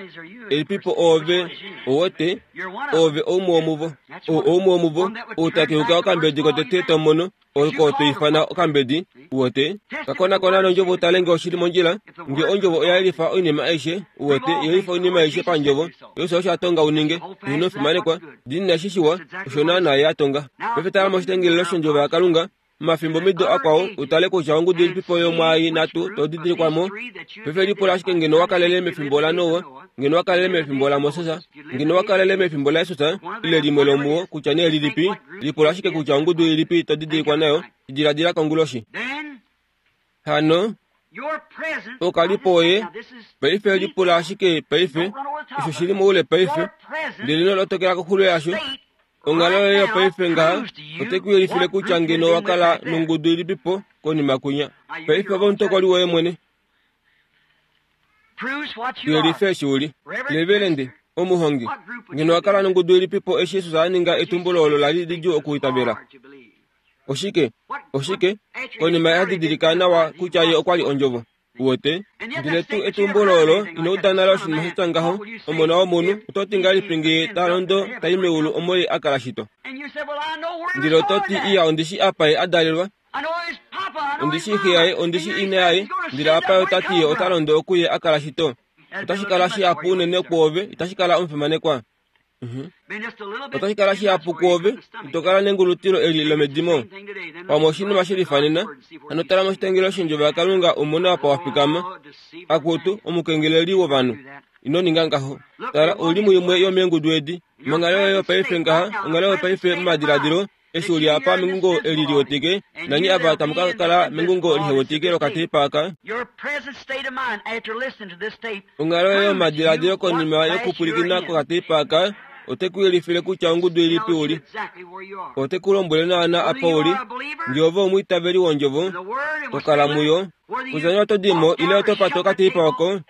Elipipo ove owote, ove oumwe womuvo. Oumwe womuvo outakeuka okambedi kotete tomono, oko toifana okambedi wote. Kakonakona nondjovo utale nge oshili mondjila, nge ondjovo oya yelifa oinima aishe, wote yelifa oinima aishe pandjovo. Yosho osho atonga uninge, ino fimanekwa, dinina eshi shiwa, osho naana ye atonga. Paife tala moshitengelelo shondjovo yaKalunga, mafimbo mido akwao utale kutya ongudu ilipipo yomwaai natu to didilikwamo. Paife lipula ashike ngeno wakalele mefimbo laNoa, ngeno wakalele mefimbo laMoses, ngeno wakalele mefimbo laJesus, ile limwe lomuwo kutya nee lilipi. Lipula ashike kutya ongudu ilipi to didilikwa nayo. Diladila konguloshi. Hano okalipo oye paife lipula ashike paife, osho shili moule paife, ndele ino lotokela koxulo yasho. Onghalo yoye paife ngaha ote ku yelifile kutya ngeno wakala nongudu ilipipo konima kunya. Paife ove omutokoli woye mwene. Yelife eshi uli. Levelende, omuhongi, ngeno wakala nongudu ilipipo eshi Jesus a ninga etumbulo olo lali lidjuu okuitavela. Oshike? Oshike? Konima ya didilika nawa kutya ye okwa li ondjovo. Wote, ndele tu etumbulo olo ino uda nale oshinima sha ngaho, omona womunhu oto ti ngahelipi nge ta londo tai meulu omo ye a kala shito? Ndele oto ti iya ondishi apa ye a dalelwa, ondishi xe yaye, ondishi ina yaye, ndele apa ye ota ti ye ota londo okuye a kala shito. Otashi kala shihapu unene kwoove, itashi kala omufimanekwa. Otashi kala shihapu kwoove, ito kala nengulutilo eli lomedimo. Pamwe oshinima shilifanena, hano tala moshitengelo shondjovo yaKalunga umone apa wa fikama. Akutu, omukengeleli wovanhu, ino ninga ngaho. Tala, ouli muimwe yomeengudu edi. Monghalo yoye yopaife ngaha, onghalo yopaife momadiladilo, eshi uli apa mengungo eli liwetike, nanye ava tamu ka kala mengungo lihewetike lokateipa aka. Onghalo yoye yomadiladilo konima yokupwilikina kokateipa aka ote ku yelifile kutya ongudu ilipi uli. Ote ku lombwele naana apa uli. Nge ove omwiitaveli wondjovo, to kala muyo. Kutya nee oto dimo ile oto pata okateipa oko,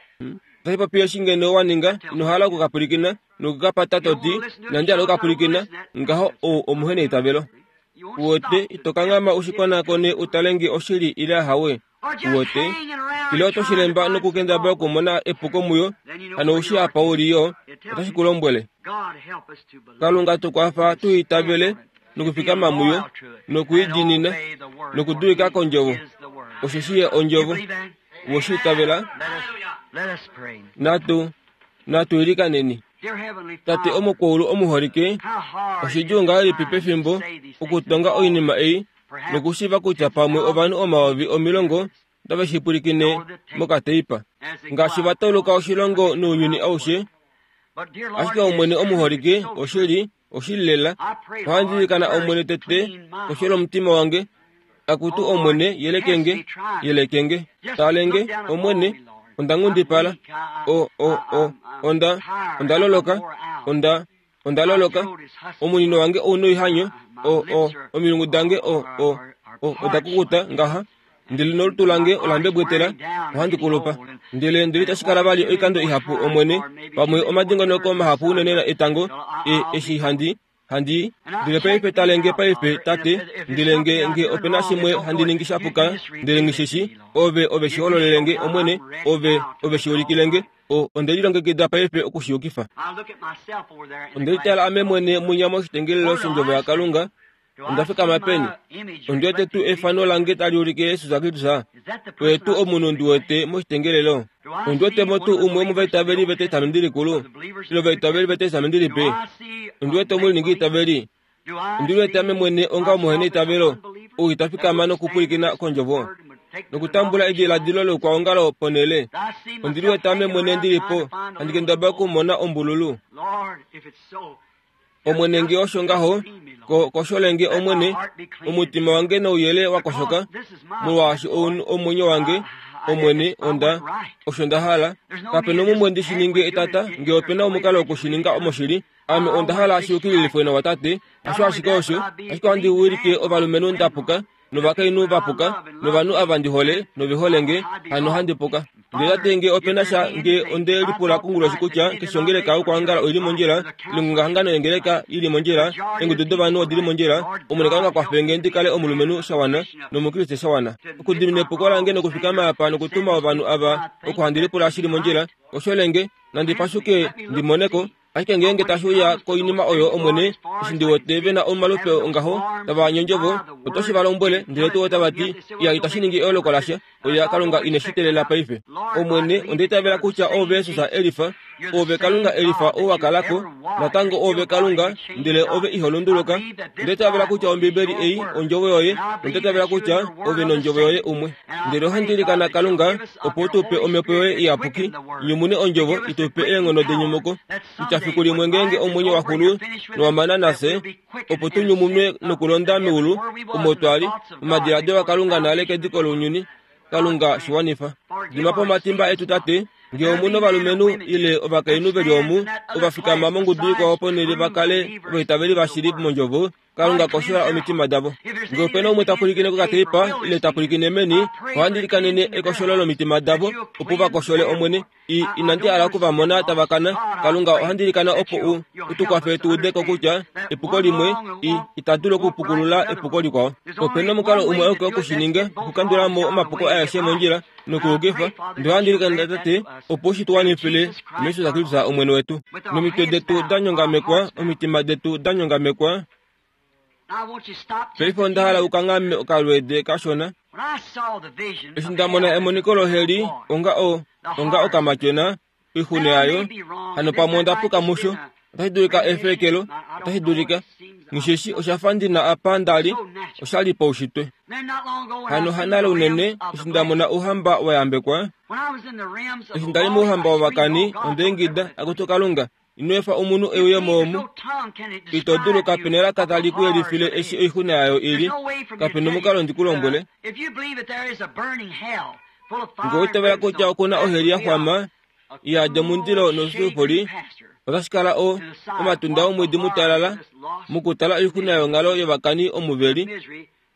otashi popi eshi ngeno wa ninga, ino hala okukapwilikina nokukapata to ti, inandi hala okukapwilikina, ngaho ou omuhe neitavelo. Uwete, ito kanghama ushikonakone utale nge oshili ile ahawe. Uwete, ile oto shilemba nokukendabala okumona epuko muyo, hano ushi apa uli yo, otashi ku lombwele. Kalunga tukwafa tu itavele nokufikama muyo, nokuidinina, nokudulika kondjovo. Osheshi ye ondjovo. Woshi itavela? Natu natu ilikaneni. Tate omukwaulu omuholike, oshidjuu ngahelipi pefimbo okutonga oinima ei nokushiiva kutya pamwe ovanhu omayovi omilongo otave shi pwilikine mokateipa, ngaashi va tauluka oshilongo nounyuni aushe. Ashike Omwene omuholike, oshili, oshili lela, ohandi ilikana Omwene tete koshi lomutima wange, akutu Omwene, yelekenge, yelekenge, talenge, Omwene, onda ngundipala, o o o onda onda loloka, onda onda loloka, omunino wange ouna oihanyo, o o omilungu dange o o o oda kukuta ngaha, ndele nolutu lange ola mbebwetela, ohandi kulupa. Ndele ndele itashi kala vali oikando ihapu Omwene, pamwe omadingonoko mahapu unene etango, e eshi handi Handi ndele paife talenge paife tate ndele nge nge opena shimwe handi ningi shapuka ndele ngishishi ove ove shihololelenge omwene ove ove shiulikilenge o ondelilongekida paife okushiyukifa. Ondelitala ame mwene munya moshitengelelo shondjovo yaKalunga. Onda fikama peni? Ondi wete tuu efano lange tali ulike Jesus Kristus? Oye tuu omunhu ndi wete moshitengelelo? Ondi wetemo tuu umwe womovaitaveli vetestamenti likulu ile ovaitaveli vetestamenti lipe? Ondi wete omuliningi itaveli? Ondi wete ame mwene onga omuhena itavelo ou ita fikama nokupwilikina kondjovo nokutambula ediladilo loukwaongalo ponhele? Ondi liwete ame mwene ndilipo handi kendabala okumona ombululu. Omwene nge osho ngaho kosholenge omwene omutima wange nouyele wakoshoka molwaashi omwenyo wange omwene onda osho nda hala. Kapena omumwe ndi shi ninge etata nge opena omukalo wokushininga omoshili. Ame onda hala shiyukililifwe nawa tate. Hasho ashike osho ashike ohandi wilike ovalumenhu ndapuka novakainhu vapuka novanhu ava ndi hole noveholenge hano handi puka. Ndele tate nge opena sha nge onde lipula konguloshi kutya keshe ongeleka yokuangala oili mondjila, ilongongahangano yengeleka ili mondjila, eengudu dovanhu odili mondjila, Omwene Kalunga kwafenge ndi kale omulumenhu shawana nomukriste shawana okudimina epuko lange nokufikama apa nokutuma ovanhu ava oko handi lipula shili mondjila. Osholenge nandi pashuke ndimoneko. Ashike ngeenge tashi uya koinima oyo omwene eshi ndi wete vena omalupe ongaho tava nyondjovo otoshi va lombwele ndele tuu otava ti iya itashi ningi eoloko lasha oya Kalunga ine shi teelela paife. Omwene onda itavela kutya ove Jesus elifa, ove Kalunga elifa ou wa kalako natango ove Kalunga ndele ove iho lunduluka. Onda itavela kutya Ombibeli ei ondjovo yoye, onda itavela kutya ove nondjovo yoye umwe. Ndele ohandi ilikana Kalunga opo tu pe omhepo yoye iyapuki nyumune ondjovo itupe eenghono denyumuko kutya fiku limwe ngeenge omwenyo wa xulu nowamana nafye opo tu nyumunwe nokulonda meulu omo twali omadiladilo aKalunga nale kediko lounyuni. Kalunga shiwanifa. Dima po omatimba etu tate. Nge omuna ovalumenhu ile ovakainhu veli omu ovafikama mongudu ikwao ponhele va kale ovaitaveli vashili mondjovo, Kalunga koshola omitima davo. Nge opena umwe ta pwilikine kokateipa ile ta pwilikine meni, ohandi likanene ekosholo lomitima davo opo va koshole Omwene. I inandi hala okuvamona tava kana. Kalunga ohandi likana opo u utukwafe tu udeko kutya epuko limwe i ita dulu okupukulula epuko likwao. Opena omukalo umwe auke wokushininga okukandula mo omapuko aeshe mondjila nokuyukifa. Ndele ohandi likana tate opo shi tuwanifile muJesus Kristus Omwene wetu. Nomitwe detu da nyongamekwa, omitima detu da nyongamekwa. Paife onda hala ukanghame okalweede kashona. Eshi nda mona emoniko loheli onga o onga okamatyona oixuna yayo hano pamwe onda puka musho. Otashi dulika efekelo, otashi dulika ngisheshi oshafa ndina apa ndali oshali paushitwe. Hano hanale unene eshi nda mona ouhamba wa yambekwa. Eshi ndali mouhamba wovakani onda ingida akutu Kalunga ino efa omunhu euye moomu. Ito dulu kapena elaka tali ku yelifile eshi oixuna yayo ili. Kapena omukalo ndi ku lombwele. Nge oitavela kutya okuna oheli ya xwama iyadi omundilo nosulufuli, otashi kala o omatunda omwiidi mutalala mokutala oixuna yonghalo yovakani omuveli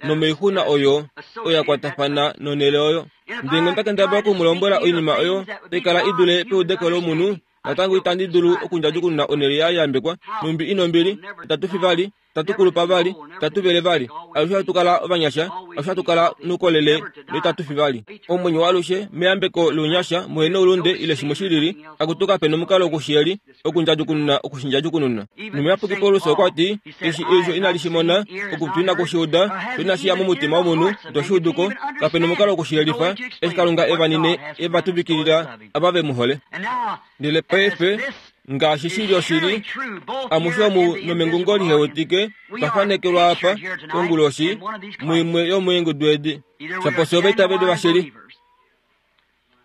nomoixuna oyo oya kwatafana nonhele oyo. Ndele nge onda kendabala okumulombwela oinima oyo tai kala i dule peudeko lomunhu, natango itandi dulu okundjadjukununa onhele ya yambekwa. Numbi inombili, itatu fi vali, itatu kulupa vali, itatu vele vali. Alushe hatu kala ovanyasha, alushe hatu kala noukolele noitatu fi vali. Omwenyo waalushe meyambeko lounyasha muhe noulunde ile shimwe shilili, akutu kapena omukalo wokushiyeli okundjadjukununa okushindjadjukununa. Nomuyapuki Paulus okwa ti eshi eisho inali shi mona, okutwi inakushiuda, sho inashi ya momutima womunhu ito shi uduko, kapena omukalo wokushiyelifa eshi Kalunga evanine eva tuvikilila ava ve mu hole. Ndele paife ngaashi shili oshili amushe omu nomengungo lihewetike twa fanekelwa apa konguloshi muimwe yomeengudu edi shaposi ovaitaveli vashili.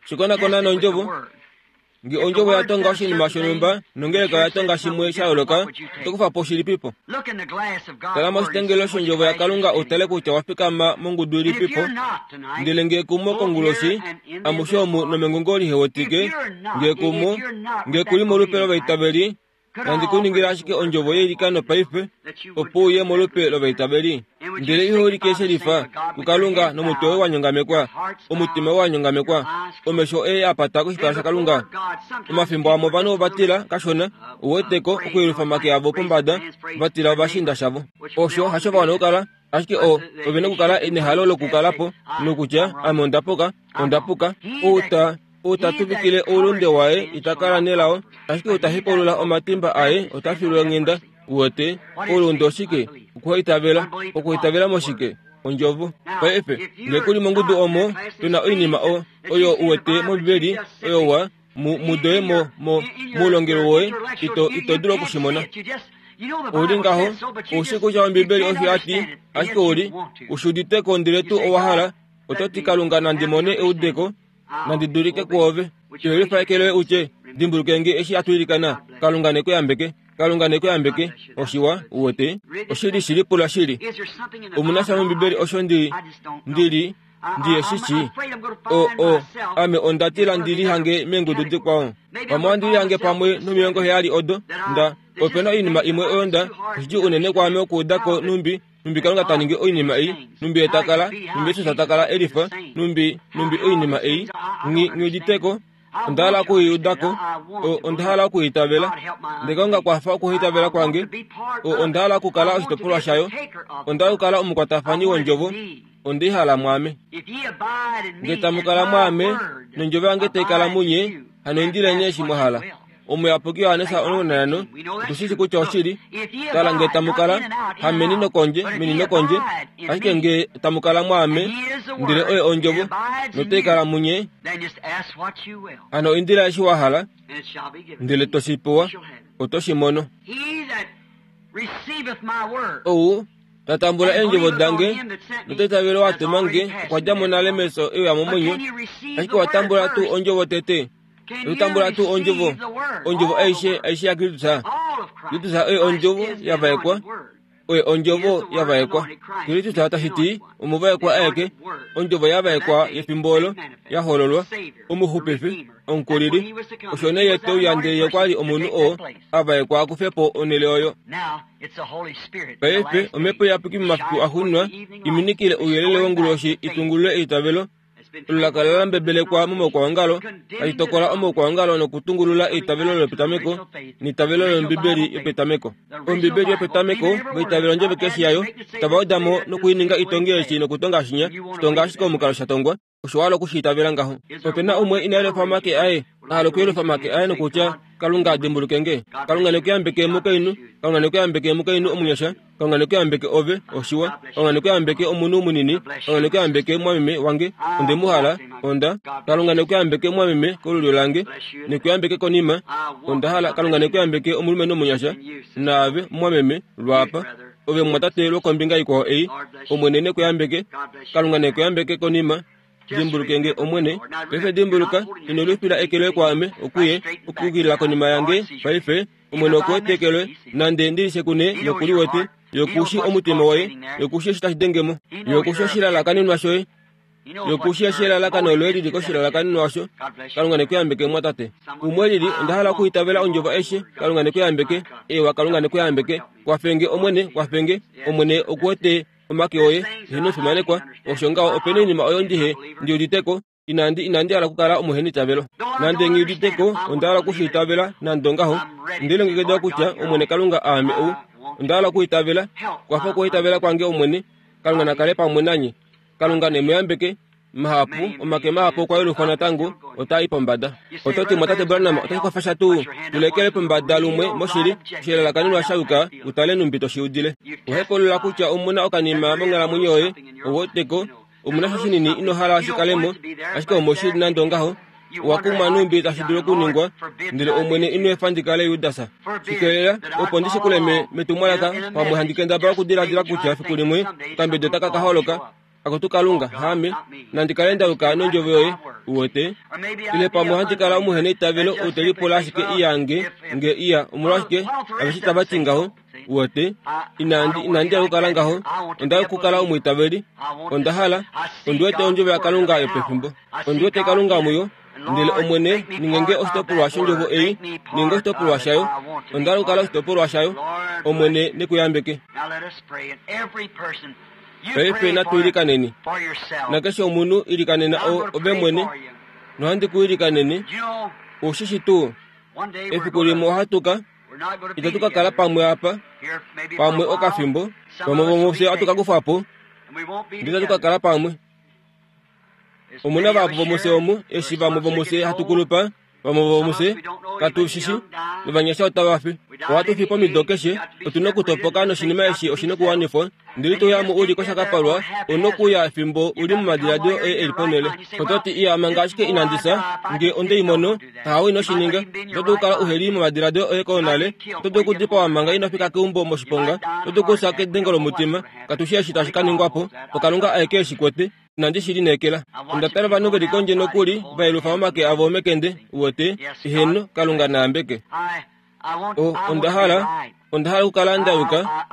Shikonakona nondjovo. Nge ondjovo ya tonga oshinima shonhumba nongeleka oya tonga shimwe sha yooloka, oto kufa po shilipipo. Tala moshitengelo shondjovo yaKalunga utale kutya wa fikama mongudu ilipipo. Ndele nge kumo konguloshi amushe omu nomengungo lihewetike, nge kumo nge kuli molupe lovaitaveli Nandi kuningila ashike ondjovo yeilikano paife opo uye molupe lovaitaveli. Ndele iho ulike shelifa kuKalunga nomutwe woye wa nyongamekwa, omutima woye wa nyongamekwa, omesho oye a pata koshipala shaKalunga. Omafimbo amwe ovanhu ova tila kashona, uweteko okuyelufa omake avo pombada, va tila ovashiinda shavo. Osho hasho va wana okukala, ashike o ovena okukala nehalo lokukalapo nokutya ame onda puka, onda puka. Ou ta ou ta tuvikile oulunde waye ita kala nelao, ashike ou ta hepaulula omatimba aye ota filwa onghenda. Uwete, oulunde oshike? Okuhaitavela. Okuhaitavela moshike? Ondjovo. Paife, ngee kuli mongudu omo tuna oinima o oyo uwete mOmbibeli oyo wa mudoye mo mo moulongelwe woye ito ito dulu okushimona. Ouli ngaho, oushi kutya Ombibeli osho ya ti, ashike ouli ushi uditeko ndele tuu owa hala, oto ti Kalunga nandi mone eudeko, nandi dulike kwoove. Iyelifa eke loye utye, dimbuluke nge eshi hatu ilikana, Kalunga ne ku yambeke, Kalunga ne ku yambeke. Oshiwa, uwete, oshili shili pula shili. Omuna sha mOmbibeli osho ndi ndili ndiye shishi. O o ame onda tila ndi lihange meengudu dikwao. Pamwe ohandi lihange pamwe nomilongo heyali odo nda opena oinima imwe oyo nda oshidjuu unene kwaame okuudako numbi numbi Kalunga ta ningi oinima ei, numbi ye ta kala, numbi Jesus ta kala elifa, numbi numbi oinima ei nghi nghiuditeko. Onda hala okuiudako, onda hala okuitavela. Ndele Kalunga kwafa okuitavela kwange. Onda hala okukala oshitopolwa shayo. Onda hala okukala omukwatafani wondjovo. Onde i hala mwaame. Ngee tamu kala mwaame, nondjovo yange tai kala munye, hano indileni eshi mwa hala. Omuyapuki Johannes omulongo nanhano, otu shi shi kutya oshili. Tala ngee tamu kala, hameni nokondje, meni nokondje, ashike ngee tamu kala mwaame, ndele oye ondjovo, notai kala munye, hano indila eshi wa hala, ndele to shi pewa, oto shi mono. Ou ta tambula eendjovo dange nota itavele wa tuma nge, okwa dja mo nale mefyo e uya momwenyo. Ashike wa tambula tuu ondjovo tete? Oto tambula tuu ondjovo, ondjovo aishe aishe yaKristus? Kristus oye ondjovo ya vaekwa, oye ondjovo ya vaekwa. Kristus tashi ti omuvaekwa aeke, ondjovo ya vaekwa yefimbo olo ya hololwa, omuxupifi, omukulili. Osho nee ye te uya ndele ye okwa li omunhu oo a vaekwa a kufe po onhele oyo. Paife omhepo iyapuki momafiku axuuninwa iminikile ouyelele wonguloshi itungulule eitavelo olo la kala la mbebelekwa momaukwaongalo, tali tokola omaukwaongalo nokutungulula eitavelo lopetameko neitavelo lOmbibeli yopetameko. Ombibeli yopetameko vaitavela ondjovo keshe yayo, tava weda mo nokuininga itonge eshi nokutonga shinya, shitonga ashike omukalo sha tongwa. Osho wa hala okushi itavela ngaho. Opena umwe ina yelufa omake aye, a hala okuyelufa omake aye nokutya, Kalunga dimbuluke nge. Kalunga ne ku yambeke mukainhu, Kalunga ne ku yambeke mukainhu omunyasha, Kalunga ne ku yambeke ove, oshiwa. Kalunga ne ku yambeke omunhu munini, Kalunga ne ku yambeke mwameme wange, onde mu hala, onda. Kalunga ne ku yambeke mwameme kolulyo lange, ne ku yambeke konima, onda hala. Kalunga ne ku yambeke omulumenhu omunyasha, naave mwameme, lwaapa. Ove mwatate lwokombinga ikwao ei, Omwene ne ku yambeke. Kalunga ne ku yambeke konima. Dimbuluke nge Omwene, paife dimbuluka, ino lufila eke loye kwaame, okuye, okukukilila konima yange, paife, Omwene okuwete eke loye, nande ndi lishe kune yokuliwete, yokushi omutima woye, yokushi eshi tashi denge mo, yokushi oshilalakanenwa shoye, yokushi eshi elalakano loye lili koshilalakanenwa osho. Kalunga ne ku yambeke mwatate. Umwe lili, onda hala okuitavela ondjovo aishe. Kalunga ne ku yambeke. Ewa, Kalunga ne ku yambeke. Kwafenge Omwene, kwafenge. Omwene okuwete omake oye, eheno fimanekwa. Osho ngaho opena oinima oyo ndihe ndi uditeko, inandi inandi hala okukala omuhenitavelo. Nande nghi uditeko, onda hala okushi itavela nande ongaho. Onde lilongekida kutya Omwene Kalunga aame ou. Onda hala okuitavela. Kwafa okuitavela kwange Omwene. Kalunga na kale pamwe nanye. Kalunga ne mu yambeke. Mahapu, omake mahapu okwa yelufwa natango, otaa i pombada. Oto ti mwatate Branham otashi kwafa sha tuu? Tulekele pombada lumwe moshili, oshilalakaninwa sha yuka, utale numbi to shi udile. Ohepaulula kutya omuna okanima monghalamwenyo yoye, ouweteko, omuna sha shinini ino hala shi kale mo, ashike omoshili nande ongaho, owa kumwa numbi tashi dulu okuningwa, ndele Omwene ino efa ndi kale Judas. Shikelela, opo ndi shikule metumwalaka, pamwe handi kendabala okudiladila kutya fiku limwe okambedo taka ka holoka, Akutu Kalunga, haame, nandi kale nda yuka nondjovo yoye, uwete. Ile pamwe ohandi kala omuheneitavelo ou te lipula ashike iyange nge iya, omolwashike aveshe tava ti ngaho, uwete. Inandi, inandi hala okukala ngaho. Onda hala okukala omwiitaveli. Onda hala, ondi wete ondjovo yaKalunga yopefimbo. Ondi wete Kalunga muyo. Ndele Omwene, ninge oshitopolwa shondjovo ei, ninge oshitopolwa shayo. Onda hala okukala oshitopolwa shayo. Omwene nekuyambeke. Paife natu ilikaneni. Nakeshe omunhu ilikanena ove mwene, nohandi ku ilikaneni. Ushishi tuu, efiku limwe ohatu ka itatu ka kala pamwe apa, pamwe okafimbo, pamwe vomufye ohatu ka kufa po, ndele itatu ka kala pamwe. Omuna vahapu vomufye omu, eshi vamwe vomufye hatu kulupa, vamwe vomufye katu shishi, novanyasha otava fi. Ohatu fi pomido keshe, otuna okutopoka noshinima eshi oshina okuwanifwa. Ndele ito ya mo uli koshakapalwa, ouna okuya efimbo uli momadiladilo oye eli ponhele. Oto ti, iya, manga ashike inandi fya, nge onde i mono, tahawe ino shi ninga. Oto dulu okukala uheli momadiladilo oye konale, oto dulu okudipawa manga ino fika keumbo moshiponga, oto dulu okufya kedengo lomutima. Katu shii eshi tashi ka ningwa po, oKalunga aeke eshi kwete. Inandi shi lineekela. Onda tala ovanhu veli kondje nokuli va yelufa omake avo mekende, uwete, eheno, Kalunga naambeke. O, onda hala, onda hala okukala nda yuka.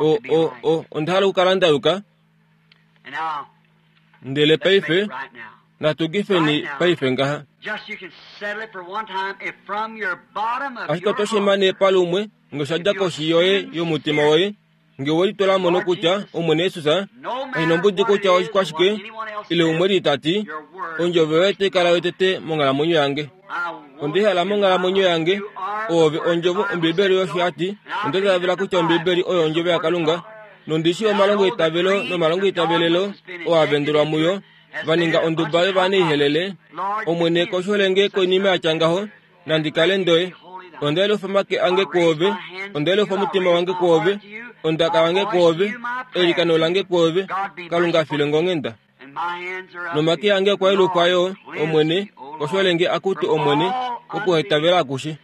O, o, o, onda hala okukala nda yuka. Ndele paife, natu kifeni paife ngaha. Ashike oto shimane palumwe nge osha dja koshi yoye yomutima woye, nge we litula mo nokutya Omwene Jesus, kashi nombudi kutya okwashike, ile umwe li tati, ondjovo yoye otai kala yotete monghalamwenyo yange. Onde hala monghalamwenyo yange, oove ondjovo. Ombibeli osho ya ti, onda itavela kutya Ombibeli oyo ondjovo yaKalunga, nondishi omalongo eitavelo nomalongo eitavelelo oo a vendelwa muyo, va ninga onduba yovanaihelele. Omwene kosholenge koinima ya tya ngaho, nandi kale ndoye. Onda yelufa omake ange kwoove, onda yelufa omutima wange kwoove, ondaka yange kwoove, eilikano lange kwoove. Kalunga file nge onghenda. Nomake ange okwa yelufwa yo, Omwene, kosholenge akutu Omwene, okuhetavela akushe.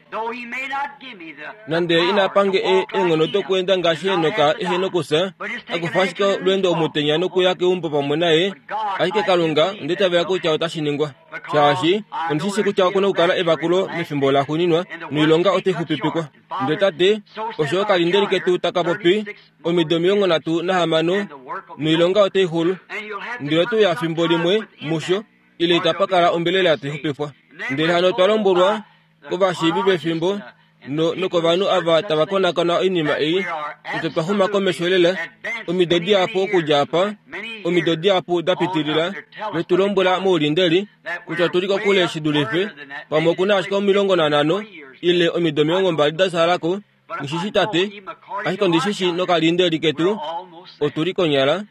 Nande ina pange eenghono dokweenda ngaashi Henok ehe nokufya, akufa ashike olweendo omutenya nokuya keumbo pamwe naye, ashike Kalunga onda itavela kutya otashi ningwa. Shaashi ondishishi kutya okuna okukala evakulo mefimbo laxuuninwa, noilonga otai xupipikwa. Ndele tate, osho okalindeli ketu taka popi, omido omilongo nhatu nahamano, noilonga otai xulu. Ndele otuya fimbo limwe musho, ile itapa kala ombelela tai xupifwa. Ndele hano otwa lombwelwa kovashiivi vefimbo nokovanhu ava tava konakona oinima ei, kutya twa xuma komesho lela, omido dihapu okudja apa, omido dihapu da pitilila, vetu lombwela moulindeli kutya otuli kokule shi dulife, pamwe okuna ashike omilongo nanhano ile omido omilongo mbali da salako. Ngishishi tate, ashike ondishishi nokalindeli ketu otuli konyala.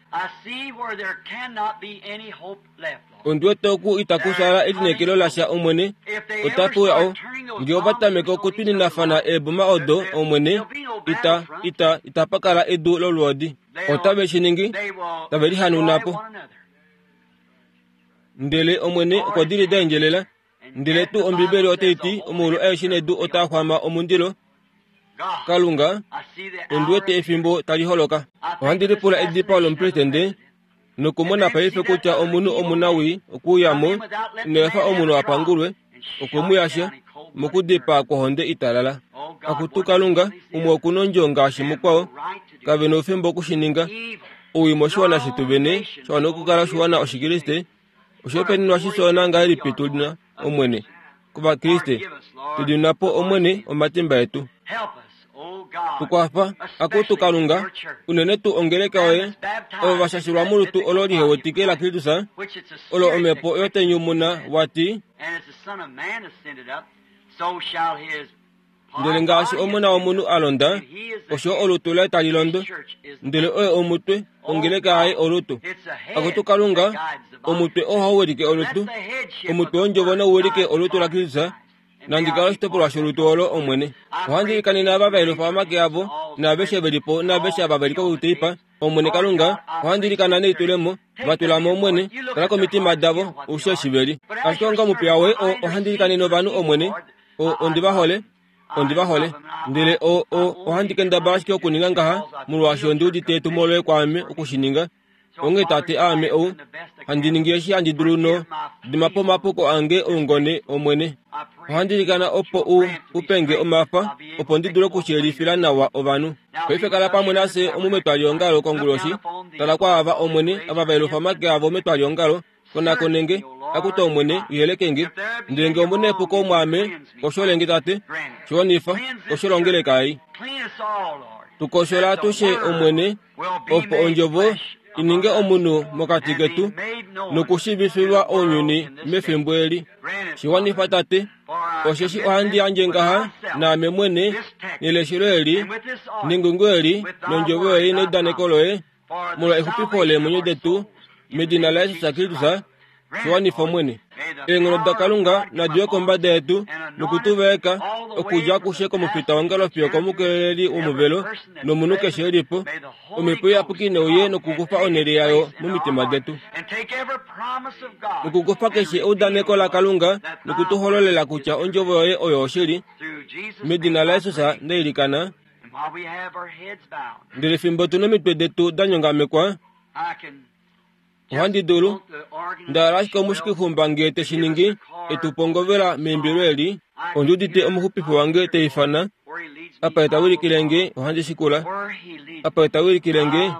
Ondi wete oku itaku sala elineekelo lasha Omwene, otapu uya o, nge ova tameke okutwininafana eeboma odo Omwene, ita, ita, itapa kala edu lolwoodi. Otave shi ningi, tave lihanuna po. Ndele Omwene okwa dili da endjelela. Ndele tuu Ombibeli otai ti omaulu aeshe nedu otaa xwama omundilo. Kalunga, ondi wete efimbo tali holoka. Ohandi lipula edipao lomupresidente nokumona paife kutya omunhu omunawii okuuya mo, ina efa omunhu a pangulwe, okwe mu yasha mokudipaa kwohonde italala. Akutu Kalunga, umwe okuna ondjo ngaashi mukwao, kave na oufemba okushininga. Owii moshiwana shetu vene, sha wana okukala oshiwana Oshikriste, oshihopaenenwa shisoona ngahelipi tu na Omwene kOvakriste, tu dimina po Omwene omatimba etu. Tukwafa, akutu Kalunga, unene tuu ongeleka yoye, ovo va shashilwa molutu olo lihewetike laKristus, olo omhepo yotenyumuna wati, ndele ngaashi omona womunhu a londa, osho olutu laye tali londo, ndele oye omutwe, ongeleka yaye olutu. Akutu Kalunga, omutwe ohau wilike olutu, omutwe wondjovo nau wilike olutu laKristus, nandi kala oshitopolwa sholutu olo Omwene. Ohandi ilikanene ava va yelufa omake avo, naaveshe veli po, naaveshe ava veli kokuteipa, Omwene Kalunga, ohandi ilikana nelitulemo, va tula mo Omwene, tala komitima davo, oushi eshi veli. Ashike onga omupiya woye, ohandi ilikanene ovanhu Omwene, ondi va hole, ondi va hole. Ndele o, o, ohandi kendabala ashike okuninga ngaha, molwaashi ondi udite etumo loye kwaame okushininga. Onghee tate aame ou, handi ningi eshi handi dulu no dima po omapuko ange oungone Omwene. Ohandi ilikana opo u upenge omafa, opo ndi dule okushiyelifila nawa ovanhu. Paife kala pamwe nafye omu metwaliongalo konguloshi, tala kwaava Omwene, ava va yelufa omake avo metwaliongalo, konakonenge, Akutu Omwene, uyeleke nge. Ndele nge omuna epuko mwaame, kosholenge Tate, shiwanifa, kosholongeleka ei. Tukoshola atushe Omwene, opo ondjovo ininge omunhu mokati ketu nokushiivifilwa ounyuni mefimbo eli. Shiwanifa Tate, osheshi ohandi yandje ngaha naame mwene neleshelo eli nengungo eli nondjovo yoye neudaneko loye molwa exupifo leemwenyo detu medina laJesus Kristus. Shiwanifa Omwene. Eenghono daKalunga nadi ye kombada yetu nokutuvaeka okudja akushe komufitaongalo fiyo komukeleli womuvelo nomunhu keshe elipo. Omhepo Iyapuki neuye nokukufa onhele yayo momitima detu nokukufa keshe eudaneko laKalunga nokutuhololela kutya ondjovo yoye oyo oshili. Medina laJesus ndailikana. Ndele fimbo tu nomitwe detu da nyongamekwa, ohandi dulu ndahala ashike omushikixumba ngee te shi ningi etupongovela meimbilo eli. Ondiudite omuxupifi wange teifana apa etawilikile nge ohandi shikula, apa etawilikile nge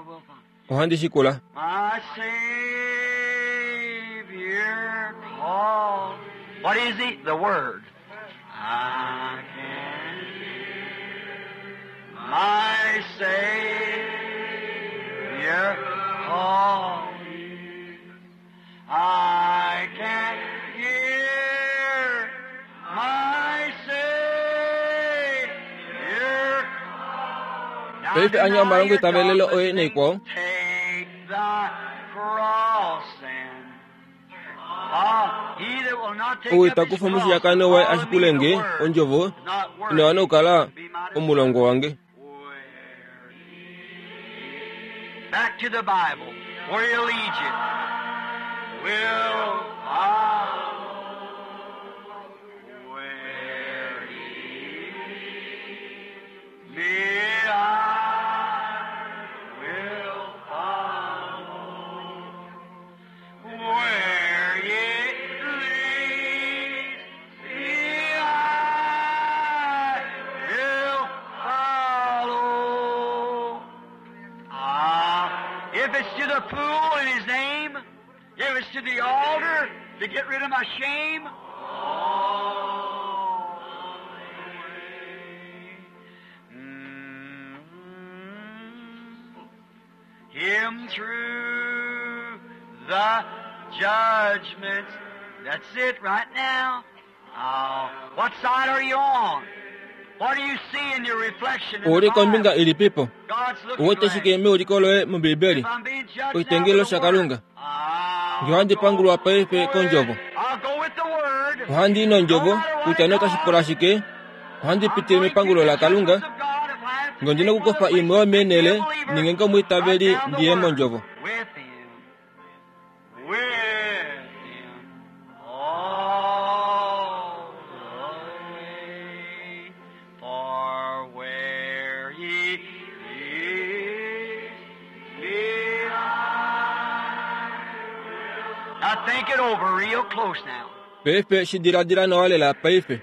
ohandi shikula. My Savior called. What is he? The Word. I can hear my Savior call me. I can hear my Savior call. Now Paife anya deny omalongo your itavelelo oye God naikwao. Take the cross and ah, he that will not take Ou up his itakufa cross omushiyakano waye follow me ashikule the nge word, ondjovo is not worthy ina wana okukala to be my disciple. omulongo wange. Back to the Bible, where he'll lead you. Will follow where he leads me, I will follow. Where he leads me, I will follow. Ah, if it's to the pool in his name, if it's to the altar to get rid of my shame, all the way. Mm. Him through the judgments. That's it right now. Oh, what side are you on? What do you see in your reflection in the Ouli kombinga Bible? ilipipo? God's looking Uwete glass. shike meuliko loye mOmbibeli. If I'm being judged now Oshitengelo with the shaKalunga. Word, I'll Nge ohandi go pangulwa paife kondjovo. I'll go with the Word. Ohandi i No nondjovo matter what kutya it notashi pula costs, shike, ohandi I'm pitile going to mepangulo the laKalunga. judgments of God if I have to Nge ondina take one of okukufa the imwe places yomeenhele to be a believer, ninge ngomwiitaveli right down the ndiye Word. mondjovo. With Him. With Him. All the way. For where He leads me, I will. Now think it over real close now. Paife shi diladila nawa lela paife.